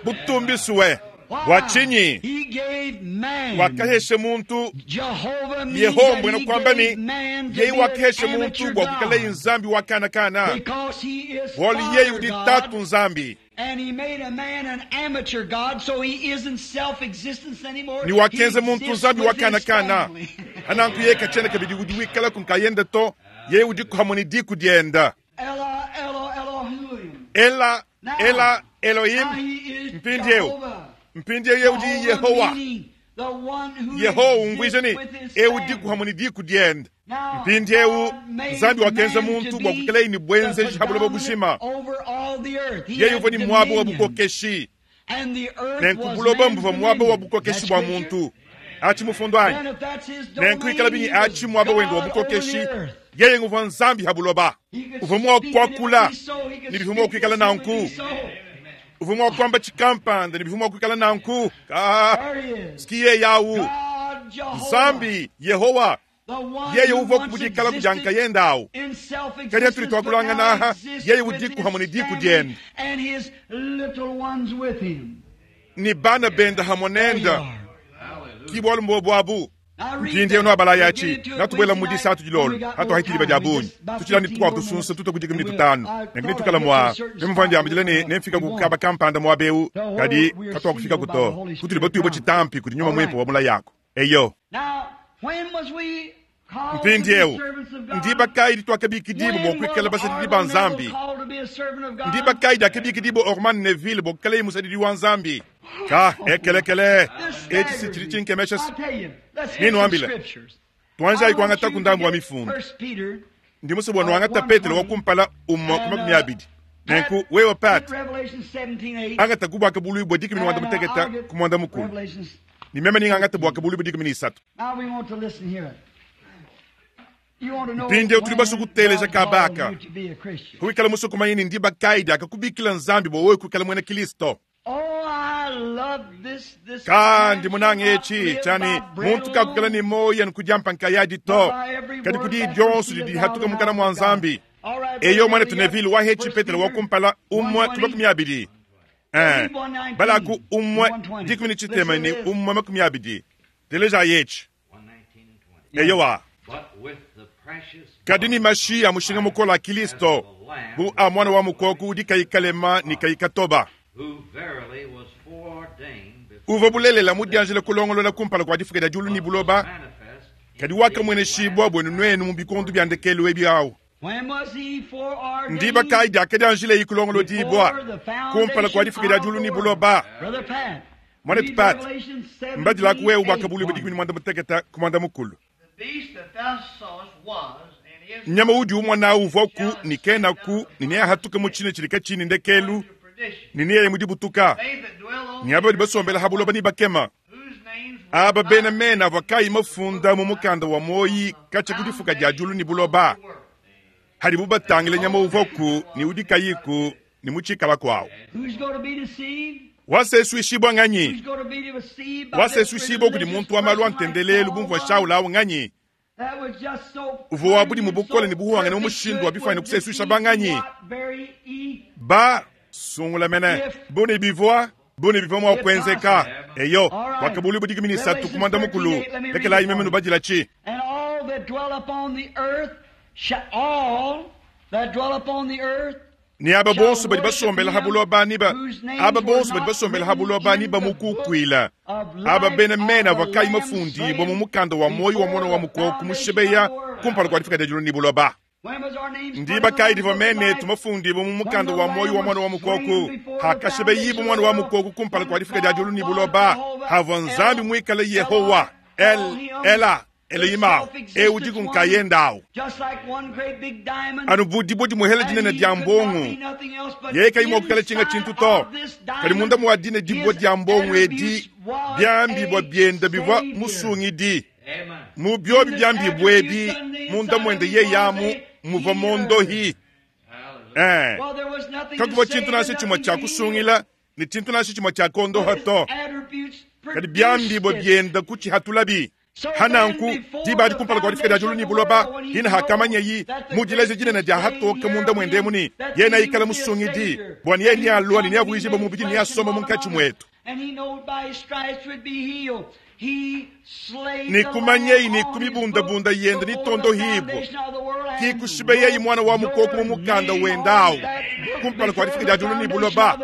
Speaker 1: butumbisuwe Bua tshinyi?
Speaker 2: He gave man.
Speaker 1: Wakahesha muntu
Speaker 2: Jehovah means
Speaker 1: Yehowa
Speaker 2: that
Speaker 1: mbwena
Speaker 2: he
Speaker 1: kwamba
Speaker 2: gave
Speaker 1: ni
Speaker 2: man to
Speaker 1: yeye
Speaker 2: be an
Speaker 1: wakahesha muntu
Speaker 2: amateur
Speaker 1: bua kuikalaye
Speaker 2: God.
Speaker 1: nzambi wa kana kana
Speaker 2: Because he is
Speaker 1: bualu yeye
Speaker 2: Father
Speaker 1: udi
Speaker 2: God,
Speaker 1: tatu nzambi
Speaker 2: and he made a man an amateur God, so he isn't self-existence anymore.
Speaker 1: ni
Speaker 2: He
Speaker 1: wakenza muntu
Speaker 2: exists
Speaker 1: nzambi wa
Speaker 2: with
Speaker 1: kana
Speaker 2: his
Speaker 1: kana
Speaker 2: family.
Speaker 1: ananku yeye kachena kabidi udi wikala kunkayenda to yeye udi kuhamwe ni diku dienda
Speaker 2: Ela, Elo, Elohim.
Speaker 1: ela
Speaker 2: Now,
Speaker 1: ela
Speaker 2: Now
Speaker 1: Elohim
Speaker 2: he is
Speaker 1: mpindiewu
Speaker 2: Jehovah.
Speaker 1: mpindiewu yeye udi
Speaker 2: Jehovah
Speaker 1: Yehowa
Speaker 2: meaning the one who
Speaker 1: Yehowa
Speaker 2: exists
Speaker 1: umvuije ni
Speaker 2: with his
Speaker 1: ewu
Speaker 2: family.
Speaker 1: diku hamwe ni diku dienda
Speaker 2: Now,
Speaker 1: mpindiewu
Speaker 2: God made
Speaker 1: nzambi wakenza
Speaker 2: man
Speaker 1: muntu
Speaker 2: to
Speaker 1: bua
Speaker 2: be
Speaker 1: kuikalaye ni
Speaker 2: the
Speaker 1: bwenzeji habuloba
Speaker 2: predominant
Speaker 1: bushima
Speaker 2: over all the earth. He
Speaker 1: yeye
Speaker 2: had
Speaker 1: uvua ni mwaba wa
Speaker 2: dominion.
Speaker 1: bukokeshi
Speaker 2: And the earth
Speaker 1: nenku
Speaker 2: was
Speaker 1: buloba
Speaker 2: man's
Speaker 1: mbuva mwaba wa
Speaker 2: dominion.
Speaker 1: bukokeshi
Speaker 2: That's
Speaker 1: bua
Speaker 2: scripture.
Speaker 1: muntu achi mufundo anyi
Speaker 2: Then if that's his domain,
Speaker 1: nenkuikala binyi
Speaker 2: he was
Speaker 1: achi mwaba wende wa
Speaker 2: God over
Speaker 1: bukokeshi
Speaker 2: the earth.
Speaker 1: yeye nguvua nzambi habuloba
Speaker 2: He could
Speaker 1: uvua mua
Speaker 2: speak and it would
Speaker 1: kuakula
Speaker 2: be so. He could
Speaker 1: ni bivua mua
Speaker 2: speak
Speaker 1: kuikala
Speaker 2: this and it would
Speaker 1: nanku
Speaker 2: be so.
Speaker 1: uvua mua kuamba chikampanda ni bivua mua kuikala nanku ka
Speaker 2: There he is.
Speaker 1: sikiye yawu
Speaker 2: God Jehovah,
Speaker 1: nzambi yehowa
Speaker 2: the one
Speaker 1: yeye
Speaker 2: who
Speaker 1: uvua
Speaker 2: once
Speaker 1: kubudikala
Speaker 2: existed
Speaker 1: kujankayenda awu
Speaker 2: in
Speaker 1: Kadi
Speaker 2: self-existence,
Speaker 1: atuli
Speaker 2: but
Speaker 1: twakulanga
Speaker 2: now
Speaker 1: naha,
Speaker 2: exists
Speaker 1: yeye
Speaker 2: with
Speaker 1: udiku
Speaker 2: his
Speaker 1: hamwe ni diku
Speaker 2: family
Speaker 1: dienda.
Speaker 2: and his little ones with him.
Speaker 1: ni bana benda hamwe
Speaker 2: There you
Speaker 1: nenda
Speaker 2: are.
Speaker 1: kibwalu mbobwabu
Speaker 2: Now read
Speaker 1: mpindiewu
Speaker 2: that.
Speaker 1: no abalayi
Speaker 2: We'll
Speaker 1: achi
Speaker 2: get into it
Speaker 1: natubwela
Speaker 2: Wednesday
Speaker 1: mudi
Speaker 2: night
Speaker 1: satu
Speaker 2: when
Speaker 1: dilolo
Speaker 2: we got
Speaker 1: hatu
Speaker 2: more
Speaker 1: haikiliba
Speaker 2: time.
Speaker 1: dia
Speaker 2: We
Speaker 1: bunyi
Speaker 2: just about
Speaker 1: tuchila ni
Speaker 2: fifteen
Speaker 1: tukwavu
Speaker 2: more
Speaker 1: tusunsa
Speaker 2: minutes.
Speaker 1: tutokudika
Speaker 2: And
Speaker 1: mini
Speaker 2: we'll-
Speaker 1: tutanu
Speaker 2: I
Speaker 1: nengi
Speaker 2: thought
Speaker 1: nitukala
Speaker 2: I'd get
Speaker 1: mwa
Speaker 2: to a certain
Speaker 1: nemumva ndiambile
Speaker 2: spot
Speaker 1: ni
Speaker 2: where
Speaker 1: nemfika
Speaker 2: we
Speaker 1: kukaba
Speaker 2: won't.
Speaker 1: kampanda mwabewu
Speaker 2: The whole
Speaker 1: kadi
Speaker 2: we are
Speaker 1: katwa kufika
Speaker 2: sealed by the
Speaker 1: kuto
Speaker 2: Holy
Speaker 1: kutuli
Speaker 2: Spirit
Speaker 1: batuibwa
Speaker 2: promise.
Speaker 1: chitampi kuti nyuma
Speaker 2: All
Speaker 1: mwipo
Speaker 2: right.
Speaker 1: wa mula yako eyo
Speaker 2: Now, when was we called to be
Speaker 1: mpindiewu
Speaker 2: servants of God?
Speaker 1: ndiba kayi twakabikidibu
Speaker 2: When
Speaker 1: bwokwikala
Speaker 2: was
Speaker 1: basadidi ba
Speaker 2: Arnold
Speaker 1: nzambi
Speaker 2: Neville called to be a servant of God?
Speaker 1: ndiba kayi dyakabikidibu Orman Neville bwokukala musadidi wa nzambi ka ekelekele
Speaker 2: This
Speaker 1: eci si
Speaker 2: staggers
Speaker 1: chili
Speaker 2: me.
Speaker 1: chinkemesha
Speaker 2: I'll tell you, let's hit
Speaker 1: Nini
Speaker 2: some
Speaker 1: wambila?
Speaker 2: scriptures.
Speaker 1: twanjayi
Speaker 2: I want
Speaker 1: kuangata
Speaker 2: you to
Speaker 1: kundambu wa
Speaker 2: get
Speaker 1: mifundo
Speaker 2: First Peter
Speaker 1: ndimuso bwanu wangata petelo wakumpala umma
Speaker 2: and,
Speaker 1: kumakumi
Speaker 2: uh,
Speaker 1: abidi
Speaker 2: Pat,
Speaker 1: nenku wewe pat
Speaker 2: get Revelation seventeen eight.
Speaker 1: angata kubwaka bului bwa dikumi ni mwanda
Speaker 2: And, uh,
Speaker 1: muteketa
Speaker 2: I'll get
Speaker 1: ku mwanda mukulu
Speaker 2: Revelations.
Speaker 1: ni meme ningangata bwaka bului bwa dikumi ni isatu
Speaker 2: Now we want to listen here. You want to know
Speaker 1: Mpindiewu tuli
Speaker 2: when
Speaker 1: basukuteleja
Speaker 2: God called
Speaker 1: kabaka.
Speaker 2: you to be a Christian.
Speaker 1: kuikala musukumanyi ni ndiba kaidi akakubikila nzambi bwa wewe kuikala mwena kristo
Speaker 2: Oh, I love this, this
Speaker 1: kandi
Speaker 2: man
Speaker 1: munange
Speaker 2: shall not
Speaker 1: eci
Speaker 2: live
Speaker 1: chani
Speaker 2: by bread
Speaker 1: muntu kakukala
Speaker 2: alone,
Speaker 1: ni moya nikujampa nkayadi
Speaker 2: but
Speaker 1: to
Speaker 2: by every
Speaker 1: kadi
Speaker 2: word
Speaker 1: kudi
Speaker 2: that
Speaker 1: dyonso
Speaker 2: proceedeth out
Speaker 1: didihatuka
Speaker 2: of the
Speaker 1: mukana
Speaker 2: mouth
Speaker 1: mwa
Speaker 2: of God.
Speaker 1: nzambi
Speaker 2: All right,
Speaker 1: eyo
Speaker 2: Brother
Speaker 1: mwana
Speaker 2: Neville,
Speaker 1: tunevile wahechi
Speaker 2: First
Speaker 1: petelo
Speaker 2: Peter
Speaker 1: wakumpala umwe
Speaker 2: one twenty.
Speaker 1: tumakumi abidi Eh, balaku umwe
Speaker 2: one twenty.
Speaker 1: dikumi ni chitema ni
Speaker 2: Listen to this.
Speaker 1: umwe makumi abidi teleja yechi
Speaker 3: one nineteen and twenty.
Speaker 1: eyowa
Speaker 3: But with the precious
Speaker 1: kadi ni mashi a mushinga mukola a kristo bu a mwana wa mukoku udi kayikalema ni kayikatoba
Speaker 3: who verily was foreordained before
Speaker 1: uva bulelela mudianjila kulongolola kumpala kwa difuka dia diulu ni buloba
Speaker 3: manifest in
Speaker 1: kadi wakamweneshibwa bwenu nwenu mu bikondu bya ndekelu ebi awu
Speaker 2: When was he foreordained?
Speaker 1: ndiba kayi diakadianjila iyi kulongolo dibwa
Speaker 2: Before the
Speaker 1: kumpala kwa
Speaker 2: foundation
Speaker 1: difuka dia
Speaker 2: of
Speaker 1: diulu
Speaker 2: the
Speaker 1: ni
Speaker 2: world.
Speaker 1: buloba
Speaker 2: Brother Pat,
Speaker 1: Mwanetu
Speaker 2: read
Speaker 1: Pat,
Speaker 2: Revelation seventeen,
Speaker 1: mbadilaku wewe
Speaker 2: eight,
Speaker 1: bwakabulu
Speaker 2: one.
Speaker 1: bwa dikumi ni mwanda muteketa ku mwanda mukulu
Speaker 4: The beast that thou sawest was and is
Speaker 1: nyama udi umwana uvwa ku ni kena ku ni neyahatuka mu chine chilika chini ndekelu
Speaker 4: to perdition.
Speaker 1: ni neyeye mudibutuka
Speaker 4: They that dwell on
Speaker 1: ni aba badi basombela habuloba ni bakema
Speaker 4: whose names were
Speaker 1: aba
Speaker 4: not
Speaker 1: bena mena vakayi mafunda mu mukanda wa moyi kacha kudifuka dia diulu ni buloba hadi bubatangile nyama uvwa ku ni udi kayiku ni muchikala kwawo
Speaker 2: Who's going to be deceived?
Speaker 1: wasesuishibwa nganyi
Speaker 2: Who's going to be deceived by this
Speaker 1: wasesuishibwa kudi
Speaker 2: religious
Speaker 1: muntu wa malu
Speaker 2: person like
Speaker 1: antendelelu
Speaker 2: Paul
Speaker 1: bumvua
Speaker 2: was?
Speaker 1: shaula awu nganyi
Speaker 2: That was just so
Speaker 1: Uvo wa budi
Speaker 2: plain and
Speaker 1: mubukole
Speaker 2: so
Speaker 1: ni buhuwanga ni
Speaker 2: perfect
Speaker 1: umushindu
Speaker 2: good
Speaker 1: wa bifani
Speaker 2: would
Speaker 1: kusesuisha
Speaker 2: deceive
Speaker 1: banganyi.
Speaker 2: what very e-
Speaker 1: ba sungula mene bone bivwa bone bivwa mwa kwenzeka eyo wakabuli budikumi ni satu kumanda mukulu lekela imeme nubadila chi
Speaker 2: And all that dwell upon the earth shall all that dwell upon the earth
Speaker 1: ni aba
Speaker 2: shall
Speaker 1: bonso badi
Speaker 2: worship
Speaker 1: basombela
Speaker 2: him
Speaker 1: habuloba ni ba
Speaker 2: whose names
Speaker 1: aba
Speaker 2: were
Speaker 1: bonso badi
Speaker 2: not
Speaker 1: basombela
Speaker 2: written
Speaker 1: habuloba ni
Speaker 2: in the book
Speaker 1: bamukukwila
Speaker 2: of
Speaker 1: aba
Speaker 2: life
Speaker 1: bena
Speaker 2: of
Speaker 1: mena
Speaker 2: the
Speaker 1: vakayi
Speaker 2: Lamb
Speaker 1: mafundibwa mu
Speaker 2: slain
Speaker 1: mukanda wa moyi wa mwana wa
Speaker 2: before the
Speaker 1: mukoko
Speaker 2: foundation
Speaker 1: mushebeya
Speaker 2: of the world.
Speaker 1: kumpala kwa difika dia diulu ni buloba
Speaker 2: When was our names put in
Speaker 1: ndiba
Speaker 2: the
Speaker 1: kayi
Speaker 2: Lamb's
Speaker 1: diva
Speaker 2: book of
Speaker 1: mene
Speaker 2: life?
Speaker 1: tumafundibwa mu
Speaker 2: When
Speaker 1: mukanda
Speaker 2: the
Speaker 1: wa moyi
Speaker 2: Lamb
Speaker 1: wa mwana wa
Speaker 2: was slain
Speaker 1: mukoku
Speaker 2: before the
Speaker 1: hakashebeyibu
Speaker 2: foundation
Speaker 1: mwana
Speaker 2: of
Speaker 1: wa
Speaker 2: the
Speaker 1: mukoku
Speaker 2: world,
Speaker 1: kumpala kwa
Speaker 2: when
Speaker 1: difika dia diulu
Speaker 2: God
Speaker 1: ni
Speaker 2: was
Speaker 1: buloba
Speaker 2: Jehovah,
Speaker 1: hava nzambi
Speaker 2: El,
Speaker 1: mwikale
Speaker 2: Elah,
Speaker 1: yehowa el
Speaker 2: Elohim,
Speaker 1: ela
Speaker 2: the
Speaker 1: eloyimawo
Speaker 2: self-existent
Speaker 1: eudiku
Speaker 2: one,
Speaker 1: nkayendawo
Speaker 2: just like one great big diamond,
Speaker 1: anu budi budi muhela
Speaker 2: and
Speaker 1: dinene
Speaker 2: he
Speaker 1: dia
Speaker 2: could not
Speaker 1: mbongo
Speaker 2: be nothing else but
Speaker 1: yeye kayimwa kukala chinga
Speaker 2: inside
Speaker 1: chintu to
Speaker 2: of this
Speaker 1: kali munda
Speaker 2: diamond,
Speaker 1: muwadine dibwa
Speaker 2: his
Speaker 1: dia mbongo edi
Speaker 2: attributes was
Speaker 1: byambibwa
Speaker 2: a
Speaker 1: byenda bivwa
Speaker 2: savior.
Speaker 1: musungidi
Speaker 3: Amen.
Speaker 1: mu byobi byambibwa ebi munda mwende ye yamu muva mondohi
Speaker 3: Hallelujah.
Speaker 1: eh
Speaker 2: Well, there was nothing to
Speaker 1: kakuva
Speaker 2: save
Speaker 1: chintu
Speaker 2: and
Speaker 1: nasi chimwe
Speaker 2: nothing
Speaker 1: cha
Speaker 2: to heal.
Speaker 1: kusungila ni chintu nasi chimwe cha kondoha
Speaker 2: But his
Speaker 1: to
Speaker 2: attributes
Speaker 1: kadi
Speaker 2: produced
Speaker 1: byambibwa
Speaker 2: it.
Speaker 1: byenda kuchihatulabi
Speaker 2: So
Speaker 1: hananku
Speaker 2: then, before
Speaker 1: diba
Speaker 2: the
Speaker 1: dikumpala kwa difika dia
Speaker 2: foundation
Speaker 1: diulu
Speaker 2: of
Speaker 1: ni
Speaker 2: the
Speaker 1: buloba
Speaker 2: world, when he
Speaker 1: hina hakamanya
Speaker 2: knows
Speaker 1: yi
Speaker 2: that the
Speaker 1: mudileje
Speaker 2: great
Speaker 1: jinene dia
Speaker 2: displayed
Speaker 1: hatoka
Speaker 2: here
Speaker 1: munda
Speaker 2: of
Speaker 1: mwende
Speaker 2: him,
Speaker 1: muni
Speaker 2: that
Speaker 1: yena
Speaker 2: he
Speaker 1: ikala
Speaker 2: would be a
Speaker 1: musungidi
Speaker 2: savior,
Speaker 1: bwani ye
Speaker 2: and
Speaker 1: ni
Speaker 2: he would
Speaker 1: alwa ni
Speaker 2: come to be
Speaker 1: avuijiba
Speaker 2: made
Speaker 1: mubidi ni
Speaker 2: flesh and
Speaker 1: asoma
Speaker 2: dwell
Speaker 1: munkachi
Speaker 2: among us.
Speaker 1: mwetu Ne kumanyeyi ne kumibundabunda yende ni tondo hibwa kikushibeyeyi mwana wa mukoko mu mukanda wendawu kumpala kwa difika dia diulu ni buloba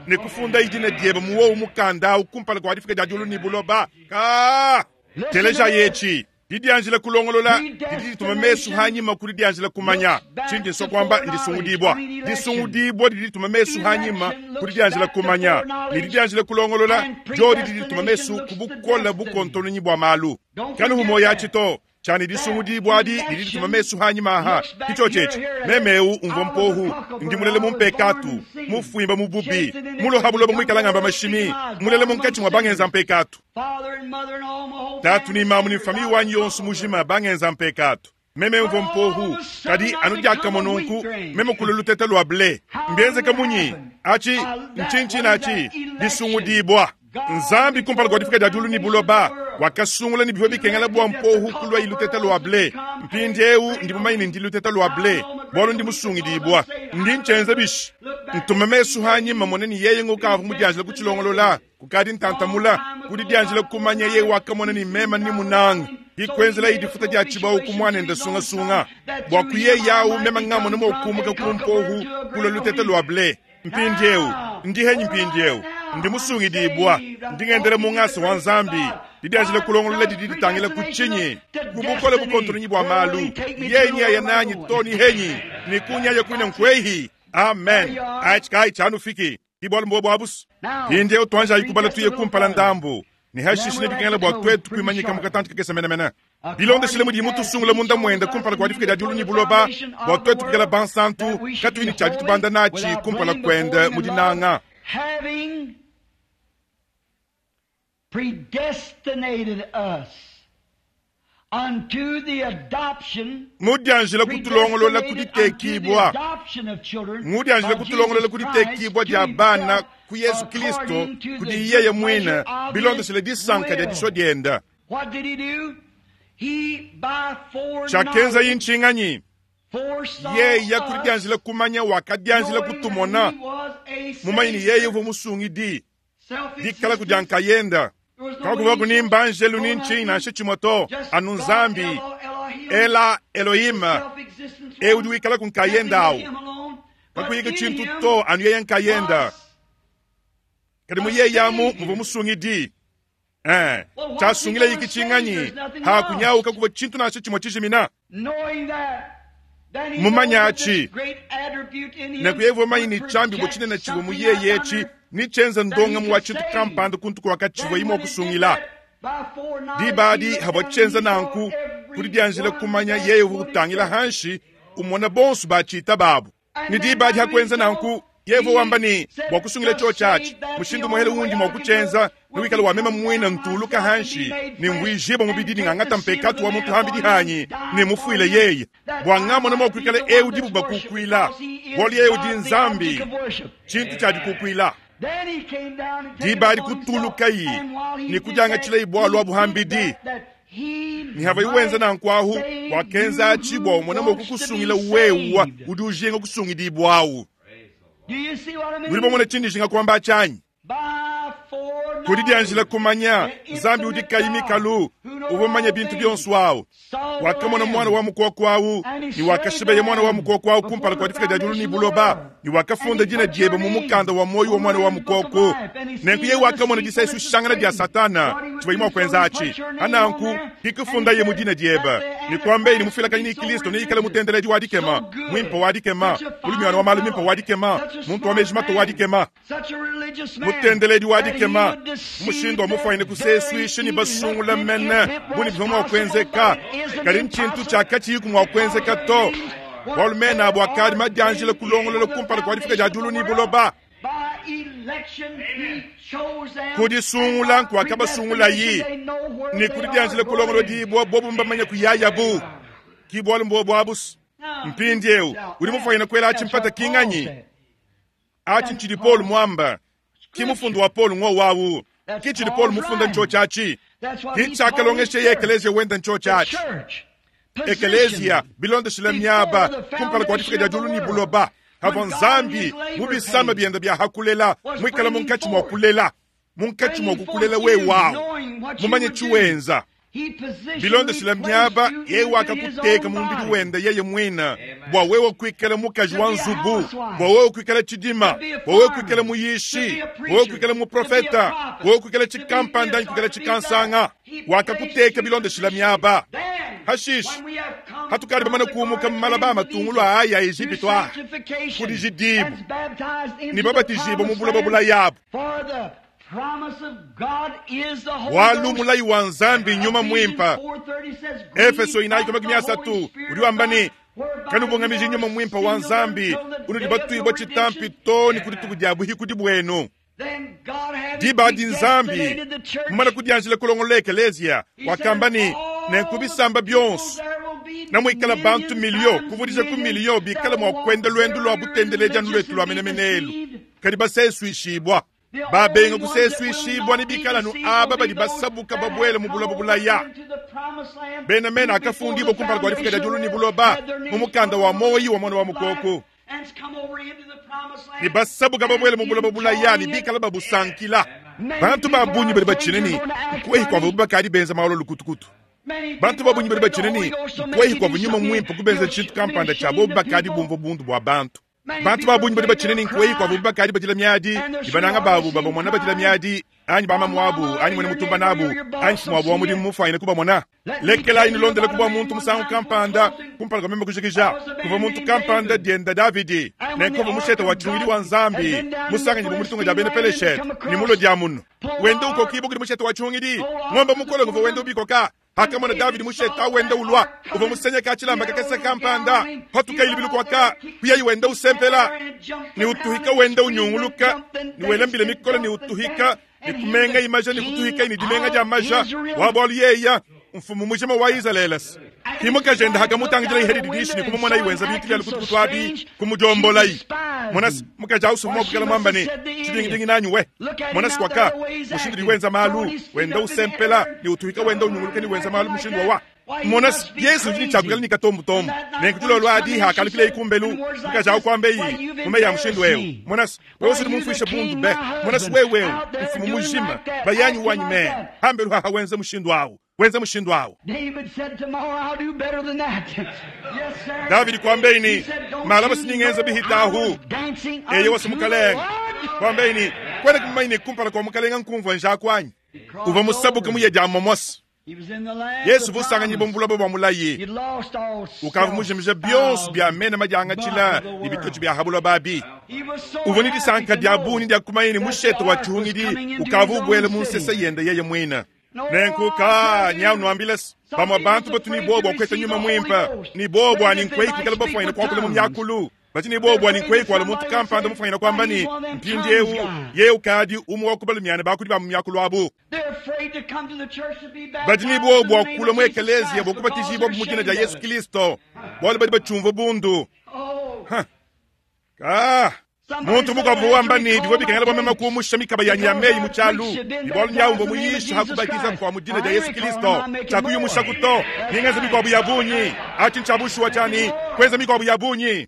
Speaker 1: ne kufunda idina diebe muwowu mukanda awu kumpala kwa difika dia diulu ni buloba ka teleja yechi didianjila kulongolola didi dituma mesu hanyima kuli dianjila kumanya chindi nso kwamba ndisungudibwa disungudibwa didi dituma mesu hanyima kuli dianjila kumanya ni didianjila kulongolola jo didi dituma mesu kubukola bukontononyi bwa malu kanu humoya chito chani disungudibwa adi didi dituma mesu hanyima aha kicho chechi memeu umvo mpohu ndi mulele mumpekatu mufuimba mububi muloha buloba mwikalangamba mashimi mulele munkatshi mwa bangenza mpekatu tatu ni mamu ni fami wanyi yonso mujima bangenza mpekatu meme umvo mpohu kadi anu diakamononku meme kula luteta lwa ble mbienzeka munyi achi nchinchina achi disungudibwa nzambi kumpala kwa difika dia diulu ni buloba wakasungula ni bivyo bikengela bwa mpohu kulwa iluteta lwa ble mpindi eu ndi mumanyi ndi luteta lwa ble bwalo ndi musungidibwa ndi nchenze bishi ntume mesu hanyima mone ni yeye ngukavu mudianjila kuchilongolola kukadi ntantamula kudi dianjila kumanya ye wakamona ni mema ni munanga ikwenzela idifuta dia chibawu kumwana sungasunga bwa kuye yawu mema ngamona mokumuka kumpohu kula luteta lwa ble mpindi eu ndi henyi mpindi eu ndi musungidibwa ndingendele mungasa wa nzambi didianjila kulongolola didi ditangila kuchinyi kubukola bukontononyi bwa malu yenyi ayananyi toni henyi nikunyaya kwine nkwehi amen achi chanu fiki ibwalo mbo bwabusu indi utwanja ikubala tuye kumpala ndambu ni hashishi ne bikengela bwa twetu kuimanyika mukatanti kakesa menamena bilondeshile mudi mutusungula munda mwenda kumpala kwa difika dia diulu ni buloba bwa twetu kukela bansantu katuini cha ditubanda nachi kumpala kwenda mudinanga
Speaker 2: having predestinated us unto the adoption
Speaker 1: mudianjila kutulongolola kuditekibwa mudianjila kutulongolola kuditekibwa dia bana ku yesu kristo kudi yeye mwina bilondeshele disanka dia diswa dienda
Speaker 2: What did he do? He by
Speaker 1: chakenza
Speaker 2: foreknowledge
Speaker 1: yinchinganyi
Speaker 2: foresaw
Speaker 1: yeya
Speaker 2: us,
Speaker 1: kudianjila kumanya wakadianjila
Speaker 2: knowing
Speaker 1: kutumona
Speaker 2: that he was a
Speaker 1: mumanyi ni
Speaker 2: savior,
Speaker 1: yeye uvo musungidi dikala
Speaker 2: self-existent.
Speaker 1: kudiankayenda
Speaker 2: There was no
Speaker 1: kakuva kuni
Speaker 2: angel,
Speaker 1: mbanjelu
Speaker 2: no
Speaker 1: ni nchinyi
Speaker 2: nothing,
Speaker 1: nansha chimoto
Speaker 2: just
Speaker 1: anu
Speaker 2: God,
Speaker 1: nzambi
Speaker 2: Elo- Elohim,
Speaker 1: ela elohima
Speaker 2: self-existence
Speaker 1: eu
Speaker 2: one,
Speaker 1: udi wikala kunkayenda
Speaker 2: nothing
Speaker 1: awu
Speaker 2: but him alone, but
Speaker 1: kakuyika
Speaker 2: in
Speaker 1: chintu
Speaker 2: him
Speaker 1: to anu yeye nkayenda
Speaker 2: was
Speaker 1: kadi muyeyamu muvo musungidi eh chasungila yiki chinganyi hakunyauka kuva chintu nansha chimwe chijimina
Speaker 2: knowing that, then he
Speaker 1: Mumanya
Speaker 2: knows that this
Speaker 1: achi.
Speaker 2: great attribute in him
Speaker 1: nekuyevo manyi ni
Speaker 2: would
Speaker 1: chambi
Speaker 2: project
Speaker 1: chinene chivwe
Speaker 2: something
Speaker 1: muyeye
Speaker 2: out
Speaker 1: chi
Speaker 2: under.
Speaker 1: nichenza ndonga muwa
Speaker 2: could
Speaker 1: chintu
Speaker 2: save.
Speaker 1: kampanda kuntu kwakachivwe
Speaker 2: Then
Speaker 1: imo
Speaker 2: when he did
Speaker 1: kusungila
Speaker 2: that, by foreknowledge,
Speaker 1: dibadi
Speaker 2: he looked
Speaker 1: hava
Speaker 2: down
Speaker 1: chenza
Speaker 2: and he saw
Speaker 1: nanku
Speaker 2: every
Speaker 1: kuli dianjila
Speaker 2: one
Speaker 1: kumanya
Speaker 2: that
Speaker 1: yeye
Speaker 2: would
Speaker 1: kutangila
Speaker 2: accept.
Speaker 1: hanshi umona bonso bachita babu ni dibadi hakwenza nanku yevo wamba ni bwakusungila cho chachi mushindu muhele wundi mwakuchenza niwikala wamema mwina ntuluka hanshi ni mwijiba mubidi ng'ang'ata mpekatu wa muntu hambidi hanyi ni mufuile yeye bwang'amona mwakwikala eu dibu bakukwila bwali yeye udi nzambi chintu chadikukwila
Speaker 2: dibali kutulukayi
Speaker 1: ni kudyanga chila ibwalwa buhambidi ni hava iwenza nankwahu wakenza achibwa umona mwakukusungila wewa udi ujinga kusungidibwawu nuli bomona chindi jinga kwamba achanyi kuli dianjila kumanya nzambi udi kayimikalu uvomanya bintu byonso awu wakamona mwana wa mukoko awu ni wakashibeye mwana wa mukoko awu kumpala kwa difika dia diulu ni buloba ni wakafunda dina diebe mu mukanda wa moyo wa mwana wa mukoko nenku ye wakamona disaisu shangana dia satana chiva imwe kwenza achi ananku kikufunda ye mu dina diebe ni kwambe ni mufilakanyi ni kristo ni ikala mutendeledi wa dikema mwimpa wa dikema ulumywana wa malu mimpa wa dikema muntu wa mejimato wa dikema mutendeledi wa dikema mushindo wa mufaine kuseswishe ni basungula mene buni bivyo mwakwenzeka kali nchintu chakachiyiku mwakwenzeka to walumene abo akali madianjile kulongolola kumpala kwa difika dia diulu ni buloba kudisungula nkuakabasungula yi ni kudidianjile kulongolola dibwa bobu mbamanya kuyayabu kibwalu mbobu abusu mpindi eu udi mufaine kwela achi mpata kinganyi achi nchidi Paul mwamba kimufundu wa Paul ng'o wawu kichidi Paul mufunda ncho chachi kichakalongeshe ye ekelezia wenda ncho chachi ekelezia bilondeshile myaba kumpala kwa difika dia diulu ni buloba hava nzambi mubisama byenda bya hakulela mwikala munkachi mwa kulela Munkatshi mua kukulela wewe awu mumanye tshiwenza bilondeshile miaba yeye wakakuteka mu mubidi wende yeye mwina bua wewe kuikala mukaji wa nzubu bua wewe kuikala tshidima bua wewe kuikala muyishi bua wewe kuikala muprofeta bua wewe kuikala tshikampanda kuikala tshikansanga wakakuteka bilondeshile miaba hashishi hatukali bamane kuumuka mmalaba amatungulu aya Egipito a kudijidibu ni babatijibwa mu buloba bulayabu walu mulayi wa nzambi nyuma mwimpa Efeso inayi makumi asatu udi wamba ni kanubungamiji nyuma mwimpa wa nzambi unudi batwibwa tshitampi to ni kudituku dia buhikudi bwenu diba di nzambi mumana kudianjila kulongola ekeleziya wakamba ni nenkubisamba byonso namwikala bantu milio kuvudisha ku milio bikala mwa kwenda lwendo lwa butendeleja lwetu lwa menemenelu kadi baseswishibwa babenga kuseswishibwa ni bikala nu aba badi basabuka babwele mu buloba bulaya bena mena akafundibwa kumpala kwa lifika lya julu ni buloba mu mukanda wa moyi wa mwana wa mukoko ni basabuka babwele mu buloba bulaya ni bikala babusankila bantu babunyi badi bacine ni nkwehi kwava bubakadi benza maolo lukutukutu bantu babunyi badi bacine ni nkwehi kwava nyuma mwimpe kubenza tshintu kampanda tshabo bubakadi bumva bundu bua bantu bantu babunyi badi bacine ni nkwehi kwava bubakadi badila miadi ibananga babu babamona badila miadi anyi bamamu abu anyi mwene mutumba nabu anyi mfumu wabu wa mudimu mufanyine kubamona lekelayi nilondele kubwa muntu musangu kampanda kumpala kwa meme kujikija kuva muntu kampanda dienda Davidi nenkuva mushete wa tshungili wa nzambi musanganyi bumulitunga dia bena Peleshete ni mulo dia munu wende uko kibu kuli mushete wa tshungili ng'ombe mukolo nguva wende ubikoka akamona Davidi mushete awende ulwa uva musenya kachilamba kakese kampanda hatukaili bilukwaka kuyayi wende usempela ni utuhika wende unyunguluka ni welambile mikolo ni utuhika ni kumenga imaja ni kutuhika ni dimenga dia maja wabwalu yeya mfumu mujima wa Israelesi kimukajenda hakamutangijila ihedi didishi ni kumumona iwenza bintu bya lukutukutu abi kumujombolayi monasi mukaja usuma bukala mwambani tshidingidingi nanyu we monasi kwaka mushindu diwenza malu wenda usempela ni utuhika wenda unyunguluka ni wenza malu mushindu wawa monasi Yesu udi tshakukala ni katombutombu nenkutulolo adi hakalukile ikumbelu mukaja ukwambeyi mume ya mushindu wewu monasi wewe usudi mumfuisha bundu be monasi wewewu mfumu mujima bayanyi wanyi me hambelu haha wenza mushindu awu wenza mushindu awu Davidi kwambeini malaba siningenza bihitahu eye wasi mukalenga kwambeini kwena kumaine kumpala kwa mukalenga nkumva njakwanyi uva musabuka muye dia momosi Yesu vusanganyi buloba bua mulayi ukava mujimija byonso bya mena madiangatshila ni bitoto bya habuloba abi uva ni disanka dia buni dia kumaini mushete wa tshihungidi ukava ubwele mu nsesa yende yeye mwina nenkuka nyau nwambile bamwe bantu batu ni bobo akwete nyuma mwimpa ni bobo ani nkwei kukala bafwanyina kwakula mu myakulu bati ni bobo ani nkwei kwala muntu kampanda mufwanyina kwamba ni mpindi ewu ye ukadi umu wakubala myana bakudi ba mu myakulu abu bati ni bobo akula mu ekelezia bokubatizibwa mu dina dia Yesu Kristo bwali badi bachumva bundu ha ah muntu mukavu wamba ni divo bikangela bwamema kuumusha mikaba ya nyameyi muchalu ibwalu nyaumbo muyisha hakubatiza kwa mudina dia Yesu Kristo chakuyumusha kuto ningenza mikwabu ya bunyi achi nchabushuwa chani kwenza mikwabu ya bunyi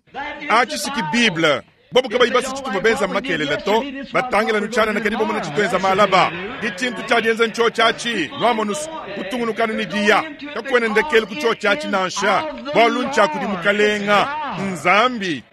Speaker 1: achi siki Bible bobu kaba ibasi chituva benza makelele to batangela nuchana na kadibo mona chitwenza malaba dichintu chadienza ncho chachi nwamonus kutungunukanu ni dia kakwene ndekele kucho chachi nansha bwalu nchakudi mukalenga nzambi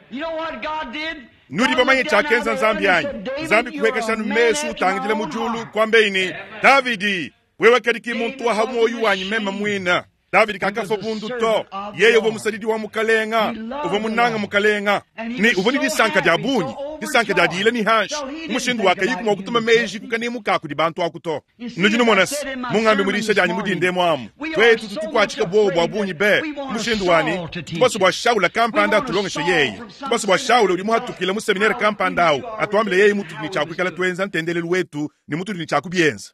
Speaker 1: nudi bamanye chakenza nzambi yanyi nzambi kuhekeshanu mesu utangidile mujulu kwambeini Davidi wewe kadiki muntu wa moyo wanyi mema mwina Davidi kakafa bundu to yeye uva musadidi wa mukalenga uva munanga mukalenga ni uva ni disanka dia bunyi disanka dia dile ni hanshi umushindu wakayiku mwa kutuma meji kukanimu kakudi bantu akuto nudi numonasi mungambi mulisha janyi mudinde mwamu twetu tutukwachika bwobo bwa bunyi be umushindu wani tubaso bwa Shaula kampanda atulongeshe yeye tubaso bwa Shaula uli muhatukile mu seminari kampanda awu atuambile yeye mutu ni chakwikala twenza ntendelelu wetu ni mutu ni chakubyenza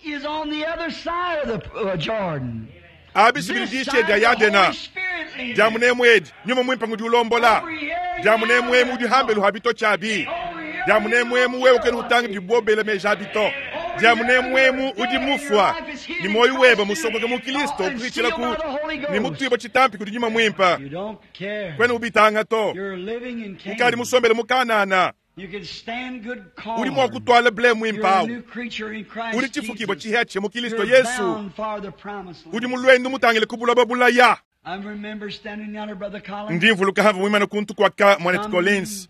Speaker 2: Is on the other side of the uh, Jordan.
Speaker 1: abisibili dia yadena diamunemwedi nyuma mwimpa ngudi ulombola diamunemwemu udi hambelu habito chabi diamunemwemu wewe kenu utangi dibobele meja bito diamunemwemu udi mufwa ni moyo weba musokoke mu Kristo kuichila ku ni mutwibo chitampi kudi nyuma mwimpa kwenu ubitanga to ukali musombele mukanana
Speaker 2: You can stand good
Speaker 1: Udi mua
Speaker 2: corn.
Speaker 1: kutwala ble
Speaker 2: You're a
Speaker 1: mwimpawu
Speaker 2: new creature in Christ
Speaker 1: udi chifukibwa
Speaker 2: Jesus.
Speaker 1: chiheche mu Kristo
Speaker 2: You're
Speaker 1: Yesu
Speaker 2: bound for the promised
Speaker 1: udi
Speaker 2: land.
Speaker 1: mulwendo mutangile kubulaba bulaya
Speaker 2: I remember standing down there, Brother Collins.
Speaker 1: ndi mvuluka hava mwimana kuntu kwaka mwanetu Collins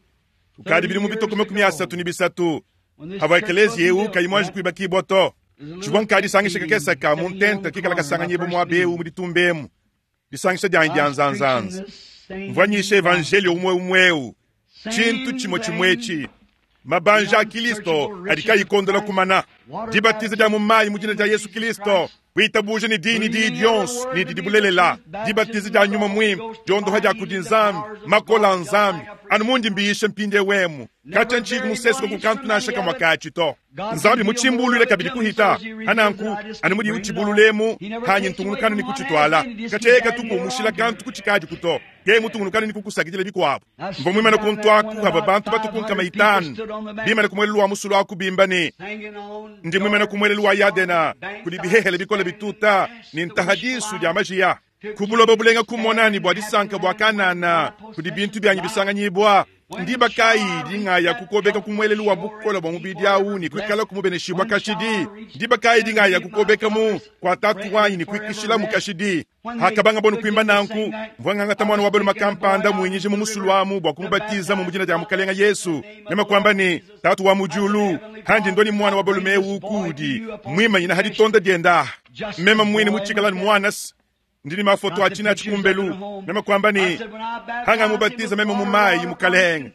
Speaker 1: kukadi bili mu bituku makumi asatu ni bisatu
Speaker 2: When this
Speaker 1: hava
Speaker 2: church
Speaker 1: ekelezi eu
Speaker 2: wasn't built,
Speaker 1: kayimwanji
Speaker 2: right?
Speaker 1: kuibakibwa to chibwa nkadisangisha kakesaka mu ntenta kikala kasanganyibwa mwabeu muditumba disangisha dyanyi
Speaker 2: I
Speaker 1: dya
Speaker 2: was preaching
Speaker 1: nzanzanza
Speaker 2: this same
Speaker 1: mvwanyisha evangelio umwe umweu
Speaker 2: same
Speaker 1: chintu chimwe
Speaker 2: thing.
Speaker 1: chimwechi mabanja a Kristo adikayikondola kumana dibatiza dya mumayi mu jina dya Yesu Kristo kuitabuje ni dini dii dyonso ni didi bulelela dibatiza dya nyuma mwimpe dyondoha dya kudi nzambi makola nzambi anu mundi mbiyishe mpinde wemu kacha nchiku musesuko kukantu nasha kamwa kachi to nzambi muchimbulule kabidi kuhita ananku anu mudi uchibululemu hanyi ntungulukanu ni kuchitwala kacheka tukumushila kantu kuchikaji kuto ke mutungulukanu ni kukusakidila bikwabu mvo mwimana kuntwaku hava bantu batukunkama itanu bimana kumwelelu wa musulu akubimba ni
Speaker 2: Hanging on
Speaker 1: ndi mwimana kumwelelu wa yadena kuli bihehele bikola bituta ni ntahadisu dya majiya kubuloba bulenga kumonani bwa disanka bwa kanana kuli bintu byanyi bisanganyibwa ndiba kayi dingaya kukobeka kumwelelu wa bukola bwa mubidi awu ni kwikala kumubeneshibwa kashidi ndiba kayi dingaya kukobeka mu kwa tatu wanyi ni kwikishila mu kashidi hakabanga bono kwimba nanku mvwangangata mwana wa balo makampanda mwinyije mu musulu wamu bwa kumubatiza mu mujina dya mukalenga Yesu nema kwamba ni tatu wa mujulu handi ndoni mwana wa balume kudi mwimanyina hadi tonda dyenda mema mwini muchikalani mwanas ndini mafoto achina achikumbelu mema kwamba ni hanga mubatiza mema mumayi mukalenga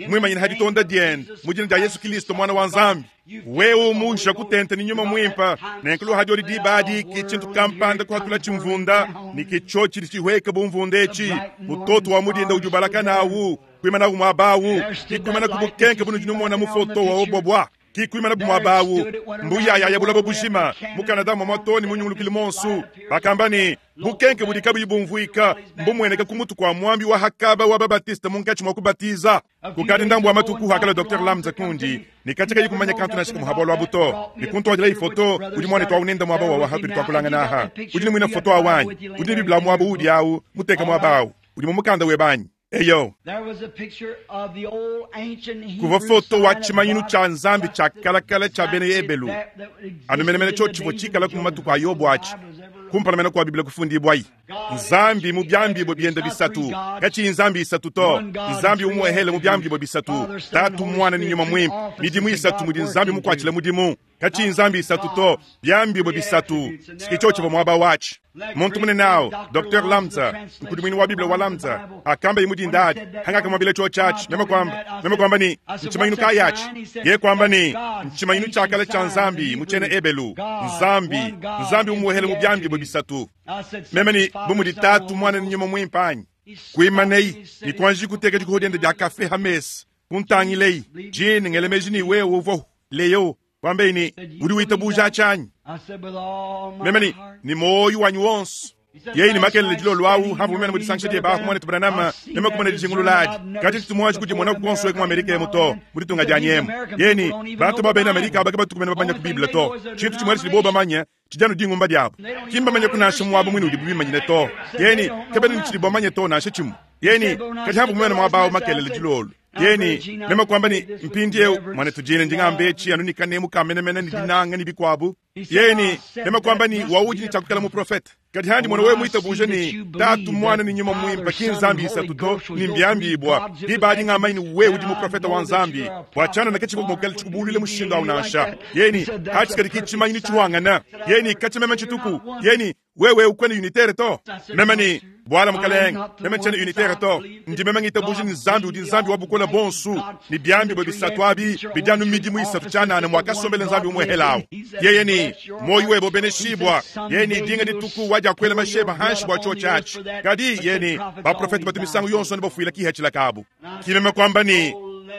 Speaker 1: mwimanyina hadi tonda dyenda mujina dya Yesu Kristo mwana wa nzambi wewe umusha kutenta ni nyuma mwimpa nenkulu hadi oli dibadi kichintu kampanda kuhatula chimvunda ni kicho chili chihweka bumvunda echi mutoto wa mudinda ujubalaka nawu kwimana kumwabawu kikwimana kubukenke bunu jinumona mufoto wa obobwa kikwimana bumwabawu mbuyaya ya bulabo bushima mukanada mwa matoni munyungulukile monsu bakamba ni bukenke budi kabuyi bumvuika mbumweneka kumutu kwa mwambi wa hakaba wa babatista munkachi mwa kubatiza kukadi ndambu wa matuku hakala Dr Lamza kundi nikachaka yikumanya kantu na shiku muhabwa lwa buto nikuntu wajila ifoto udi mwane twa unenda mwaba wa wahatu litwakulanga naha udi ni mwina foto awanyi udi ni bibla mwaba udi awu muteka mwaba awu udi mumukanda webanyi eyo
Speaker 2: There was a picture of the old ancient
Speaker 1: kuva
Speaker 2: Hebrew
Speaker 1: foto wa
Speaker 2: sign of
Speaker 1: chimanyinu
Speaker 2: God
Speaker 1: cha nzambi cha
Speaker 2: just
Speaker 1: kalakala cha bene
Speaker 2: exactly
Speaker 1: ebelu
Speaker 2: that that existed
Speaker 1: anumenemene
Speaker 2: in
Speaker 1: cho
Speaker 2: the
Speaker 1: chivo
Speaker 2: days
Speaker 1: chikala
Speaker 2: of
Speaker 1: ku
Speaker 2: Jonah
Speaker 1: matuku a Yobu
Speaker 2: before the
Speaker 1: achi
Speaker 2: Bible was ever written.
Speaker 1: kumpalamena kwa biblia kufundibwayi nzambi mu byambibwe byenda bisatu kachi nzambi isatu to nzambi umwehele mu byambibwe bisatu tatu mwana ni nyuma mwimpe midimu isatu mudi nzambi mukwachila mudimu kachi nzambi isatu to byambibwe bisatu sikicho chivo mwaba wachi muntu munene awo Dr Lamza nkudimwini wa biblia wa Lamza akamba imudi ndadi hanga kamwambile cho chachi mema kwamba mema kwamba ni nchimanyinu kayachi ye kwamba ni nchimanyinu chakala cha nzambi muchene ebelu nzambi nzambi umuhele mu byambibwe bisatu
Speaker 2: I said,
Speaker 1: meme ni
Speaker 2: Father,
Speaker 1: bumudi
Speaker 2: Son,
Speaker 1: tatu
Speaker 2: Holy
Speaker 1: mwana ni nyuma mwimpanyi kuimaneyi ni kwanji kuteka dikuhodyenda dya kafe hamesi kuntangilei jini ngelemeji ni wewe uvo leyo kwambeini udi witabuja achanyi
Speaker 2: I said, with all my
Speaker 1: meme ni
Speaker 2: heart.
Speaker 1: ni moyo wanyu wonso yeyi ni makelele jilo lwawu hamvu mene mudisangisha dye bahu mwana tubranama meme kumene dijingululadi kati titumwaji kuti mwana kukonswe ku Amerika yemu to muditunga dya nyemu yeni bantu babene Amerika abake batukumene babanya ku Biblia to chintu chimwe chili bo bamanya chijano dingumba dyabo kimbamanya kunasha mwabo mwini udi bubimanyine to yeni kebene ni chili bomanye to nasha chimu yeni kati hamvu mene mwabawu makelele jilolu yeni meme kwamba ni mpindiewu mwana tujine ndingambe anu nikanemu kamenemene ni dinanga ni bikwabu yeni meme kwamba ni wauji ni chakukala mu profeta kati handi mwana wewe mwitabuje ni tatu mwana ni nyuma mwimpa kinzambi isatu to ni mbyambibwa dibadi ng'amaini wewe udi muprofeta wa nzambi wachana na kachiko mokela chikubulile mushinga au nasha yeni hachisikadi kichimanyini chiwangana yeni kachimeme chituku yeni wewe ukwene unitere to meme ni bwala mukalenga meme nchene unitere to ndi meme ngitabuji ni nzambi udi nzambi wabukola bonsu ni byambi bwe bisatu abi bijanu midimu isatu chanana mwakasombele nzambi umwehelawo yeye ni moyo webo beneshibwa yeni dinga dituku waja kwela masheba hanshi bwa cho chachi kadi yeni baprofeti batumisangu yonso ni bafuila kihachila kabu kimeme kwamba ni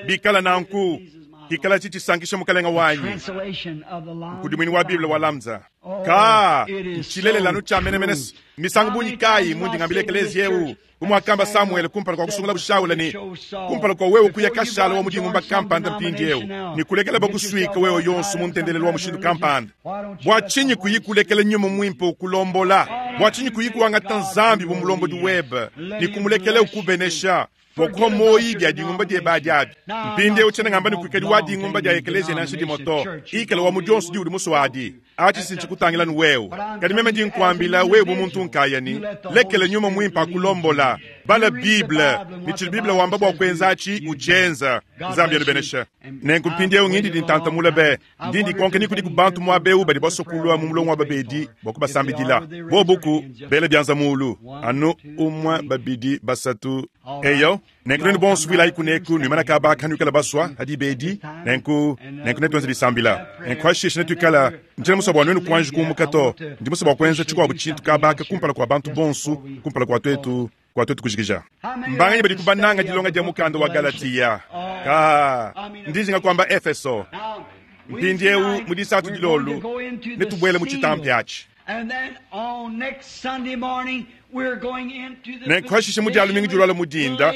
Speaker 1: bikala nanku kikala chichisankisha mukalenga wanyu
Speaker 2: Translation of the Lamb
Speaker 1: kudimwini wa biblia wa Lamza
Speaker 2: Oh,
Speaker 1: ka
Speaker 2: it is
Speaker 1: nchilelelano
Speaker 2: so
Speaker 1: cha menemene
Speaker 2: true.
Speaker 1: misango bunyi kayi mundi ngambile ekelezi yewu kumwakamba Samuel kumpala kwa kusungula bushaula ni kumpala kwa wewe kuya kashala wa mudingumba kampanda mpindi yewu ni kulekela bakuswika wewe yonso muntendelelo wa mushindu kampanda bwa chinyi kuyikulekela nyuma mwimpe ukulombola bwa chinyi kuyikuwangata nzambi bumulombodi webe ni kumulekela ukubenesha Bua kuha moyi bia dingumba dieba diabi. Mpindieu tshiena ngamba ne kuikadi wa dingumba dia ekeleziya nansha dimue to. Ikala wa mu dionso diudi musue adi. Atshi si ntshikutangila nu wewe. Kadi meme ndi nkuambila wewe bu muntu nkayani, lekela nyuma muimpe akulombola. Bala Bible, ne tshidi Bible wamba bua kuenza atshi utshienza. Nzambi anubeneshe. Nenku mpindieu ngindi dintantamula be. Ndi ndikonka ni kudi ku bantu muaba eu badi basue kulua mu mulongo wa babedi bua kubasambidila. Bobu bela bianza mulu. Anu umue, babidi, basatu. Eyo, nenku nenu bonso vuilayi kuneku nuimana kaba kanuikala basua hadi bedi. Nenku, nenku netuenze disambila. Nenku hashishe netuikala ntshiena musue bua nuenu kuanji kumuka to. Ndi musue bua kuenza tshikuabu tshintu kabaka kumpala kua bantu bonso, kumpala kua tuetu, kua tuetu kujikija. Mbanganyi badi kubananga dilonga dia mukanda wa Galatia. Ka, ndi njinga kuamba Efeso. Mpindieu mu disatu dilolu netubuele mu tshitampi atshi. Nenku hashishe mu dia lumingu dilwala mu dinda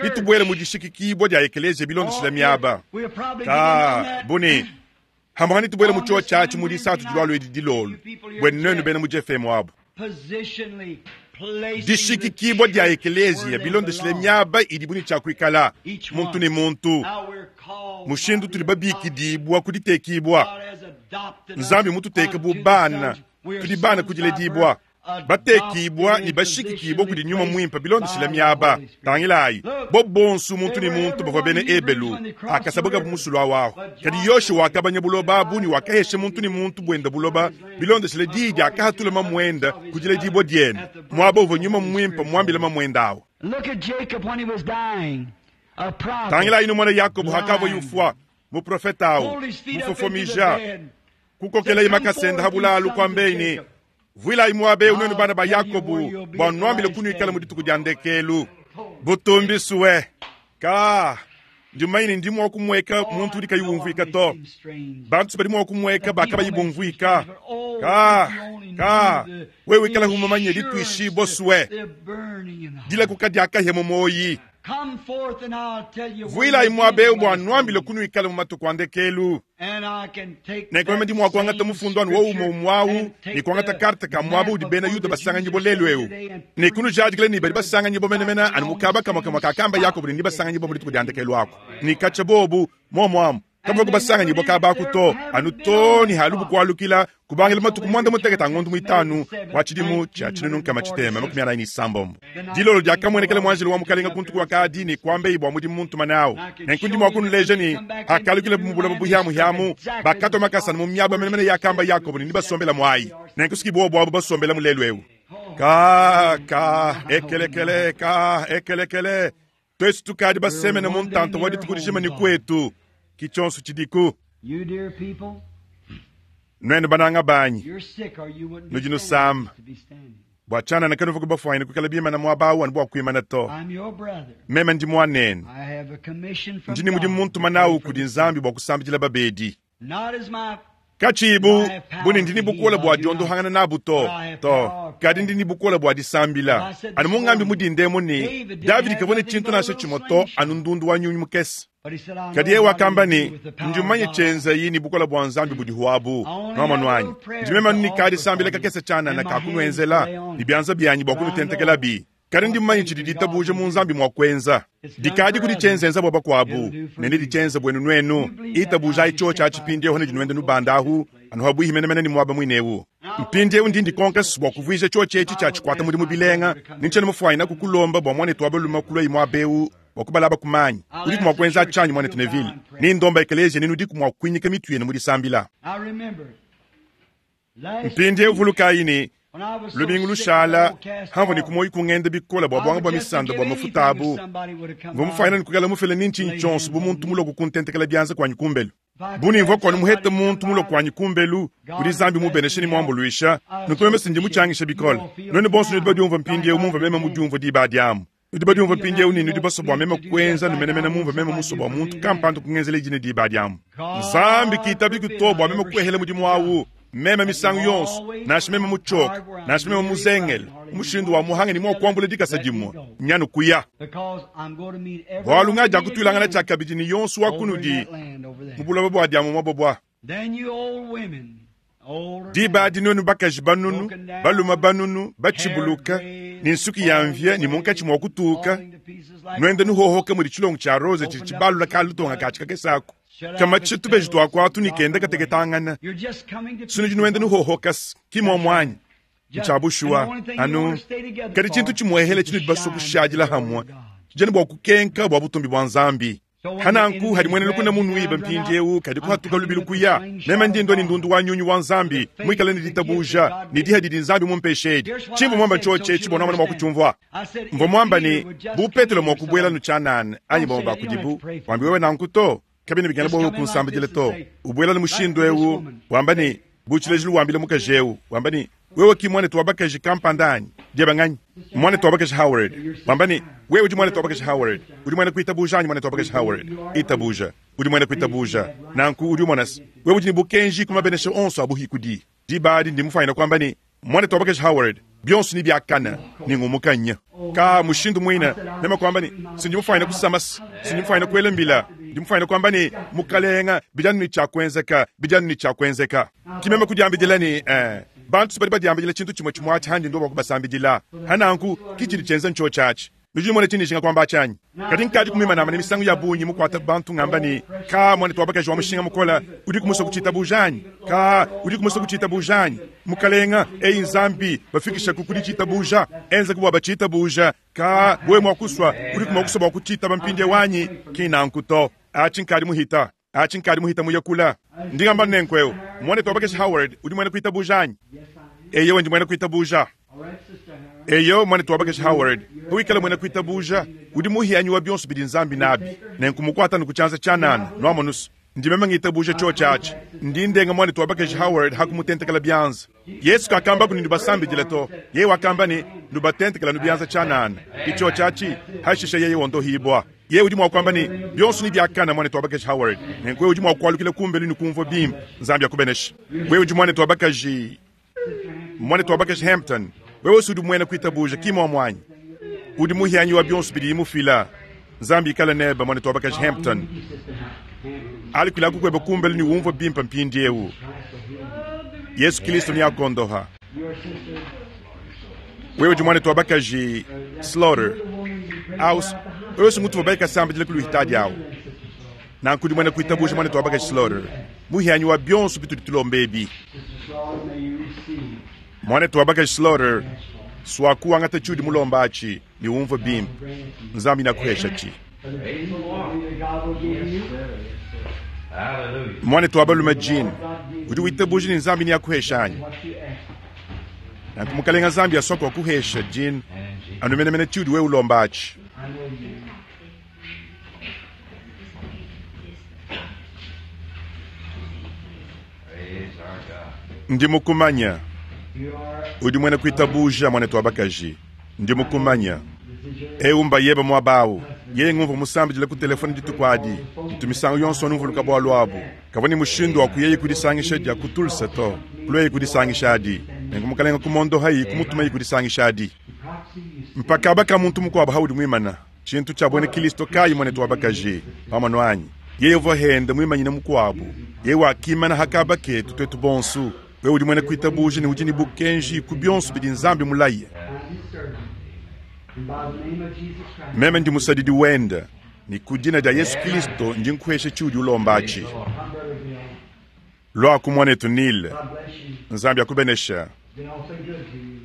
Speaker 1: netubuele mu dishikikibua dia ekeleziya bilondeshile miaba. Ka, buni hambanga netubuele mu chio tshiatshi mu disatu dilwalo edi dilolu bwenu nenu bena mu G F M wabo. Dishikikibua dia ekeleziya bilondeshile miaba idi buni tshia kuikala muntu ne muntu. Mushindu tuli babikidibwa kuditekibwa. Nzambi mututeke bu bana, tudi bana kudiledibwa. Batekibwa ne bashikikibwa kudi nyuma muimpe bilondeshile miaba. Tangilayi, bo bonso muntu ne muntu bavua bena Ebelu, akasabuka bu musulu awaho. Kadi Yoshua wakabanya buloba abu ne wakahesha muntu ne muntu buenda buloba bilondeshile diyi diakahatula mamuenda kudiledibwa dienu. Muaba uvua nyuma muimpe muambile mamuenda awo.
Speaker 2: Look at Jacob when he was dying. A prophet.
Speaker 1: Tangilayi numona Yakobo hakavua yufwa, muprofeta awo,
Speaker 2: Pulled his feet up into the
Speaker 1: mufofomija,
Speaker 2: bed.
Speaker 1: kukokela imakasenda habulalu kwambeini. Vuilayi muaba eu nuenu bana ba Yakobo, bua nuambile kunuikala mu dituku dia ndekelu. Butumbisue. Ka, ndi mumanye ndi mua kumueka muntu udi kayi umvuika to. Bantu badi mua kumueka bakabayi bumvuika. Ka, ka, wewe ikala humamanye dituishibua sue. Dila kukadiakahia mu moyi.
Speaker 2: Come forth and I'll tell you where
Speaker 1: Vuilayi
Speaker 2: you'll
Speaker 1: muaba
Speaker 2: be
Speaker 1: eu
Speaker 2: in the
Speaker 1: bua
Speaker 2: last
Speaker 1: nuambile
Speaker 2: days.
Speaker 1: kunuikala mu matuku a ndekelu.
Speaker 2: And I can take
Speaker 1: Nenku meme ndi
Speaker 2: that
Speaker 1: mua kuangata
Speaker 2: same
Speaker 1: mufundu anu wowu
Speaker 2: scripture
Speaker 1: umwe
Speaker 2: and take
Speaker 1: ni kuangata
Speaker 2: the
Speaker 1: karte ka muaba udi
Speaker 2: map
Speaker 1: bena
Speaker 2: of
Speaker 1: Yuda
Speaker 2: where the
Speaker 1: basanganyibwa
Speaker 2: Jews are
Speaker 1: lelu eu.
Speaker 2: today and
Speaker 1: Ne kunujadikile ni badi
Speaker 2: preach
Speaker 1: basanganyibwa menemene anu mukaba kamwe kamwe kakamba Yakobo ni basanganyibwa mu dituku dia ndekelu ako. Ni kacha bobu momwamu kabva kubasanganyibwa kabaku to anu to ni halubu kualukila kubangila matuku mwanda mutekete angondo muitanu wa tshidimu tshia tshinunu nkama tshitema makumi anayi ni isambombo. Dilolo diakamuenekela muanjelo wa mukalenga kuntuku wa kadi ni kuambeyi bua mudimu muntu manawu. Nenku ndi mua kunuleja ni akalukila mu bulaba buhiamuhiamu bakatwa makasa mu miaba menemene yakamba Yakobo ni basombela mwayi. Nenku siki bobu abo basombela mulelu eu. Ka ka ekelekele ka ekelekele twesu tukadi basemene mu ntanto wa dituku dijima ni kwetu. Kichonso chidiku.
Speaker 2: You dear people,
Speaker 1: Nwenu bananga banyi.
Speaker 2: you're sick or you wouldn't be
Speaker 1: Nudi
Speaker 2: standing
Speaker 1: nusamba.
Speaker 2: to be standing.
Speaker 1: Bua tshianana kanuvu kubafuanyina kuikala bimana muaba awu anu bua kuimana to.
Speaker 2: I'm your brother.
Speaker 1: Meme ndi muanenu.
Speaker 2: I have a commission from
Speaker 1: Ndi ni mudimu
Speaker 2: God
Speaker 1: muntu
Speaker 2: to
Speaker 1: manawu
Speaker 2: pray for
Speaker 1: kudi
Speaker 2: the
Speaker 1: Nzambi bua kusambidila babedi.
Speaker 2: Not as my
Speaker 1: Kachibu buni ndi ni bukola bua diondohangana nabu to to kadi ndi ni bukola bua disambila. Anu mungambi mudindemo ni Davidi kavua ne tshintu nansha tshimue to anu ndundu wa nyunyu mukese.
Speaker 2: But he said, I know
Speaker 1: Kadi yeye
Speaker 2: what
Speaker 1: wakamba
Speaker 2: he
Speaker 1: ni
Speaker 2: do with the power
Speaker 1: ndi
Speaker 2: of
Speaker 1: mumanye
Speaker 2: God.
Speaker 1: tshienza ni bukola bua Nzambi budi huabu. Nwamonu wanyi. Ndi meme nikadi sambila kakese tshianana kakunuenzela ni bianza byanyi bua kunutentekela bi. Kadi ndi mumanye tshidi ditabuja mu Nzambi mua kuenza. Dikadi kudi tshienzenza bua bakuabu, nende ditshienza buenu nuenu. Itabuja icho tshia tshipindi ne dinuenda nubanda ahu, anu habuihi menemene ni muaba muinewu. Mpindiewu ndi ndikonka bua kuvuija chio tshetshi tshia tshikwata mudimu bilenga, ni ntshiena mufuanyina kukulomba bua muanetu wa balume kulua muaba eu bua kubalaba kumanyi. Udiku mua kuenza tshianyi muanetu Neville. Ni ndomba ekeleziya nenu udiku mua kuinyika mitu yenu mu disambila.
Speaker 2: I remember last
Speaker 1: Mpindiewu vulukayi ni
Speaker 2: when I was so
Speaker 1: lumingu
Speaker 2: sick
Speaker 1: lushala
Speaker 2: with old cast
Speaker 1: hamva ni
Speaker 2: oil,
Speaker 1: kumoyi kungenda bikola bua
Speaker 2: I
Speaker 1: buanga
Speaker 2: would
Speaker 1: bua
Speaker 2: just
Speaker 1: misanda
Speaker 2: give
Speaker 1: bua
Speaker 2: anything
Speaker 1: mafuta
Speaker 2: if
Speaker 1: abu.
Speaker 2: somebody would have come
Speaker 1: Mvua
Speaker 2: by.
Speaker 1: mufuanyina ni kukala mufele ni nchinyi tshionso bu muntu muloku kuntentekela bianza kwanyi kumbelu. Buni mvua kwanu muhete muntu muloku kwanyi kumbelu, kudi Nzambi mubeneshe ni muambuluisha, nunku meme sindi mutshangisha bikole. Nuenu bonso nudi badiumvua mpindiewu mumvua meme mudiumvua diba diamu. Nudi badiumvua mpindiewu ni nudi basue bua meme kuenza numenemene mumvua meme musue bua muntu kampanda kungenzela idine diba diamu. Nzambi kitabi kuto bua meme kuehela mudimu awu. Meme misangu yonso, nansha meme mutshoka, nansha meme muzengele, mushindu wa muhange ni mua kuambula dikasa dimue, nyanu kuya.
Speaker 2: Because I'm going to meet every
Speaker 1: Bualu
Speaker 2: one
Speaker 1: ngadia
Speaker 2: of you
Speaker 1: kutuilangana
Speaker 2: again
Speaker 1: tshia kabidi ni yonso wa
Speaker 2: over in
Speaker 1: kunudi
Speaker 2: that land over there.
Speaker 1: mu bulaba bua diamu mwabobwa.
Speaker 2: Then you old women, older
Speaker 1: Diba
Speaker 2: men,
Speaker 1: adi nuenu bakaji banunu, baluma banunu, batshibuluka, ni nsuki ya mvia ni munkatshi mua kutuka, Nwenda nuhohoka mudi chilongo cha rosa chili chibalula kalutonga kachikakesaku kamatsha tubeji twakwatu nikenda kateketangana sino jinuenda nuhohoka kimomwanyi nchabushuwa anu kadi chintu chimwehele chino dibasokushadila hamwe jani bwa kukenka bwa butumbi bwa nzambi hananku hadi mwene lukuna munu iba mpindiewu kadi kuhatuka lubilu kuya mema ndindo ni ndundu wa nyunyu wa nzambi mwikale ni ditabuja ni diha didi nzambi mumpeshedi chimbu mwamba choche chibona mwana mwakuchumvwa mvo mwamba ni bupetelo mwakubwela nuchanane anyi bomo bakudibu wambi wewe nanku to kabina bigana bowe kunsambidile to ubwela ni mushindu ewu wamba ni buchilejilu wambile mukaji wamba ni wewe ki mwana tuwabakaji kampandani diabanganyi mwana tuwabakaji Howard wamba ni wewe udi mwana tuwabakaji Howard udi mwana kuitabuja anyi mwana tuwabakaji Howard itabuja udi mwana kuitabuja nanku udi mwana wewe udi ni bukenji kumabenesha onso abuhikudi dibadi ndi mufaina kwamba ni mwana tuwabakaji Howard byonso ni byakana ni ngumukanya ka mushindu mwina nema kwamba ni sindi mufaina kusamasa sindi mufaina kuelembila ndi mufaina kwamba ni mukalenga bijanu ni chakwenzeka bijanu ni chakwenzeka kimema kudiambidila ni eh bantu bali badiambidila chintu chimwe chimwe achi ndo bakubasambidila hananku kichili chenza ncho chachi nujimone chinishinga kwamba achanyi kati nkadi kumimanama ni misango ya bunyi mukwata bantu ngamba ni ka mwana twabakaji wa mushinga mukola udi kumusa kuchita bujanyi ka udi kumusa kuchita bujanyi mukalenga eyi nzambi bafikisha kukudi chita buja enza kubwa bachita buja ka bwe mwakuswa udi kumwakuswa bwa kuchita bampinde wanyi kinankuto achi nkadi muhita achi nkadi muhita muyakula ndingamba nenkweo mwana twabakaji Howard udi mwana kuita bujanyi eyo ndi mwana kuita buja eyo mwana tuwabakaji Howard huikala mwena kuitabuja udi muhianyi wa byonso bidi nzambi nabi nenkumukwata nukuchanza chanana nwamonusu ndimema ngitabuja cho chachi ndi ndenga mwana tuwabakaji Howard hakumutentekela byanza Yesu kakamba kuni ndubasambidile to yeye wakamba ni ndubatentekela nubyanza chanana icho chachi hashisha yeye wondohibwa ye udi mwakwamba ni byonso ni byakana mwana tuwabakaji Howard nenkwe udi mwakwalukila kumbelu nikumva bimba nzambi akubenesha wewe udi mwana tuwabakaji mwana tuwabakaji Hampton wewe usudi mwene kuitabuja kimo mwanyi udi muhianyi wa byonso bidi mufila nzambi ikala neba mwana tuwabakaji Hampton alikwila kukweba kumbelu ni umva bimpa mpindi ewu Yesu Kristo ni akondoha wewe udi mwana tuwabakaji Slaughter aus wewe sungutu babaika sambidile kuluhitadi awo nankudi mwene kuitabuja mwana tuwabakaji Slaughter muhianyi wa byonso bitudi tulombebi mwana tuwabakaji Slaughter swakuwangata chudi mulombachi ni umva bimpa nzambi nakuhesha chi mwana tuwabalume jini udi witabuja ni nzambi ni akuheshanyi nankumukalenga nzambi aswaka wakuhesha jini anumenemene chudi we ulombachi ndi mukumanya udi mwene kuitabuja mwana tuwabakaji ndi mukumanya eumba yeba mwabawu ye ngumva musambidile ku telefone ditukwadi ntumisango yonso numvuluka bwa lwabu kavua ni mushindu wa kuyeye kudisangisha dia kutulsa to kulweye kudisangisha adi nenku mukalenga kumondo hayi kumutuma yi kudisangisha adi mpaka abaka muntu mukuabu haudi mwimana chintu cha bwene Kristo kayi mwene tuwabakaji pamwe anyi yeye uvua henda mwimanyine mukuabu ye wakimana hakaba ketu twetu bonsu wewe udi mwene kuitabuja ni udi ni bukenji ku byonso bidi nzambi mulaye meme ndi musadidi wenda ni kudina dia Yesu Kristo ndi nkuhesha chiudi ulombachi lwaku mwanetu Nile nzambi akubenesha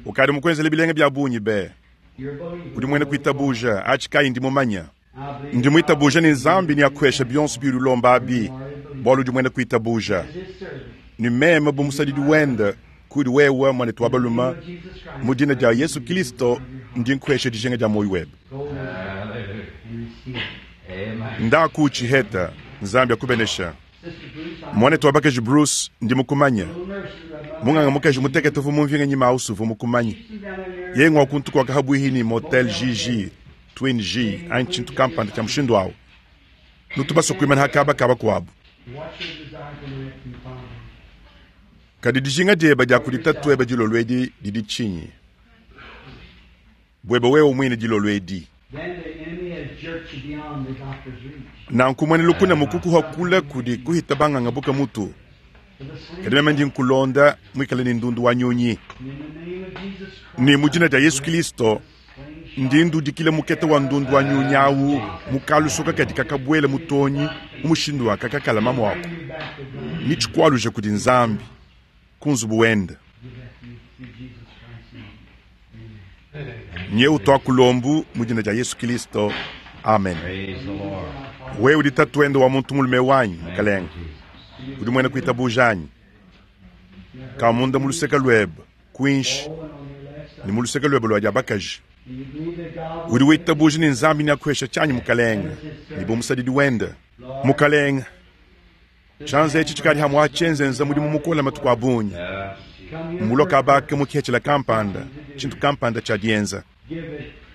Speaker 1: ukadi mukwenzele bilenge bya bunyi be udi mwene kuitabuja achi kayi ndi mumanya ndi muitabuja ni nzambi ni akuhesha byonso biudi ulomba abi bwalu udi mwene kuitabuja ni meme bu musadidi wenda kudi wewe mwanetu wa baluma mu dina dia Yesu Kristo ndi nkuhesha dijinga dia moyo webe ndaku chiheta nzambi akubenesha mwanetu wabakaji Bruce ndi mukumanya munganga mukaji muteketevu mumvinga nyima ausuvu mukumanya ye ngwa kuntu kwa kahabuhini motel G G Twin G anchintu kampanda cha mushindu awo nutubaso kuimana hakaba kaba kwabu kadi dijinga dieba dia kudita tweba dilolo edi didi chinyi bweba wewe mwine dilolo edi nanku mwene lukuna mukuku hakula kudi kuhita banganga buka mutu kadi meme ndi nkulonda mwikale ni ndundu wa nyunyi ni mujina dia Yesu Kristo Ndi ndudikila mukete wa ndundu wa nyunyi awu mu kalusoka kadi kakabwela mu tonyi mu mushindu wa kakakalama mwako. Ni tshikwaluja kudi Nzambi ku nzubu wende. Nye utwa kulombu mu dina dia Yesu Kristo. Amen.
Speaker 3: Praise the Lord.
Speaker 1: Wewe udi tatuende wa muntu mulume wanyi mukalenge. Udi mwena kuitabuja anyi? Kamunda mu luseke lwebe kwinshi ni mu luseke lwebe lwa dia bakaji. Udi witabuja ni Nzambi ni akuhesha chanyi mukalenge ni bumusadidi wende mukalenge. Chanze echi chikali hamwa chenzenza mudimu mukola matuku abunyi muloka abake mukhechela kampanda chintu kampanda cha dienza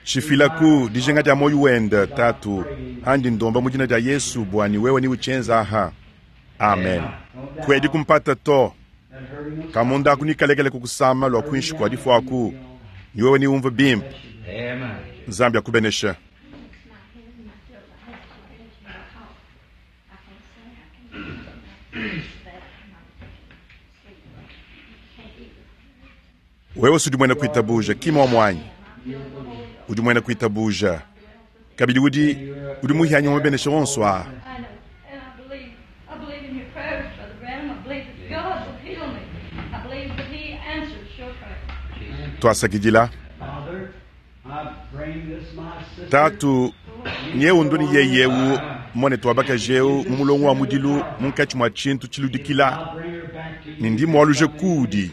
Speaker 1: chifilaku dijenga dia moyo wende tatu andi ndomba mudina dia Yesu bwani wewe ni uchenza aha. Amen. Kwedi kumpata to kamunda akunikalekele kukusama lwa kwinshi kwa difwaku ni wewe ni umva bimpe.
Speaker 3: Amen.
Speaker 1: Nzambi akubenesha. Wewe sudi mwena kuitabuja kima wa mwanyi udi mwena kuitabuja kabidi udi udi muhianyi wa mabenesha wonso aha.
Speaker 5: I know, and I believe, I believe in your prayers, Brother Branham. I believe that God will heal me. I believe that He answers your prayers.
Speaker 1: Twasakidila
Speaker 2: Father, I bring this my sister.
Speaker 1: tatu nyewu nduni yeyewu mone twabakajeu mu mulongo wa mudilu munkatshi mwa tshintu tshiludikila
Speaker 2: I bring her back to you.
Speaker 1: ni ndi mwaluje kudi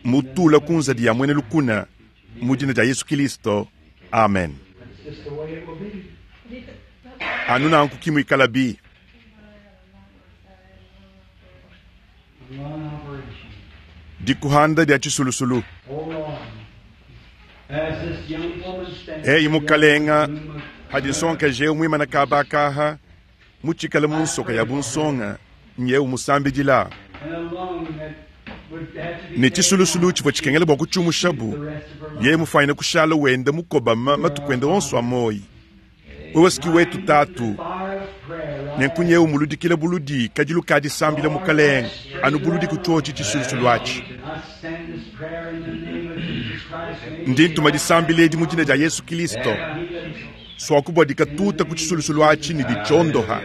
Speaker 1: mutula kunzadi ya mwene lukuna mu dina dia Yesu Kristo. Amen.
Speaker 2: That's just the way it will be.
Speaker 1: Anu nanku kimwikala bi
Speaker 2: One operation.
Speaker 1: dikuhanda dia tshisulusulu.
Speaker 2: Hold on. As this young woman stands
Speaker 1: Eyi mukalenga hadi nsonga jeu mwimana kabakaha mutshikala mu nsoka ya bunsonga nyewu musambidila
Speaker 2: and a lung that would have to be
Speaker 1: ne tshisulusulu tshivua tshikengela bua kutshiumushabu
Speaker 2: the rest of her life.
Speaker 1: ye mufanyina kushala wenda mukobama matuku ende onso a moyi. Wewe siki wetu tatu
Speaker 2: Fire of prayer right
Speaker 1: nenku nyewu muludikile buludi kadilu kadisambila mukalenga anu buludi kutshotshi tshisulusulu atshi.
Speaker 2: I send this prayer in the name of Jesus Christ. May
Speaker 1: Ndi ntuma disambila edi mu dina dia Yesu Kristo swakubwa dikatuta ku tshisulusulu atshi ni ditshondoha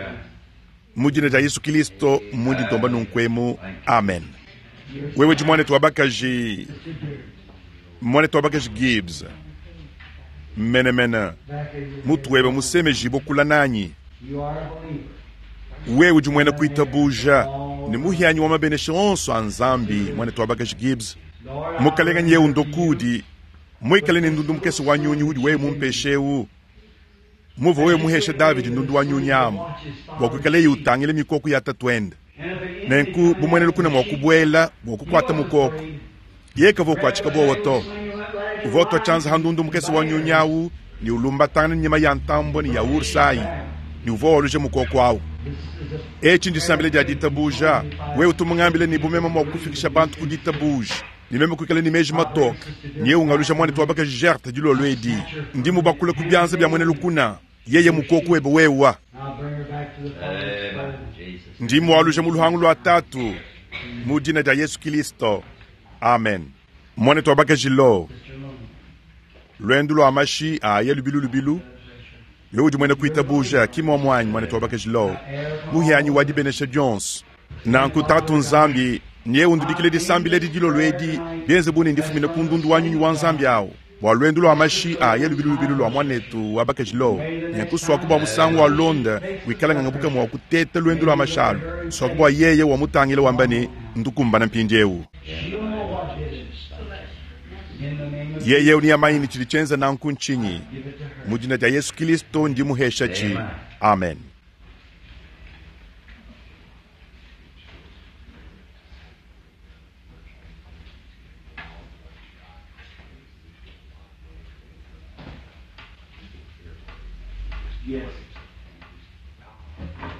Speaker 1: mu dina dia Yesu Kristo mundi ntomba nunkwemu. Amen. Wewe di mwanetu wa bakaji mwanetu wa bakaji Gibbs menemene
Speaker 2: back of your
Speaker 1: mutu webe musemeji bokula nanyi
Speaker 2: You are a believer.
Speaker 1: wewe udi mwena kuitabuja ni muhianyi wa mabenesha onso a Nzambi mwanetu wa bakaji Gibbs
Speaker 2: Lord,
Speaker 1: mukalenga nyewu ndokudi mwikale ni ndundu mukese wa nyunyi udi wewe mumpeshewu muva wewe muhesha David ndundu wa nyunyi amu bua kuikaleyi utangile mikoko ya tatuende nenku bumwene lukuna mwa kubwela bua kukwata mukoko yekava kuatshika bowa to uvua otwa tshianza ha ndundu mukese wa nyunyi awu ni ulumbatana nyama ya ntambo ni ya ursayi ni uvua waluja mukoko awu. Etshi ndisambile dia ditabuja wewe utumungambile ni bumema mwa kufikisha bantu ku ditabuja ni meme kuikala ni meji matoka nye ungalusha mwana twabaka jerte dilolo edi ndi mubakula ku byanza bya mwene lukuna yeye mukoko webe wewa
Speaker 2: I'll bring her back to the Father's
Speaker 3: Amen.
Speaker 2: fold.
Speaker 3: Jesus.
Speaker 1: ndi mwalusha mu luhangu lwa tatu mu dina dia Yesu Kristo. Amen. Mwana twabaka jilo lwendo lwa mashi aya lubilu lubilu yo udi mwene kuitabuja kimwa mwanyi mwana twabaka jilo muhianyi wa dibenesha Jones nanku tatu Nzambi nye undudikile disambile didilo lwedi bienze bune ndifumine ku ndundu wa nyunyi wa Nzambi awo bua lwendo lwa mashi aya lubilu lubilu lwa mwanetu wa bakajilo nyankuswaku bua musangu wa londa wikala ngangabuka mwa kuteta lwendo lwa mashalu swaku bua yeye wa mutangile wamba ne ndukumbana mpindiewu
Speaker 2: She'll know what it is. In the name of
Speaker 1: yeye uni yamayini tshidi tshienza nanku ntshinyi
Speaker 2: give it to her.
Speaker 1: mu dina dia Yesu Kristo ndi muhesha tshi. Amen.
Speaker 2: Yes.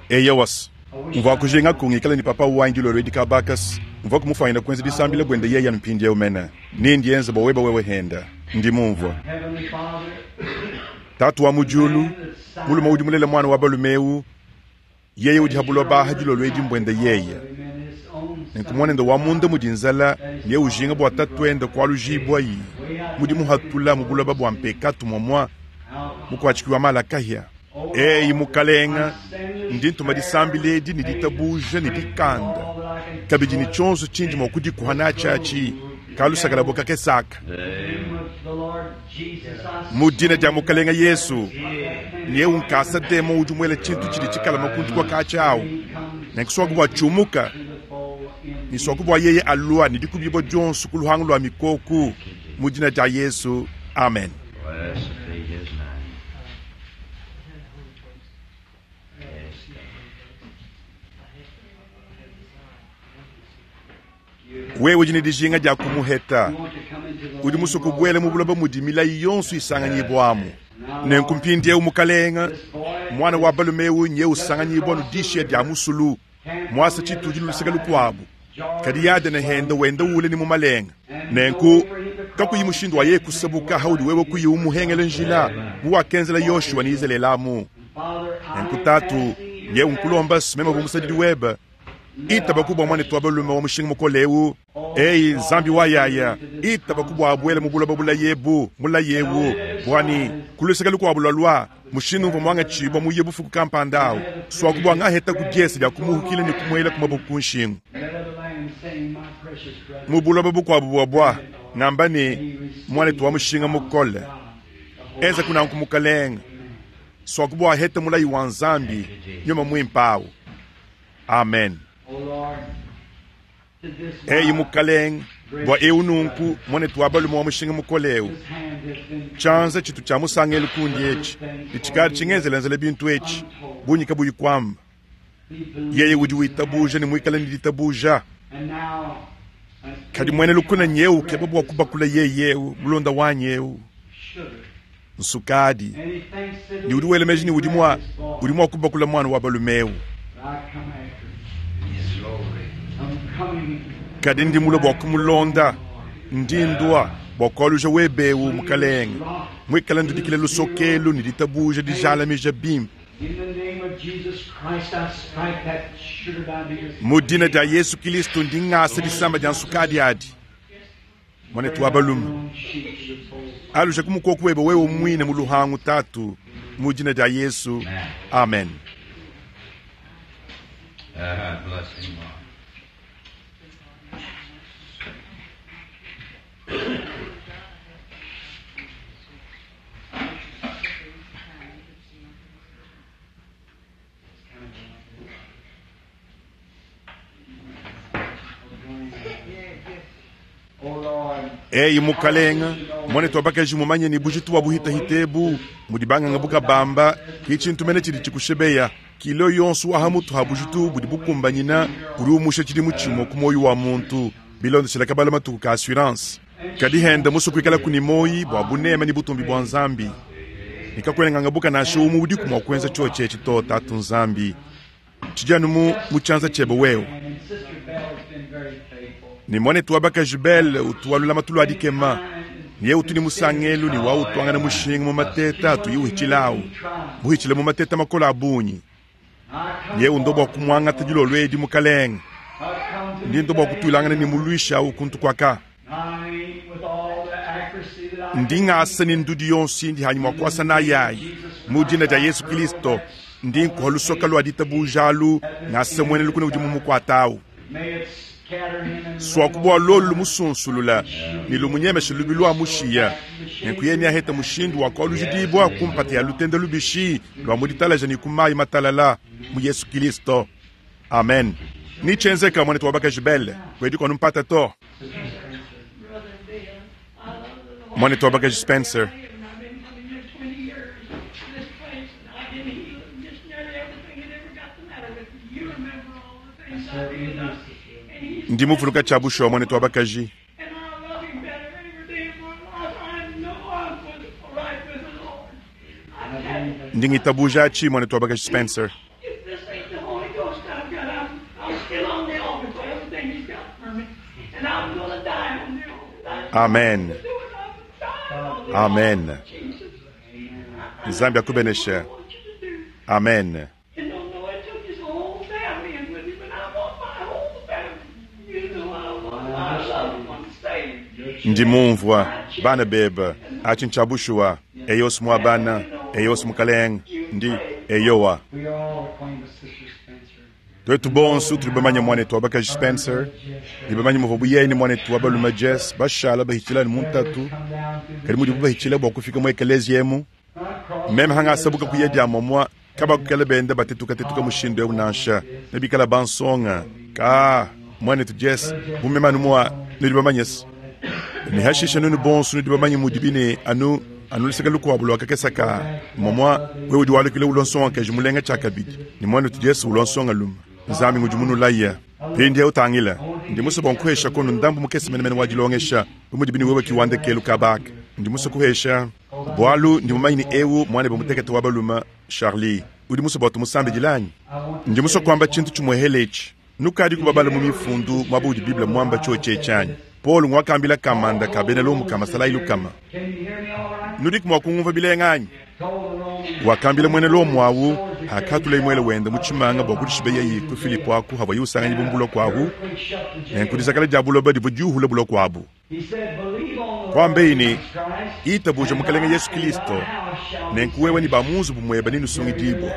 Speaker 1: Eya wasi mvua kujenga kungikala ni papa wangi lolo edi kabakasi mvua kumufanyina kuenza disambila bwende yeye mpindiewu mene nindi yenza bwa weba wewe henda ndi mumvua
Speaker 2: Heavenly Father,
Speaker 1: tatu wa mujulu mulume udi mulela mwana wa balumewu yeye udi habulwa baha dilolo edi mbwende yeye
Speaker 2: him and his own son,
Speaker 1: nenkumwanende wa munda mudi nzala niye ujinga bua tatuende kualujibwa yi mudi muhatula mu buloba bua mpekatu mwamwa Mukwatshiki wa malakahia. Eyi mukalenga, ndi ntuma disambila edi ne ditabuja ne dikanda kabidi ne tshionso tshindi mua kudikuha natshiatshi kalusakala bo kakesaka mu dina dia mukalenga Yesu niye unkasa demo udi muela tshintu tshidi tshikala makuntu kwa katshi awu nenkuswaku bua tshiumuka niswaku bua yeye alua ne dikubibua dionso ku luhangu lua mikoku mu dina dia Yesu, amen.
Speaker 3: Blessed be his name. Yes,
Speaker 1: Wewe udi ne dijinga dia kumuheta udi musuku buele mu buloba mudi milayi yonso isanganyibwamu nenku mpindiewu mukalenga mwana wa balume nye usanganyibwa nudishiya dia musulu mwasa tshitudi luluseka lukuabu kadi yadene henda wenda ule ni mumalenga nenku kakuyi mushindu wa ye kusabuka haudi wewe kuyi umuhengele njila muwakenzela Yoshua ni Izalelamu nenku tatu nye unkulomba simema bumusadidi webe itaba kubwa mwana twa balume wa mushinga mukolewu eyi nzambi wa yaya itaba kubwa abwele mu buloba bulayebu mulayewu bwani kuluseka lukuabu lwalwa mushindu mva mwanga tshibwa muye bufuku kampanda swakubwa ngaheta kudyesa bya kumuhukile ni kumuela kumabuku kunshingu mu buloba bukuabu bwabwa ngamba ni mwana twa mushinga mukole eza kunanku mukalenga swakubwa aheta mulayi wa nzambi nyuma mwimpawu amen. Eyi mukalenga bwa eu nunku mwana twa balume wa mushinga mukolewu tshanza tshitu tshia musangelo kundi etshi ditshikali tshingenzelenzela bintu etshi bunyika buyikwamba yeye udi witabuja ni mwikala ni ditabuja kadi mwene lukuna nyeu keba bwa kubakula yeyeu mulonda wanyeu nsukadi ni udi welemeji ni udi mwa udi mwa kubakula mwana wa balumeu kadi ndi mulo bwa kumulonda ndi ndwa bwa kualuja webewu mukalenga mwikala ndudikile lusokelu ni ditabuja dijalamija bimpe mu dina dia Yesu Kristo ndi ngasa disamba dia nsukadi adi mwana twa balume aluja kumukoku webe wewe mwine mu luhangu tatu mu dina dia Yesu, amen.
Speaker 3: Uh, bless him, Lord.
Speaker 1: Eyi mukalenga mwana twabakaji mumanye ni bujitu wa buhitahitebu mudi banganga bukabamba kichintu mene tshidi tshikushebeya kilo yonso wa hamutu ha bujitu budi bukumbanyina uri umusha tshidi mutshimo ku moyo wa muntu bilondeshela kabala matuku ka assurance kadi henda musukuikala kuni moyi bwa bunema ni butumbi bwa nzambi nikakwelenganga buka nasho umu udi kumwa kwenza choche tshito tatu nzambi tshijanu mu mutshanza tshebe wewe ni mwana twabakaji bele utuwalula matulu adikema niye utuni musangelu ni wa utwangana mushinga mu mateta tuyiuhichilawu muhichile mu mateta makola abunyi niye undo bwa kumwangata dilolo edi mukalenga ndi ndo bwa kutulangana ni mulwisha ukuntu kwaka ndi ngasa ni ndudi yonsi ndi hanyuma kwasa na yayi mu dina dia Yesu Kristo ndi nkuha lusoka lwa ditabujalu ngasa mwene lukuna udi mumukwatawu swakubwa lolu lumusunsulula ni lumunyemesha lubi lwa mushiya nenkuyeni aheta mushindu wa kwalujidibwa kumpata ya lutenda lubishi lwa muditalaja ni kumayi matalala mu Yesu Kristo, amen. Nichenzeka mwana twabakaji bele kwedi kwanu mpata to mwana twabakaji Spencer. Ndi muvuluka tshia bushuwa mwana twabakaji. Ndi ngitabuja atshi mwana twabakaji Spencer.
Speaker 5: If this ain't the Holy Ghost I've got, I'm, I'm still on the altar for everything he's got for me. And I'm going to die on the altar.
Speaker 1: Amen.
Speaker 5: Do it. I'm dying on the
Speaker 1: Amen.
Speaker 5: altar, Jesus.
Speaker 1: Nzambi akubenesha.
Speaker 5: I want you to do.
Speaker 1: Amen.
Speaker 5: And don't know it took his whole family in with him, and I want my whole family. You know I want my loved ones saved.
Speaker 1: Ndi mumvua bana beba achi nchabushuwa eyos mwabana eyos mukaleng ndi eyowa.
Speaker 2: We are all acquainted with Sister Spencer.
Speaker 1: Twetu bonsu tuli bamanya mwanetu wabakaji Spencer ni bamanya muva buyeni mwanetu wabaluma Jess bashala bahichila ni muntatu
Speaker 2: Come down through the
Speaker 1: kali mudi bubahitshila bua kufika mu ekelezi emu
Speaker 2: not cross
Speaker 1: meme hangasabuka kuya dia momwa kabakukela benda batetukatetuka mushindu eu nansha nebikala bansonga ka mwanetu Jess mumemanu mwa nudi bamanyesi ne hashisha nunu bonsu nudi bamanye mudi bine anu anu luseke lukuabu lwakakesa ka momwa wewe udi walukile ulonsonga keji mulenga tshakabidi ni mwanetu Jess ulonsonga luma nzambi ngudi munulaya pindi utangila ndi musa bua nkuhesha kono ndambu mukese menemene wa dilongesha bumudi bine wewe kiwanda kelu kabaka ndi musa kuhesha bwalu ndi mumanyi ni ewu mwana be mutekete wa baluma Charlie udi musa bua tumusambe dilanyi ndi musa kwamba tshintu tshimuehele etshi nukadi kubabala mu mifundu mwaba udi biblia mwamba tshio tshanyi Paul ngwakambila kamanda ka bena lomu kama salayi lukama
Speaker 2: Can you hear me all right?
Speaker 1: nudi kumwa kungumva bilenganyi
Speaker 2: Told the Roman
Speaker 1: wakambila mwene lomu awu akatula imwele wenda muchimanga bua kudishiba yeyi ku Filipo aku habwa yiusanganyi bumbulwa kwahu
Speaker 2: quick shut the jail.
Speaker 1: nenkudisakala dia buloba divua diuhula bulwa kwabu
Speaker 2: He said, Believe on the
Speaker 1: Kwambe
Speaker 2: Lord
Speaker 1: ini,
Speaker 2: Jesus Christ,
Speaker 1: itabuja mukalenge Yesu Kristo
Speaker 2: and thou shalt
Speaker 1: nenkuwewe ni bamunzu bumweba ninusungidibwa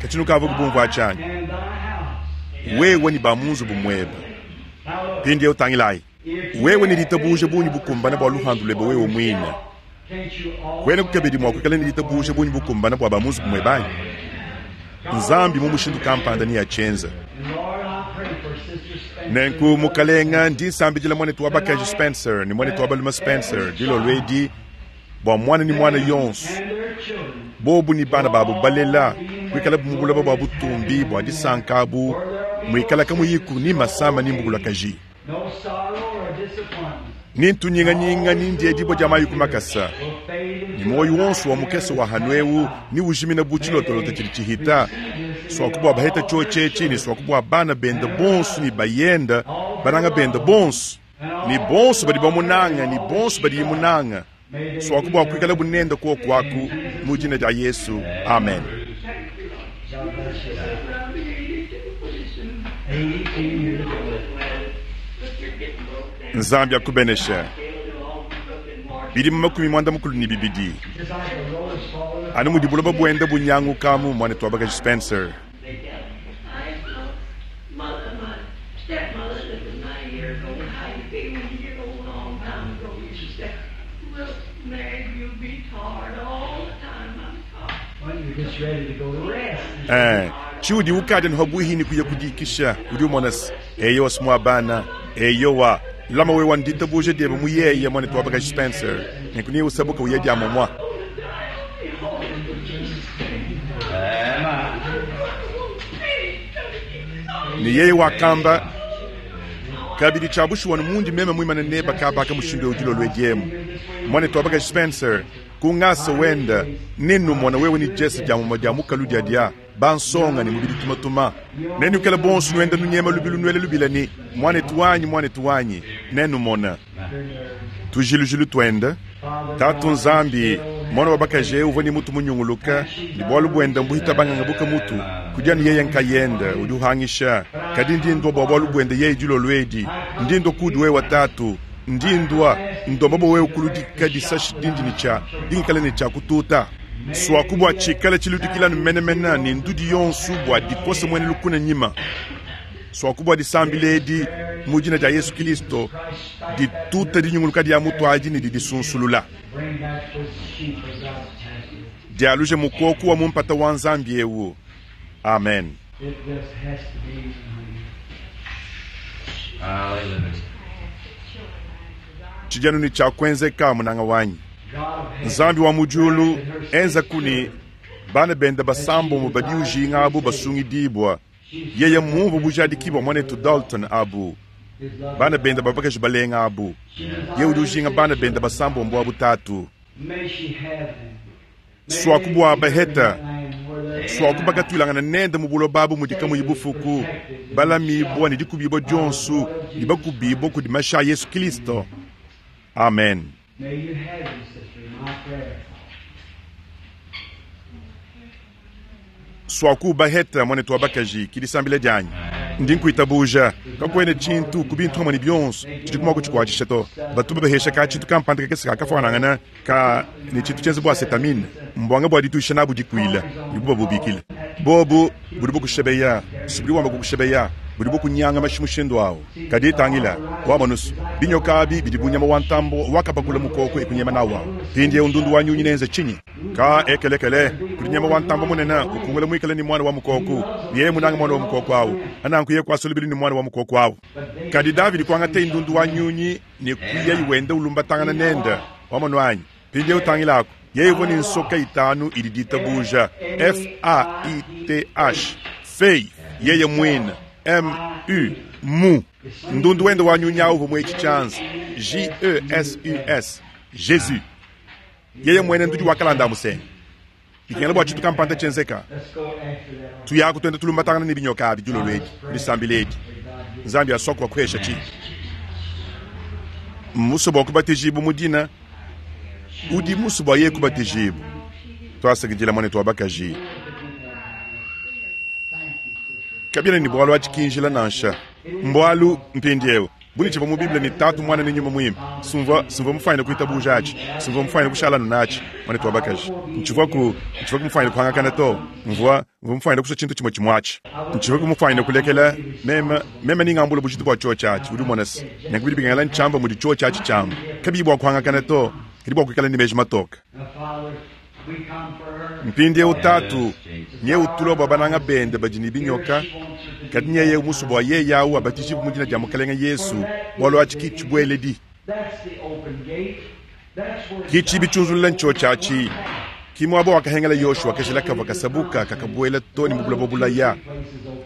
Speaker 1: kachinu kava kubumva achanyi
Speaker 2: and thy house.
Speaker 1: wewe ni bamunzu bumweba
Speaker 2: Now look,
Speaker 1: pindi utangilayi
Speaker 2: if you
Speaker 1: wewe
Speaker 2: have
Speaker 1: ni litabuje
Speaker 2: faith
Speaker 1: bunyi
Speaker 2: enough for
Speaker 1: bukumbana bua luhandu lwebe wewe mwine
Speaker 2: can't you all
Speaker 1: kwene kukabidi mwa kwikala ni litabuje bunyi bukumbana bua bamunzu bumwebanyi nzambi mu mushindu kampanda ni yachenza
Speaker 2: And Lord, I pray for Sister Spencer.
Speaker 1: nenku mukalenga ndi nsambidila mwanetu wa bakaji Spencer ni mwanetu wa baluma Spencer dilo lwedi bua mwana ni mwana yonso
Speaker 2: and their children.
Speaker 1: bobu ni bana babu balela kwikala bumubulaba bua butumbi bua disanka abu mwikala kamuyiku ni masama ni mbugulakaji
Speaker 2: No sorrow or disappointment
Speaker 1: ni ntunyinganyinga ni ndiedibwa dia mayi kumakasa
Speaker 2: will fade
Speaker 1: ni
Speaker 2: into
Speaker 1: moyo wonso wa mukese wa hanu ewu ni ujimina bu tshilotolota tshidi tshihita swakubwa baheta tshotshetshi ni swakubwa bana benda bonso ni bayenda bananga benda bonso ni bonso badi bamunanga ni bonso badi yimunanga swakubwa kwikala bunenda kuo kwaku mu jina dia Yesu amen.
Speaker 2: God bless you.
Speaker 5: Around eighty-two pretty soon.
Speaker 2: Eighty-two years old.
Speaker 5: But you're getting broke down.
Speaker 1: Nzambi akubenesha
Speaker 5: All broken hearted.
Speaker 1: bidi mu makumi mwanda mukulu ni bibidi
Speaker 2: Just like a rose falling
Speaker 1: anu mudi buloba bwenda bunyangukamu mwana twabakaji Spencer
Speaker 5: They got I my mother, my stepmother that was ninety years old, how you feel when you get old a long time ago. Used to say, Well, Mary, you'll be tired all the time. I'm tired.
Speaker 2: Well, you're just ready to go to rest.
Speaker 1: Eh, chiudi ukadi nhobuhini kuya kudikisha udi umonasi eyo simwa bana eyowa lama wewa ndita buje diebe muyeye mwana twabakaji Spencer nenkuniye usabuka uye dia momwa ni yeye wakamba kabidi chabushuwa mundi meme mwimana neba kabaka mushindu udilo lwediemu mwana twabakaji Spencer kungasa wenda ninu mwana wewe ni Jesse dia momwa dia mukalu dia dia bansonga ni mubidi tumatuma nenu kala bonsu nwenda nunyema lubilu nwele lubila ni mwana tuwanyi mwana tuwanyi nenu mona tujilujilu twenda tatu nzambi mwana wa bakaje uvua ni mutu munyunguluka ni bwalu bwenda mbuhita banganga buka mutu kudia ni yeye nkayenda udi uhangisha kadi ndindwa bwa bwalu bwenda yeye dilo lwedi ndindwa kudi wewe tatu ndindwa ndomba bwa wewe kuludika disashi dindi ni cha dingikala ni cha kututa swaku bua tshikala tshiludikilanu menemene ni ndudi yonsu bua dikosa mwene lukuna nyima swaku bua disambila edi mu dina dia Yesu Kristo dituta dinyunguluka dia mutu adi ni didisunsulula
Speaker 2: Bring back the sheep of God's pasture.
Speaker 1: dialuje mukoku wa mumpata wa nzambi ewu amen.
Speaker 2: It just has to be.
Speaker 3: Hallelujah.
Speaker 1: Tshijanu ni tshia kuenzeka munanga wanyi
Speaker 2: God of heaven,
Speaker 1: nzambi wa mujulu enza kuni bana benda basambo mu badi ujinga abu basungidibwa yeye mumvu bujadikibwa mwanetu Dalton abu
Speaker 2: His love.
Speaker 1: bana benda babakaji balenga abu ye udi ujinga bana benda basambo mbu abu tatu
Speaker 2: May she have them. May
Speaker 1: swakubwa
Speaker 2: they
Speaker 1: baheta
Speaker 2: be in the land where they
Speaker 1: swakubakatwilangana nende mu buloba abu mudika muyi bufuku balamibwa ni dikubibwa dionsu ni bakubibwa kudi masha a Yesu Kristo amen.
Speaker 2: May you have them, sister, my prayer.
Speaker 1: Swaku baheta mwanetu wa bakaji kidisambile dianyi Ndi nkuitabuja. Kakuena tshintu ku bintu hamwe ne bionso tshidi mua kutshikuatshisha to. Batu babahesha ka tshintu kampanda kakese kakafuanangana ka ne tshintu tshienza bua acetamine. Mbwanga bua dituisha nabu dikuila, dibu babubikila. Bobu budi bukushebeya, sibudi wamba kukushebeya, budi bukunyanga mashi mushindu awu. Kadi tangila, wamonusu, binyoka abi bidi bu nyama wa ntambo wakapakula mukoko ekunyema nawu awu. Mpindieu ndundu wa nyunyi nenze tshinyi? Ka ekelekele, kudi nyama wa ntambo munene ukungula muikale ni mwana wa mukoko. Yeye munanga mwana wa mukoko awu. Ananku yeye kwasulubili ni mwana wa mukoko awu. Kadi Davidi kuangata ndundu wa nyunyi ne kuya iwenda ulumbatangana nenda. Wamono anyi? Mpindieu tangilako. Yeye uvua ne nsoka itanu idi ditabuja. F A I T H. Faith. Yeye mwina. M U mu. Ndundu wenda wa nyunyi awu uvua mwechi chanza. J E S U S. Jesus. Yeye mwene ndudi wakalanda musenga. Bikengela bua tshintu kampanda tshienzeka. Tuyaku tuenda tulumbatangana ne binyoka abi dilolo edi, disambila edi. Nzambi asua kuhesha tshi. Mmuso bua kubatijibu mu dina. Udi muso bua yeye kubatijibu. Twasakidila mwanetu wa bakaji. Kabila ni bwalu achikinjila nansha. Mbwalu mpindieu. Buni tshivua mu Bible ni tatu mwana ne nyuma muimpe. Sumva sumva mufanye kuitabuja achi. Sumva mufanye kushala nachi. Mwanetu wa bakaji. Ntshivua ku ntshivua kumufanye kuhangakana to. Mvua mvua mufanye kusha tshintu chimwe chimwachi. Ntshivua kumufanye kulekela mema mema ningambula bujitu bua chuo chachi. Udi monasi. Nyakubidi bingala nchamba mudi chuo chachi chamba. Kabi bua kuhangakana to. Kadi bua kuikala ni meji matoka. Mpindieu tatu nye utulo bua bananga bende badi ne binyoka. Kadi nye yeye musu bua yeye awu abatijibu mu dina dia Mukalenge Yesu bwalu achi kichibweledi. Kichibi chunzulula ncho chachi. Kimwabo wakahengela Yoshua kashila kava kasabuka kakabuela to ni mubula bobulaya.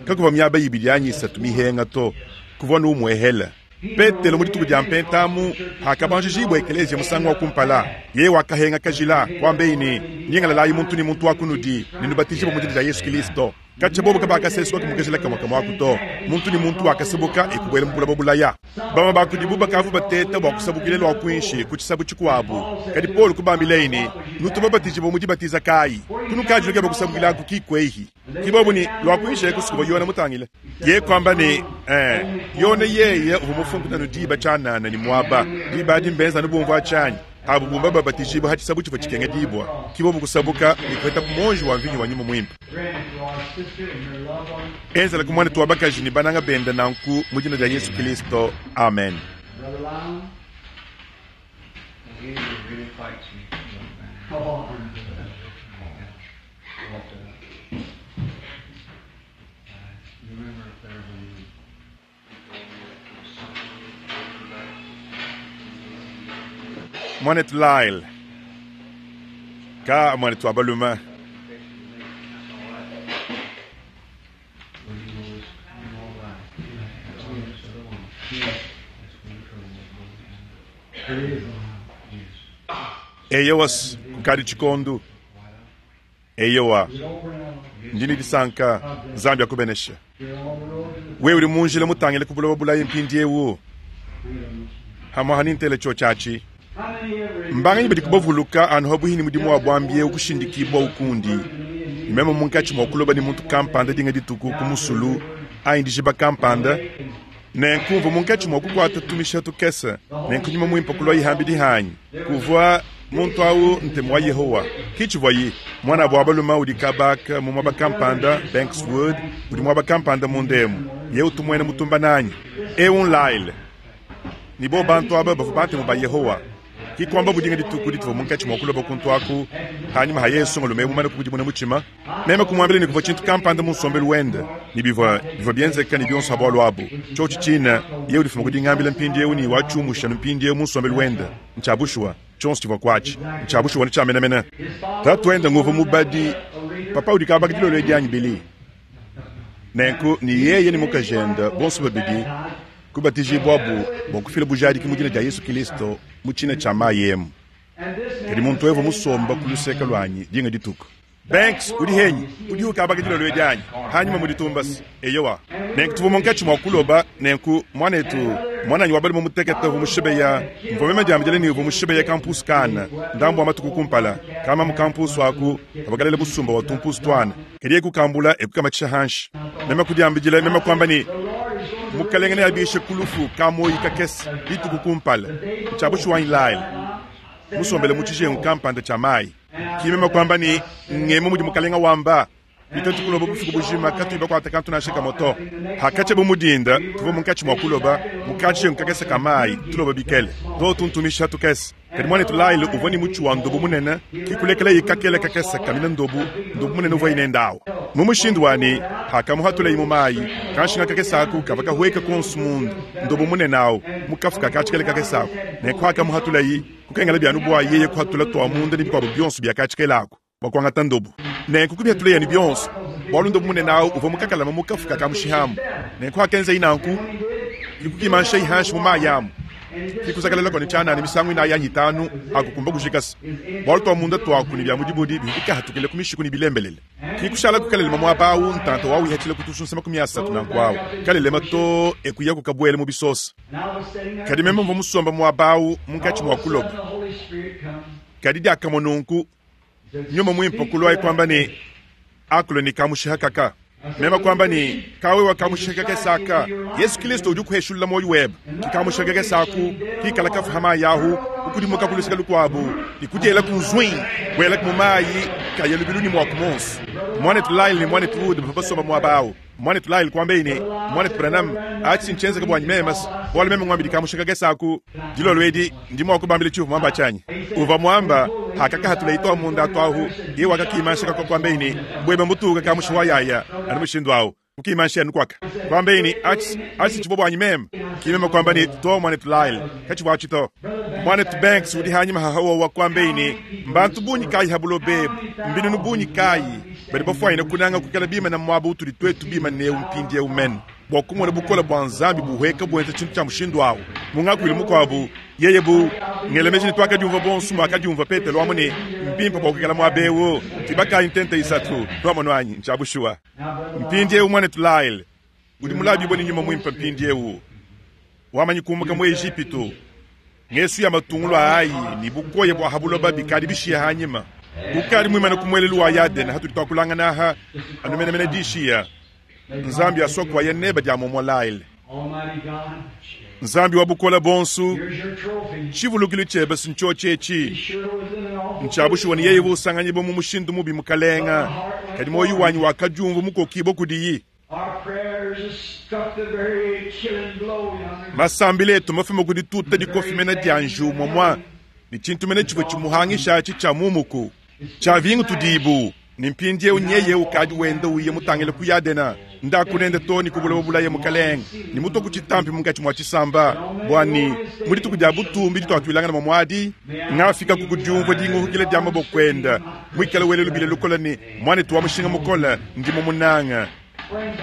Speaker 1: Kakuva miaba ibidi anyisa tumihenga to. Kuvua numwehela. Petelo mu dituku dia mpentamu akabanjijibwa ekelezia musangu wa kumpala. Yeye wakahenga kajila kwambe ni nyingalalayi muntu ni muntu wakunudi ninubatijibwa mu dina dia Yesu Kristo. Kacha bobo kabakaseswa kumukajila kamwe kamwe akuto. Muntu ni muntu wakasabuka ekubwela mubula bobulaya. Bama bakudibu bakavu bateta bwa kusabukile lwa kwinshi ku chisabu chikwabu. Kadi Paul kubambileini nutu babatijibwa mu dibatiza kayi. Kunukajiluke bakusabukila ku kikwehi. Kibobu ni lwa kwinshi ekusukuba yona mutangile. Ye kwamba ni eh yona yeye uvumufungu nanu diba chanana ni mwaba. Diba adi mbenza nubumva chanyi. Abu bumba babatijibwa hachisabu chifo chikenge dibwa. Kibobu kusabuka ni kweta kumonji wa mvinyo wa nyuma mwimpe. Enzela kumwana tuwabakaji ni bananga benda nanku mu jina lya Yesu Kristo. Amen. Mwanetu Lyle. Ka mwanetu abaluma. Eyowas kukadi chikondo. Eyowa. Ndini disanka Nzambi akubenesha. Wewe uri munjila mutangile kubula bulayi mpindiewu. Hamwa hanintele cho chachi. Mbanga nyibidi kubavuluka anu habuhini mudimu wa bwambiye ukushindikibwa ukundi. Nimema munkachi mwa kuloba ni muntu kampanda dinga dituku kumusulu aindishiba kampanda. Nenkumva munkachi mwa kukwata tumisha tukesa. Nenkunyuma mwimpa kulwa ihambi dihanyi. Kuvwa muntu awu ntemu wa Yehowa. Kichivwayi mwana bwa baluma udi kabaka mu mwaba kampanda Bankswood udi mwaba kampanda mundemu. Ye utumwene mutumba nanyi. Eun Lyle. Nibo bantu aba bavu bantemu ba Yehowa. Kikwamba budinga dituku dituvu munkachi mwa kuloba kuntu aku. Hanyuma ha Yesu ngolume mumana kukudimuna muchima. Mema kumwambile ni kuvwa chintu kampanda munsombelu wende. Ni bivwa, bivwa bienzeka ni bionso habwalu abu. Chochi china, ye ulifuma kudingambila mpindi yewu ni wachumusha mpindi yewu munsombelu wende. Nchabushwa, chonsi chivwa kwachi. Nchabushwa ni chamenamena. Tatu wende nguvu mubadi. Papa udikabaka dilolo edianyi bili. Nenku ni yeye ni mukajenda bonso babidi. Kubatijibwa bu bokufila bujadi kimujina ja Yesu Kristo muchina cha mayemu. Kadi muntu evo musomba kuluseka lwanyi dinga dituku. Banks udi henyi udi ukabaka dilolo edianyi hanyuma muditumbasi eyowa. Nenku tuvu munkachi mwa kuloba nenku mwanetu mwananyi wabali mumutekete vumushibeya mvomema jamjele ni vumushibeya campus kana ndambo wa matuku kumpala kama mu campus waku abagalele busumba wa tumpusu twana kedi ekukambula ekukamachisha hanshi mema kudiambijila mema kwamba ni Mukalenge neabishe ku lufu kamoyi kakese dituku kumpala. Ntshia bushuwa anyi Lyle? Musombele mu tshijengu kampanda tshia mayi. Ki meme kwamba ne, Ngemu mudi Mukalenga wamba. Tuetu kuloba bufuku bujima katuyi bakuate kantu nansha kamue to. Pakatshia bu mu dinda, tuvua munkatshi mua kuloba mu katshijengu kakese ka mayi, tuloba bikele. Too tuntumisha tukese. Kadi muanetu Lyle uvua ne mutshi wa ndobo munene, ke kulekelaye kakele kakese kamina ndobo, ndobo munene uvuaye nende awu. Mu mushindu wa ne, pakamuhatulaye mu mayi, kanshinga kakese aku kavua kahueka konso munda, ndobo munene awu, mu kafuka ka tshikele kakese aku. Nenku pakamuhatulaye, kukengelabi anu bua yeye kuhatula tua munda ne bikuabu bionso bia katshikele aku bua kuangata ndobo. Nenku kubihatulaye ne bionso, bualu ndobo munene awu uvua mukakalama mu kafuka ka mushihamu. Nenku akenzaye nanku, ke kukimanshaye hanshi mu mayi amu. Ke kuzakalala ne tshianana misangu inayi anyi itanu, akukumba kujikasa. Bualu tua munda tuaku ne bia mudibudi bivua bikahatukile ku mishiku ne bilembelele. Ke kushala kukalelema muaba awu, ntanta wawu ihatshila ku tusunsa makumi asatu nanku awu. Kalelema too e kuya kukabuela mu bisosa. Kadi meme mvua musomba muaba awu munkatshi mua kuloba. Kadi diakamue nunku, Nyuma Muimpe kuluaye kuamba ne, Akula ne kamushiha kaka. Meme kuamba ne, Ka wewe kamushiha kakese aka, Yesu Kristo udi ukuheshulula muoyo webe. Ki kamushiha kakese aku, kikala kafu ha mayi ahu, kukudimuka ku luseke lukuabu, ne kudiela ku nzui, buela mu mayi, kaya lubilu ne muaku monso. Muanetu Lyle ne muanetu Wood bavua basomba muaba awu. Muanetu Lyle kuambaye ne, Muanetu Branham, atshi ntshienzeka buanyi meme, bualu meme nguambidi kamushiha kakese aku. Dilolo edi, ndi mua kubambila tshiuvua muamba tshianyi. Uvua muamba, hakakahatula ito munda atu ahu, yeye wakakimansha kakua kuambaye ne, buebe mutuka kamushiha wa yaya, anu mushindu awu. Kukimansha anu kuaka. Kuambaye ne, atshi, atshi tshivua buanyi meme. Ki meme kuamba ne, to muanetu Lyle, katshivua atshi to. Muanetu Banks udi hanyima hahawa kuambaye ne, mbantu bungi kayi ha buloba ebu, mbinunu bungi kayi, badi bafuanyine kunanga kuikala bimana muaba utudi tuetu bimane eu mpindieu mene, bua kumona bukole bua Nzambi buhueka buenza tshintu tshia mushindu awu. Mu ngakuilu mukuabu, yeye bu ngela meji ne tuakadiumvua bonso muakadiumvua Petelo amu ne, mbimpe bua kuikala muaba eu, tuibakayi ntenta isatu, tuamonu anyi, ntshia bushuwa. Mpindieu muanetu Lyle, udi mulabibue ne Nyuma Muimpe mpindieu, wamanyi kumuka mu Ejipitu, ngesu ya matungulu ayi ne bukoya bua ha buloba bikadi bishiya hanyima. Ukadi muimane ku muelelu wa Yadene hatudi tuakulangana aha, anu menemene dishiya. Nzambi asua kuaya neba dia momua Lyle. Nzambi wa bukola bonso, tshivulukilu tshiebe ntshiotshe etshi. Ntshia bushuwa ne yeye usanganyibua mu mushindu mubi mukalenga, kadi moyo wanyi wakadiumvua mukokibua kudiyi. Masambila etu mafume kudi tuta dikofi mena dia nju momua, ne tshintu mene tshivua tshimuhangisha atshi tshia mumuku. Tshia vingu tudibu, ne mpindieu nyeye ukadi wenda uya mutangile ku Yadena. Ndaku nende to ne kubuloba bulaye mukalenge, ne muto ku tshitampi munkatshi mua tshisamba, bua ne mu dituku dia butumbi dituatuilangana muadi, ngafika ku kudiumvua dinguhukila dia maboko enda, muikale wele lubila lukola ne, muanetu wa mushinga mukole, ndi mumunanga.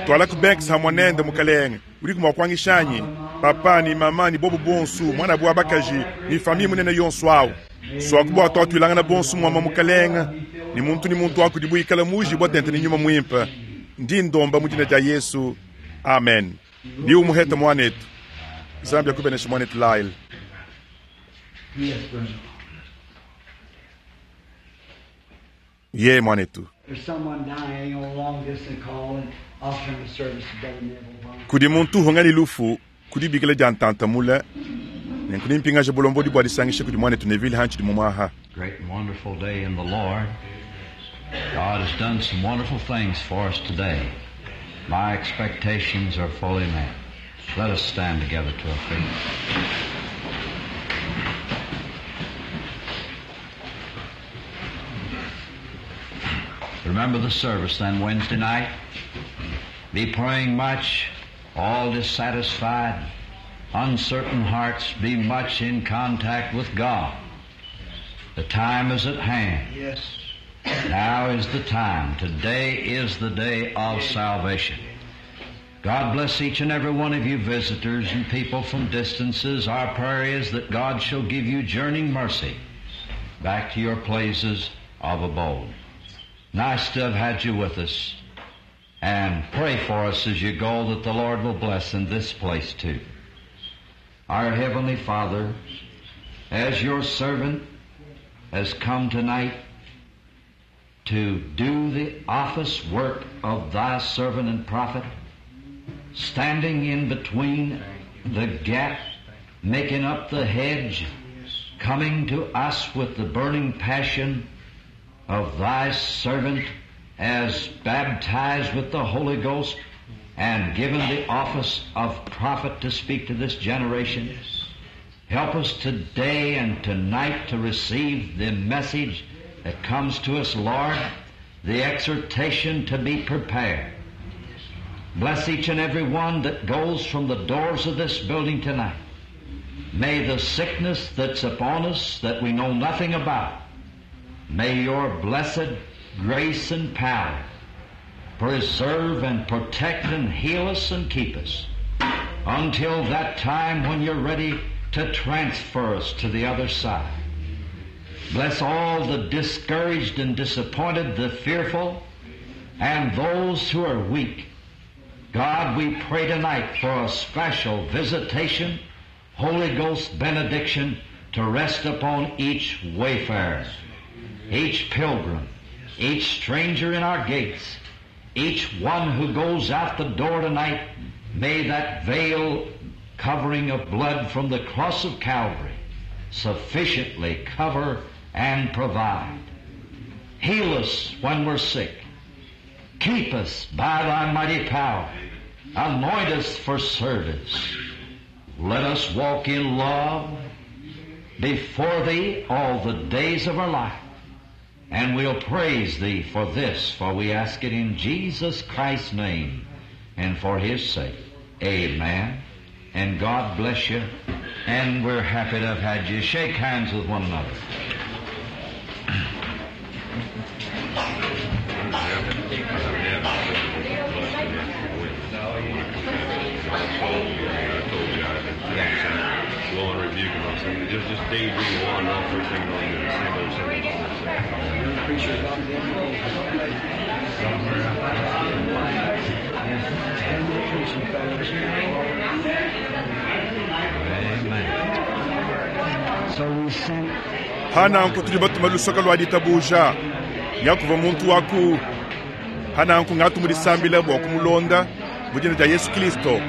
Speaker 1: Twala ku Banks hamwe nende mukalenge, udi mua kuangishanyi, papa ni mama ni bobu bonso, mwana wa bakaji, ni famille munene yonso awu. Swaku bua tuatuilangana bonso mwama mukalenge, ni muntu ni muntu akudibuikala muji bua tente ni nyuma muimpe. Ndi ndomba mu dina dia Yesu. Amen. Ni umuhete mwanetu. Nzambi akubeneshe mwanetu Lyle.
Speaker 2: Yes, brother.
Speaker 1: Ye mwanetu.
Speaker 2: There's someone dying on a long distance call and offering the service to Brother Neville Vaughn.
Speaker 1: Kudi muntu uhonga lufu kudi bikila dia ntantamula, nenku nimpingaje bulombodi bua disangisha kudi mwanetu Neville hanshi di mumwaha.
Speaker 3: Great and wonderful day in the Lord. God has done some wonderful things for us today. My expectations are fully met. Let us stand together to our feet. Remember the service then Wednesday night. Be praying much, all dissatisfied, uncertain hearts, be much in contact with God. The time is at hand.
Speaker 4: Yes.
Speaker 3: Now is the time. Today is the day of salvation. God bless each and every one of you visitors and people from distances. Our prayer is that God shall give you journeying mercy back to your places of abode. Nice to have had you with us. And pray for us as you go that the Lord will bless in this place too. Our Heavenly Father, as your servant has come tonight to do the office work of thy servant and prophet, standing in between the gap, making up the hedge, coming to us with the burning passion of thy servant as baptized with the Holy Ghost and given the office of prophet to speak to this generation. Help us today and tonight to receive the message that comes to us, Lord, the exhortation to be prepared. Bless each and every one that goes from the doors of this building tonight. May the sickness that's upon us that we know nothing about, may your blessed grace and power preserve and protect and heal us and keep us until that time when you're ready to transfer us to the other side. Bless all the discouraged and disappointed, the fearful, and those who are weak. God, we pray tonight for a special visitation, Holy Ghost benediction to rest upon each wayfarer, each pilgrim, each stranger in our gates, each one who goes out the door tonight. May that veil covering of blood from the cross of Calvary sufficiently cover and provide. Heal us when we're sick. Keep us by thy mighty power. Anoint us for service. Let us walk in love before thee all the days of our life. And we'll praise thee for this, for we ask it in Jesus Christ's name and for his sake. Amen. And God bless you. And we're happy to have had you. Shake hands with one another.
Speaker 6: Law and rebuke and all that. Just, just daydream on all three things on the same old, same old,
Speaker 3: Amen.
Speaker 2: So we sent
Speaker 1: Hananku tudi batuma lusoka lwa ditabuja nyakuva muntu waku hananku ngatumudisambila bwa kumulonda mujina dia Yesu Kristo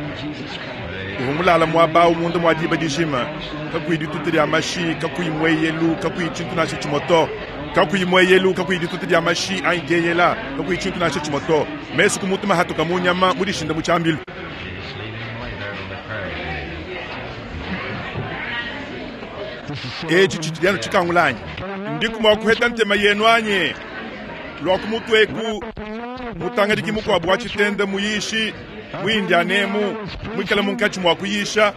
Speaker 1: uvumulala mwabawu munda mwa diba dijima kakuyi dituta dia mashi kakuyi mweyelu kakuyi tshintu nasha tshimoto kakuyi mweyelu kakuyi dituta dia mashi anyi dieyela kakuyi tshintu nasha tshimoto mesu kumutuma hatuka munyama mudishinda mu tshiambilu.
Speaker 3: Just leave him lay there till the prayer.
Speaker 1: Eci tshitshidi tshikangulanyi ndiku kuheta ntema yenu anye lwa kumutweku mutangadiki mukuabu wa tshitenda muyishi mwindianemu mwikala munkatshi mua kuyisha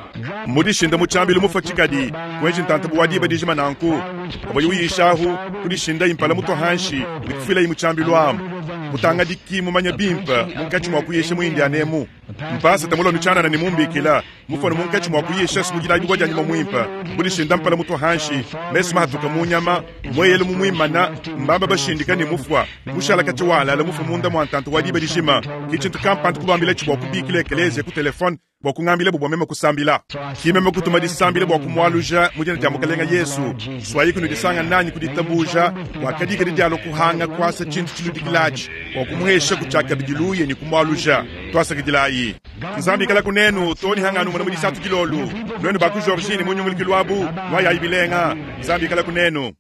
Speaker 1: mudishinda mu tshiambilu mufa tshikadi kuenji ntantabu wa diba dijima nanku avoyi uyishahu kudishinda impala mutu hanshi nikufila mu tshiambilu amu mutangadiki mumanya bimpa munkatshi mua kuyisha mwindianemu mpasa tamulomi tshianana ni mumbikila mufano munkatshi mua kuyisha simujila bibwa dia nyuma mwimpa kudishinda mpala mutu hanshi mesu mahatuka munyama mweyelu mumwimana mbamba bashindika ni mufwa mushala kati walala mufa munda mwa ntantu wa diba dijima kitshintu kampantu kubambila tshibwa kubikila ekelezia ku telefone bwa kungambila bubwa meme kusambila kimeme kutuma disambila bwa kumwaluja mujina dia mukalenga Yesu swayi kuno disanga nanyi kuditabuja wakadika didialo kuhanga kwasa tshintu tshiludikilachi bwa kumuhesha kuchaka bidiluye ni kumwaluja twasakidilayi nzambi kala kunenu toni hanganu mwana mudisatu kilolu nwenu baku Georgine munyungulikilwabu lwayayi bilenga nzambi kala kunenu.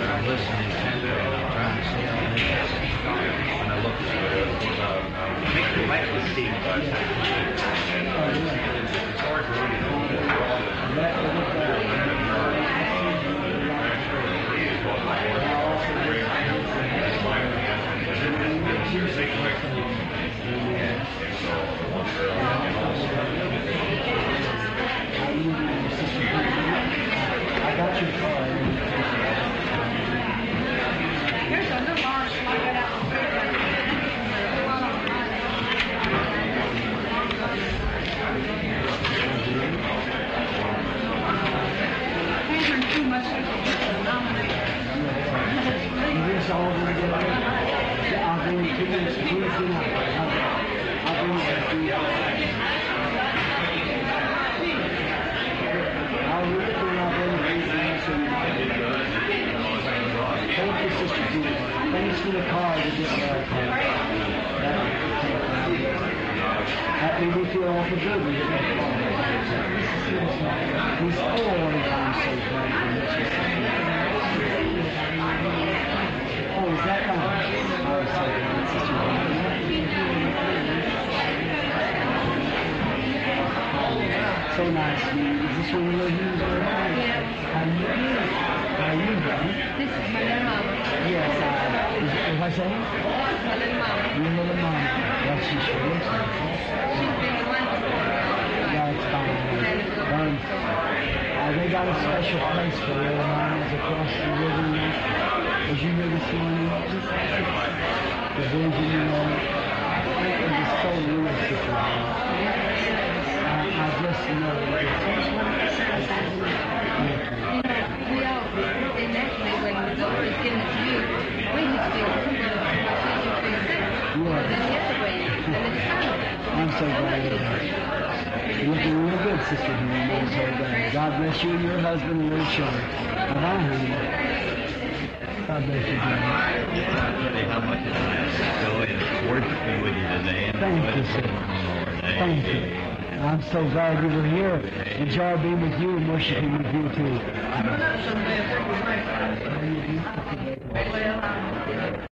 Speaker 3: I'm listening intently and I'm trying to see how many when I look
Speaker 2: I got your card.
Speaker 5: Here's a little orange like that out. Too much to nominate.
Speaker 2: This all together. I'll bring it to you Tuesday night. I'll, I'll bring it to you. I'll read it and I'll bring it to you Tuesday night. Thank you, Sister Judy. Thanks for the card you just left. That, that made me feel awful good when you got the card. He's oh, I'm so glad you met you, Sister. Oh, is that right? Oh, so glad, Sister Judy. So nice to meet you. Is this one of your hues?
Speaker 7: Yeah.
Speaker 2: How you doing? How you doing?
Speaker 7: This is my little mama.
Speaker 2: Yes, I, is, is what's that?
Speaker 7: My little mama.
Speaker 2: Your little mama. Well, she sure looks like it.
Speaker 7: She's been the one before.
Speaker 2: That's fine. Um, uh, they got a special place for little mamas across the river. Was you here this morning? The vision, you know. It was so real, Sister Mama. I, I just know. Thank you.
Speaker 7: You know, we all, and actually when the Lord has given it to you, we just feel, well, she should feel sick.
Speaker 2: Yeah.
Speaker 7: Then the other way, and it's kind
Speaker 2: I'm so glad you're here. You're looking real good, Sister Henry. I'm so glad. God bless you and your husband and little children. Bye-bye, honey. God bless you, dear.
Speaker 8: Tell you how much it's nice to go and worshiping with you today. And
Speaker 2: Thank you, sir. Thank you. I'm so glad you were here. Enjoy being with you and worshiping with you, too.
Speaker 4: Well, I'm